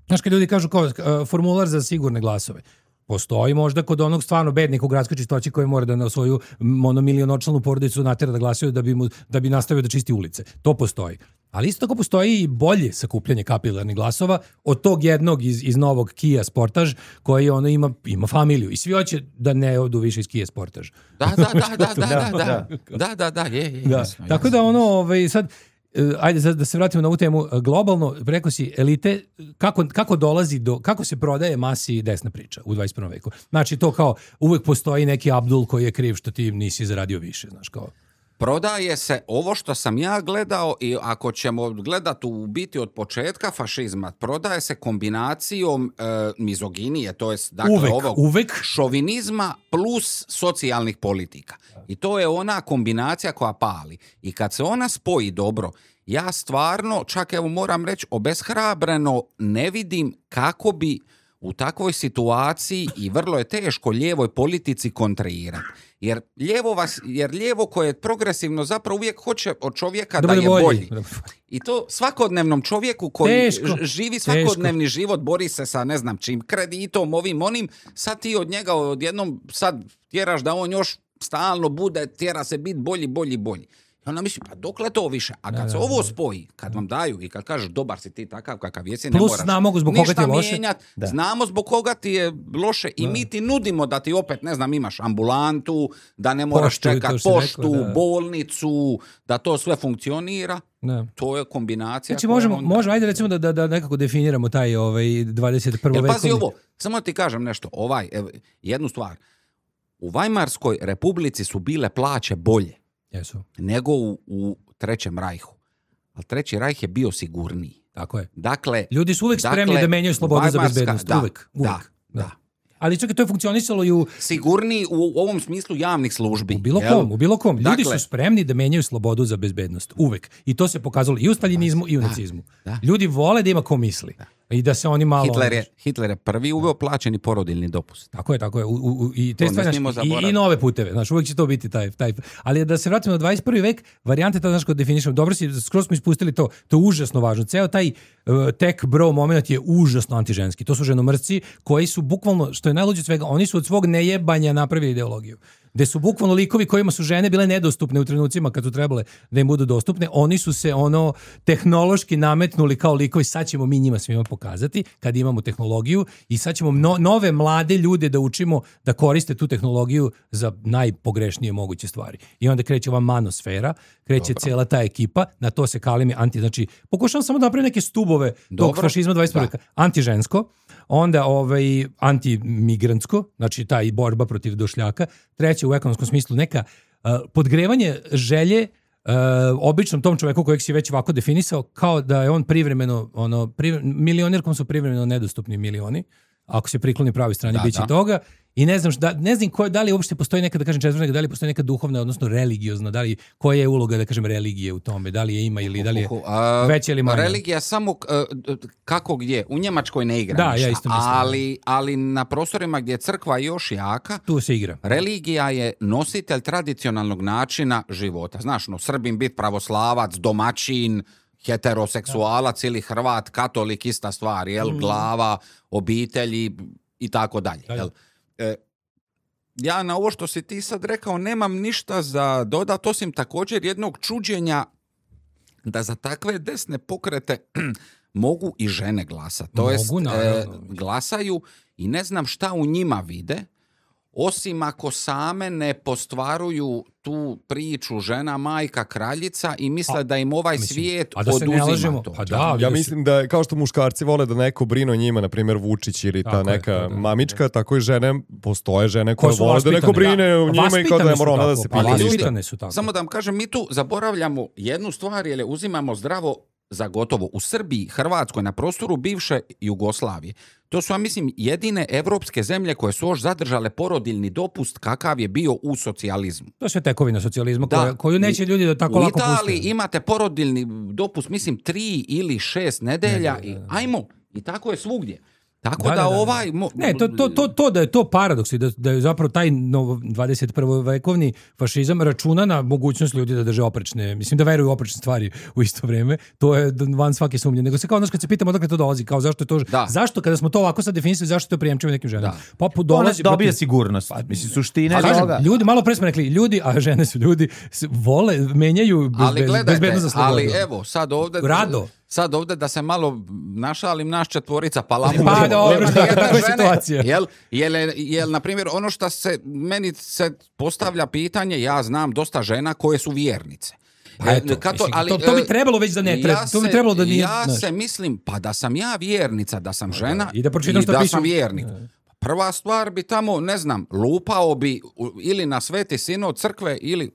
znaš, kad ljudi kažu kao uh, formular za sigurne glasove, postoji možda kod onog stvarno bednika u gradskoj čistoći koji mora da na svoju monomilionočlanu porodicu natera da glasuje da bi, mu, da bi nastavio da čisti ulice. To postoji. Ali isto tako postoji i bolje sakupljanje kapilarnih glasova od tog jednog iz, iz novog Kia Sportage koji ono ima, ima familiju. I svi hoće da ne odu više iz Kia Sportage. Da, da, da, da, da, da, da, da, da, da, je, je, da. Jasno, tako jasno. da ono, ovaj, sad, ajde da se vratimo na ovu temu globalno, preko si elite, kako, kako dolazi do, kako se prodaje masi desna priča u dvadeset prvom veku. Znači to kao, uvek postoji neki Abdul koji je kriv što ti nisi zaradio više, znaš kao. Prodaje se ovo što sam ja gledao i ako ćemo gledati u biti od početka fašizma, prodaje se kombinacijom e, mizoginije, to jest dakle uvek, ovog uvek. šovinizma plus socijalnih politika. I to je ona kombinacija koja pali. I kad se ona spoji dobro, ja stvarno, čak evo moram reći, obeshrabreno ne vidim kako bi u takvoj situaciji i vrlo je teško lijevoj politici kontrirati. Jer lijevo, vas, jer lijevo koje je progresivno zapravo uvijek hoće od čovjeka da, da je bolji. bolji. I to svakodnevnom čovjeku koji teško. živi svakodnevni teško. život, bori se sa ne znam čim, kreditom, ovim, onim, sad ti od njega odjednom sad tjeraš da on još stalno bude, tjera se biti bolji, bolji, bolji. I onda misli, pa dokle to više? A kad da, se ovo spoji, kad vam daju i kad kažeš dobar si ti takav kakav jesi, ne moraš znamo zbog koga ti je loše. Mijenjat, znamo zbog koga ti je loše i da. mi ti nudimo da ti opet, ne znam, imaš ambulantu, da ne moraš poštu, čekat poštu, rekao, da. bolnicu, da to sve funkcionira. Da. To je kombinacija. Znači možemo, onda... možemo, ajde recimo da, da, da nekako definiramo taj ovaj dvadeset prvi vekovni. Pazi ovo, samo ti kažem nešto, ovaj, ev, jednu stvar. U Vajmarskoj republici su bile plaće bolje. Jesu. Nego u, u Trećem rajhu. Ali Treći rajh je bio sigurniji. Tako je. Dakle, ljudi su uvijek spremni dakle, da menjaju slobodu za bezbednost. Da, uvijek. uvijek. Da, da. da. Ali čekaj, to je funkcionisalo i u... Sigurniji u, u ovom smislu javnih službi. U bilo jel? kom, u bilo kom. Ljudi dakle, su spremni da menjaju slobodu za bezbednost. Uvijek. I to se pokazalo i u staljinizmu i u da, nacizmu. Da. Ljudi vole da ima ko misli. Da. I da se oni malo... Hitler je, Hitler je prvi uveo plaćeni porodiljni dopust. Tako je, tako je. U, u, i, te stvari, znaš, i, i nove puteve. Znaš, uvijek će to biti taj, taj... Ali da se vratimo na dvadeset prvi vek, varijante, to znaš, kod definišemo. Dobro si, skroz smo ispustili to. To je užasno važno. Ceo taj uh, tech bro moment je užasno antiženski. To su ženomrci koji su bukvalno, što je najluđe od svega, oni su od svog nejebanja napravili ideologiju. Gde su bukvalno likovi kojima su žene bile nedostupne u trenucima kad su trebale da im budu dostupne, oni su se ono tehnološki nametnuli kao likovi, sad ćemo mi njima svima pokazati kad imamo tehnologiju i sad ćemo no, nove mlade ljude da učimo da koriste tu tehnologiju za najpogrešnije moguće stvari. I onda kreće ova manosfera, kreće Dobro. cijela ta ekipa, na to se kalimi anti, znači pokušavam samo da napravim neke stubove Dobro. tog fašizma dvadeset prvog veka. Antižensko, onda ovaj antimigrantsko, znači taj borba protiv došljaka, treće u ekonomskom smislu neka uh, podgrevanje želje uh, običnom tom čoveku kojeg si već ovako definisao kao da je on privremeno ono privre, milionirkom su privremeno nedostupni milioni, ako se prikloni pravoj strani biće toga. I ne znam šta, ne znam ko, da li uopšte postoji neka, da kažem četvrta, da li postoji neka duhovna, odnosno religiozna, da li, koja je uloga, da kažem, religije u tome, da li je ima ili da li je veća ili manja. Religija samo uh, kako gdje, u Njemačkoj ne igra da, ništa, ja isto mislim, ali, ali na prostorima gdje je crkva još jaka, tu se igra. Religija je nositelj tradicionalnog načina života. Znaš, no, Srbin bit pravoslavac, domaćin, heteroseksualac da. ili Hrvat, katolik, ista stvar, jel, mm. glava, obitelji i tako dalje, jel? E, ja na ovo što si ti sad rekao nemam ništa za dodat, osim također jednog čuđenja da za takve desne pokrete mogu i žene glasati. To jest, e, glasaju i ne znam šta u njima vide, osim ako same ne postvaruju tu priču žena, majka, kraljica i misle a, da im ovaj mislim, svijet oduzima to. Pa da, ja mislim da kao što muškarci vole da neko brine o njima, na primjer Vučić ili ta neka je, da, mamička, da. tako i žene, postoje žene koje vole da neko brine da. o njima vaspitane i kao da ne mora ona da se pita. Samo da vam kažem, mi tu zaboravljamo jednu stvar, jer uzimamo zdravo za gotovo. U Srbiji, Hrvatskoj, na prostoru bivše Jugoslavije, to su, ja mislim, jedine evropske zemlje koje su još zadržale porodiljni dopust kakav je bio u socijalizmu. To je sve tekovina socijalizma da, koja, koju neće ljudi da tako lako puste. U Italiji imate porodiljni dopust, mislim, tri ili šest nedelja. Ne, ne, ne, ne. I, ajmo, i tako je svugdje. Tako da, da, da, da ovaj... Mo... Ne, to, to, to, to da je to paradoks i da, da je zapravo taj novo dvadeset prvi vekovni fašizam računa na mogućnost ljudi da drže oprečne, mislim da veruju u oprečne stvari u isto vrijeme, to je van svake sumnje. Nego se kao, znaš, kad se pitamo odakle to dolazi, kao zašto je to, da. zašto kada smo to ovako sad definisali, zašto to prijemčivo nekim ženama? Pa dolazi... Dobije protiv... sigurnost, pa, mislim, suštine toga. Ljudi, malo pre smo rekli, ljudi, a žene su ljudi, vole, menjaju bezbednost za slobodu. Ali evo, sad ovdje... Rado. Sad ovdje da se malo našalim naš četvorica palamu. Pa dobro, tako je situacija. Jel, jel, jel, na primjer, ono što se, meni se postavlja pitanje, ja znam dosta žena koje su vjernice. Pa eto, Kato, mislim, ali, to, to bi trebalo već da ne treba. Ja, to bi trebalo da nije, ja znaš. se mislim, pa da sam ja vjernica, da sam žena i da, i da pišu... sam vjernik. Prva stvar bi tamo, ne znam, lupao bi ili na Sveti Sinod crkve ili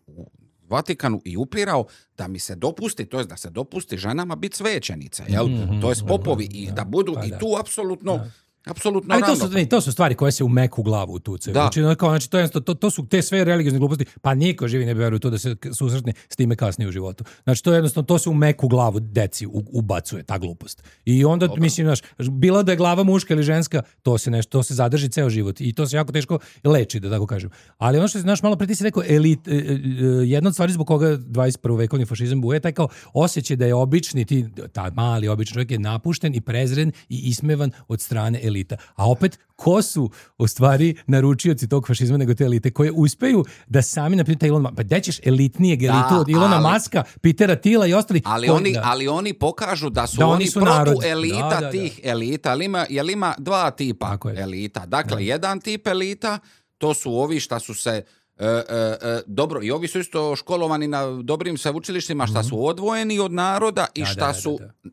Vatikanu i upirao da mi se dopusti, to je da se dopusti ženama biti svećenice, jel? Mm-hmm, to je popovi i da budu pa i da. tu apsolutno Apsolutno ali to su, ravnopravno. to su stvari koje se u meku glavu utucaju. Da. Znači, ono kao, znači, to, je, to, to su te sve religiozne gluposti, pa niko živi ne bi veruje u to da se susretne s time kasnije u životu. Znači, to je jednostavno, to se u meku glavu deci u- ubacuje, ta glupost. I onda, Dobro. mislim, znaš, bilo da je glava muška ili ženska, to se nešto, to se zadrži ceo život i to se jako teško leči, da tako kažem. Ali ono što je, znaš, malo pre ti si rekao, elit, e, e, jedna od stvari zbog koga dvadeset prvi vekovni fašizam buje, taj kao osjećaj da je obični, ti, ta mali obični čovjek je napušten i prezren i ismevan od strane elita. A opet, ko su u stvari naručioci tog fašizma nego te elite koje uspeju da sami, na primjer, Elon Musk, pa gde ćeš elitnijeg elitu Da, od Ilona ali- Maska, Petera Tila i ostali. Ali koji- oni, da. ali oni pokažu da su Da, oni oni, su narod. protu elita Da, da, da. tih elita. Ali ima, jel ima dva tipa Tako je. elita. Dakle, jedan tip elita, to su ovi šta su se e, e, e, dobro, i ovi su isto školovani na dobrim sveučilištima, šta su odvojeni od naroda i Da, šta da, da, su, da.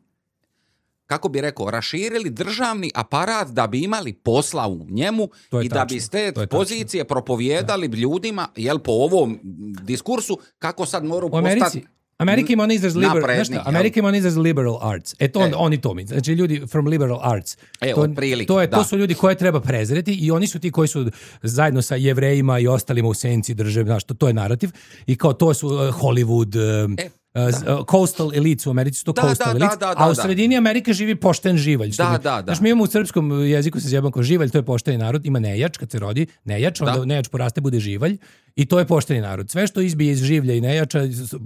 kako bi rekao, raširili državni aparat da bi imali posla u njemu To je i da tačno, bi s te to je tačno. pozicije propovijedali ljudima, jel po ovom diskursu, kako sad moraju U Americi, postati Amerika ima on izraz liberal, napredni, znaš šta, jel? Amerika ima on izraz liberal arts. E to on, E. oni to mi. Znači ljudi from liberal arts. E, to, otprilike, to, je, to da. su ljudi koje treba prezreti i oni su ti koji su zajedno sa Jevrejima i ostalima u senci drže, znaš, to, to je narativ. I kao to su uh, Hollywood, um, E, uh, z- uh, coastal elites u Americi su to Da, coastal da, elites, da, da, a u da. sredini Amerike živi pošten živalj. što Da, bi- da, da. Znaš, mi imamo u srpskom jeziku se zjebam kao živalj, to je pošteni narod, ima nejač kad se rodi, nejač, onda Da. nejač poraste, bude živalj i to je pošteni narod. Sve što izbije iz življa i nejača,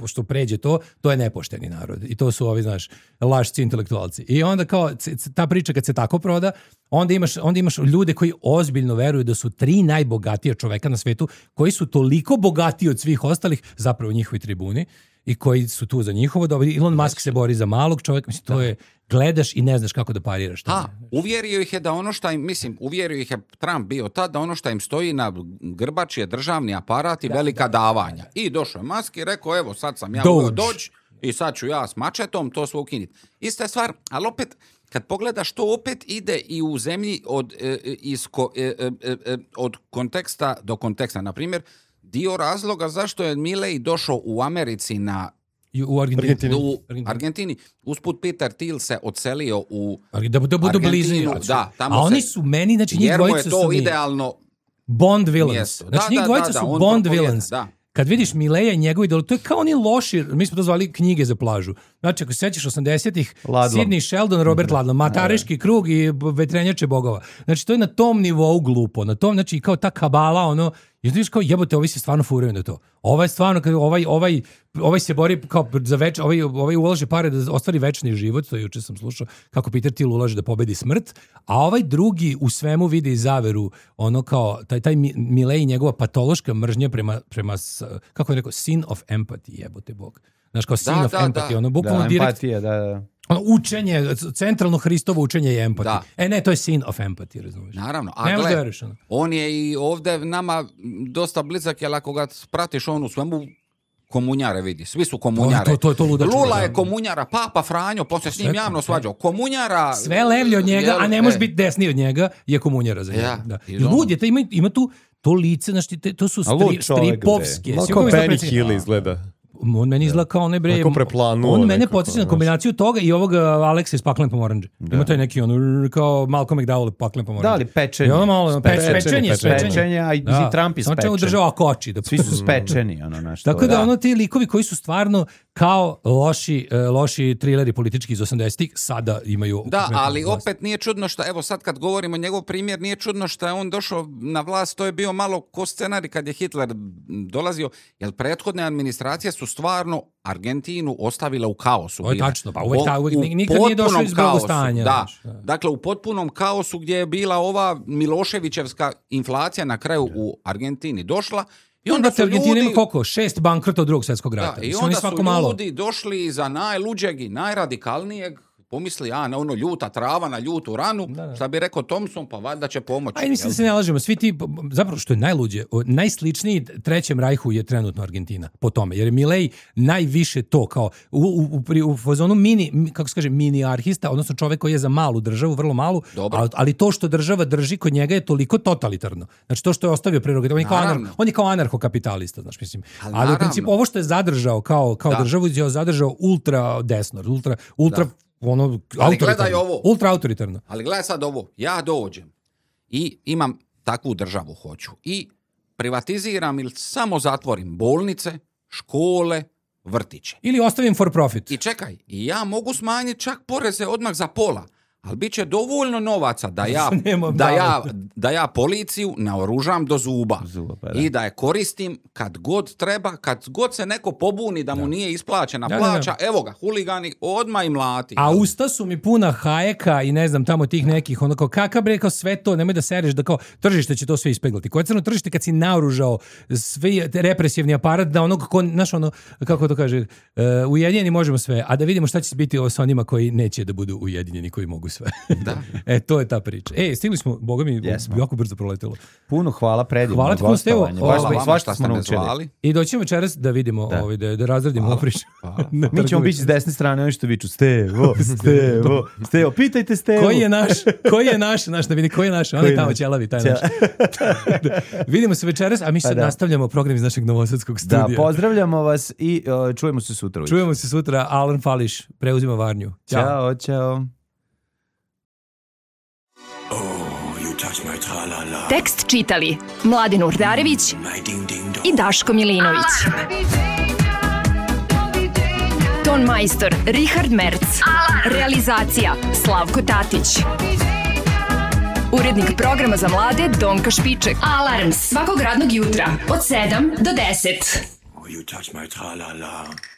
što pređe to, to je nepošteni narod. I to su ovi, znaš, lašci intelektualci. I onda kao, c- c- ta priča kad se tako proda, onda imaš, onda imaš ljude koji ozbiljno veruju da su tri najbogatija čoveka na svetu, koji su toliko bogatiji od svih ostalih, zapravo njihovi tribuni, i koji su tu za njihovo dobro. Elon Musk se bori za malog čovjeka, mislim, to je, gledaš i ne znaš kako da pariraš. Ha, tome. uvjerio ih je da ono što im, mislim, uvjerio ih je Trump bio tad, da ono što im stoji na grbači je državni aparat i velika davanja. I došao je Musk i rekao, evo sad sam ja Doge. uveo doći i sad ću ja s mačetom to sve ukiniti. Ista je stvar, ali opet, kad pogledaš, to opet ide i u zemlji od, e, e, iz ko- e, e, e, e, od konteksta do konteksta. Na primjer, dio razloga zašto je Milei došao u Americi na I u Argentini. Argentini. u Argentini. Argentini. Usput Peter Thiel se odselio u Da, da budu Argentinu, blizu. da, tamo A oni se- su meni, znači njih jer mu je dvojica to su mi idealno Bond villains. mjesto. Znači Da, njih da, dvojica da, da, su on Bond propovijeda, villains. da. Kad vidiš Mileja i njegov idol, to je kao oni loši, mi smo to zvali knjige za plažu. Znači, ako se sećaš osamdesetih, Ladlom. Sidney Sheldon, Robert Ladlom, Matariški krug i b- vetrenjače bogova. Znači, to je na tom nivou glupo. Na tom, znači, kao ta kabala, ono, i ti vidiš kao, jebote, ovi se stvarno furaju na to. Ovaj stvarno, kad ovaj, ovaj, ovaj se bori kao za več, ovaj, ovaj ulaže pare da ostvari večni život, to juče sam slušao, kako Peter Thiel ulaže da pobedi smrt, a ovaj drugi u svemu vidi zaveru, ono kao, taj, taj Mi- Milei i njegova patološka mržnja prema, prema, s- kako je rekao, sin of empathy, jebote bog. Znaš, kao sin Da, of da, empathy, da. ono, bukvalno Da, direkt, empatija, da, da. ono, učenje, centralno Hristovo učenje je empathy. Da. E ne, to je sin of empathy, razumiješ? Naravno, Ne a možeš da gle, veruješ, ono. on je i ovdje nama dosta blizak, jer ako ga pratiš on u svemu komunjare vidi, svi su komunjare. To- to- to je to ludačko, Lula da. je komunjara, Papa Franjo, poslije s njim Sve- javno sve. svađao. Komunjara... Sve levlje od njega, jel, a ne može e, biti desniji od njega, je komunjara za njega. Ja, Da. i I ono- lud je, taj ima, ima tu to lice, znaš, ti, te- to su A lud stri, čovek, stripovske. Malo Svi kao koji su Benny predsjednik- Hill izgleda. On meni izgleda kao onaj bre... Onako preplanuo On mene nekako, podsjeća na znaš. kombinaciju toga i ovog Aleksa iz Paklen pomoranđe. Ima taj neki ono, kao Malcolm McDowell Paklen pomoranđe. Da, ali pečenje. I ono malo, peč, Pečenje, pečenje, pečenje. pečenje. Pečenje, a i mislim, Trump je Samo čemu spečen. država koči. Da... Svi su spečeni, ono, znaš. to Tako je. da, ono ti likovi koji su stvarno kao loši, e, loši trileri politički iz osamdesetih sada imaju... Da, konkretnu ali vlast. opet nije čudno što, evo sad kad govorimo njegov primjer, nije čudno što je on došao na vlast, to je bio malo ko scenarij kad je Hitler dolazio, jer prethodne administracije su stvarno Argentinu ostavile u kaosu. To je bile. tačno, pa uvek O- ta- uvek- u nikad nije došlo potpunom iz kaosu, blagostanja, Da, znaš, da. dakle u potpunom kaosu gdje je bila ova Miloševićevska inflacija na kraju u Argentini došla. I onda su Argentina ima ljudi... koliko? Šest bankrota od drugog svjetskog rata. Da, i Mislim, onda oni su svako malo. ljudi došli iza najluđeg i najradikalnijeg, pomisli, a, na ono ljuta trava, na ljutu ranu, šta bi rekao Thompson, pa valjda će pomoći. Aj, mislim jel? da se ne lažemo, svi ti, zapravo što je najluđe, o, najsličniji Trećem rajhu je trenutno Argentina, po tome, jer je Milei najviše to, kao u, u, u, pri- u fazonu mini, mi- kako se kaže, mini arhista, odnosno čovek koji je za malu državu, vrlo malu, Dobro. ali, ali to što država drži kod njega je toliko totalitarno. Znači to što je ostavio prerogativ, on je kao, anar, Naravno. on je kao anarhokapitalista, znači mislim. Ali Ali, u naravno. principu ovo što je zadržao kao, kao Da. državu je zadržao ultra desno, ultra, ultra Da. ono, ali gledaj ovo. Ultra autoritarno. Ali gledaj sad ovo. Ja dođem i imam takvu državu hoću. I privatiziram ili samo zatvorim bolnice, škole, vrtiće. Ili ostavim for profit. I čekaj, i ja mogu smanjiti čak poreze odmah za pola. Ali bit će dovoljno novaca da ja, da ja, da ja policiju naoružam do zuba. zuba pa da. I da je koristim kad god treba, kad god se neko pobuni da mu da. nije isplaćena da, plaća, da, da. evo ga, huligani, odmah i mlati. A usta su mi puna Hayeka i ne znam tamo tih nekih, onako, kakav bre, kao sve to, nemoj da sereš da kao tržište će to sve ispeglati. Koje crno tržište kad si naoružao svi represivni aparat da onog, ko, znaš ono, kako to kaže, uh, ujedinjeni možemo sve, a da vidimo šta će biti sa onima koji neće da budu ujedinjeni, koji mogu sve. Da. E, to je ta priča. E, stigli smo, boga mi, yes, jako brzo proletelo. Puno hvala, predivno. Hvala ti, Stevo. Hvala vam svašta smo naučili. I doćemo večeras da vidimo, da, ovaj, da, da razradimo ovu priču. Mi ćemo biti s desne strane, oni što viču, Stevo, Stevo, Stevo, pitajte Stevo. Koji je naš, koji je naš, naš da vidi, koji je naš, on je tamo ćelavi, taj naš. Vidimo se večeras, a mi sad da. nastavljamo program iz našeg novosadskog studija. Da, pozdravljamo vas i uh, čujemo se sutra. Čujemo se sutra, Alan Fališ preuzima Varnju. Ćao, čao. čao. Tekst čitali Mladin Urdarević i Daško Milinović. Ton majstor Richard Merc. Realizacija Slavko Tatić. Urednik programa za mlade Donka Špiček. Alarms svakog radnog jutra od sedam do deset. Oh, you touch my tra-la-la.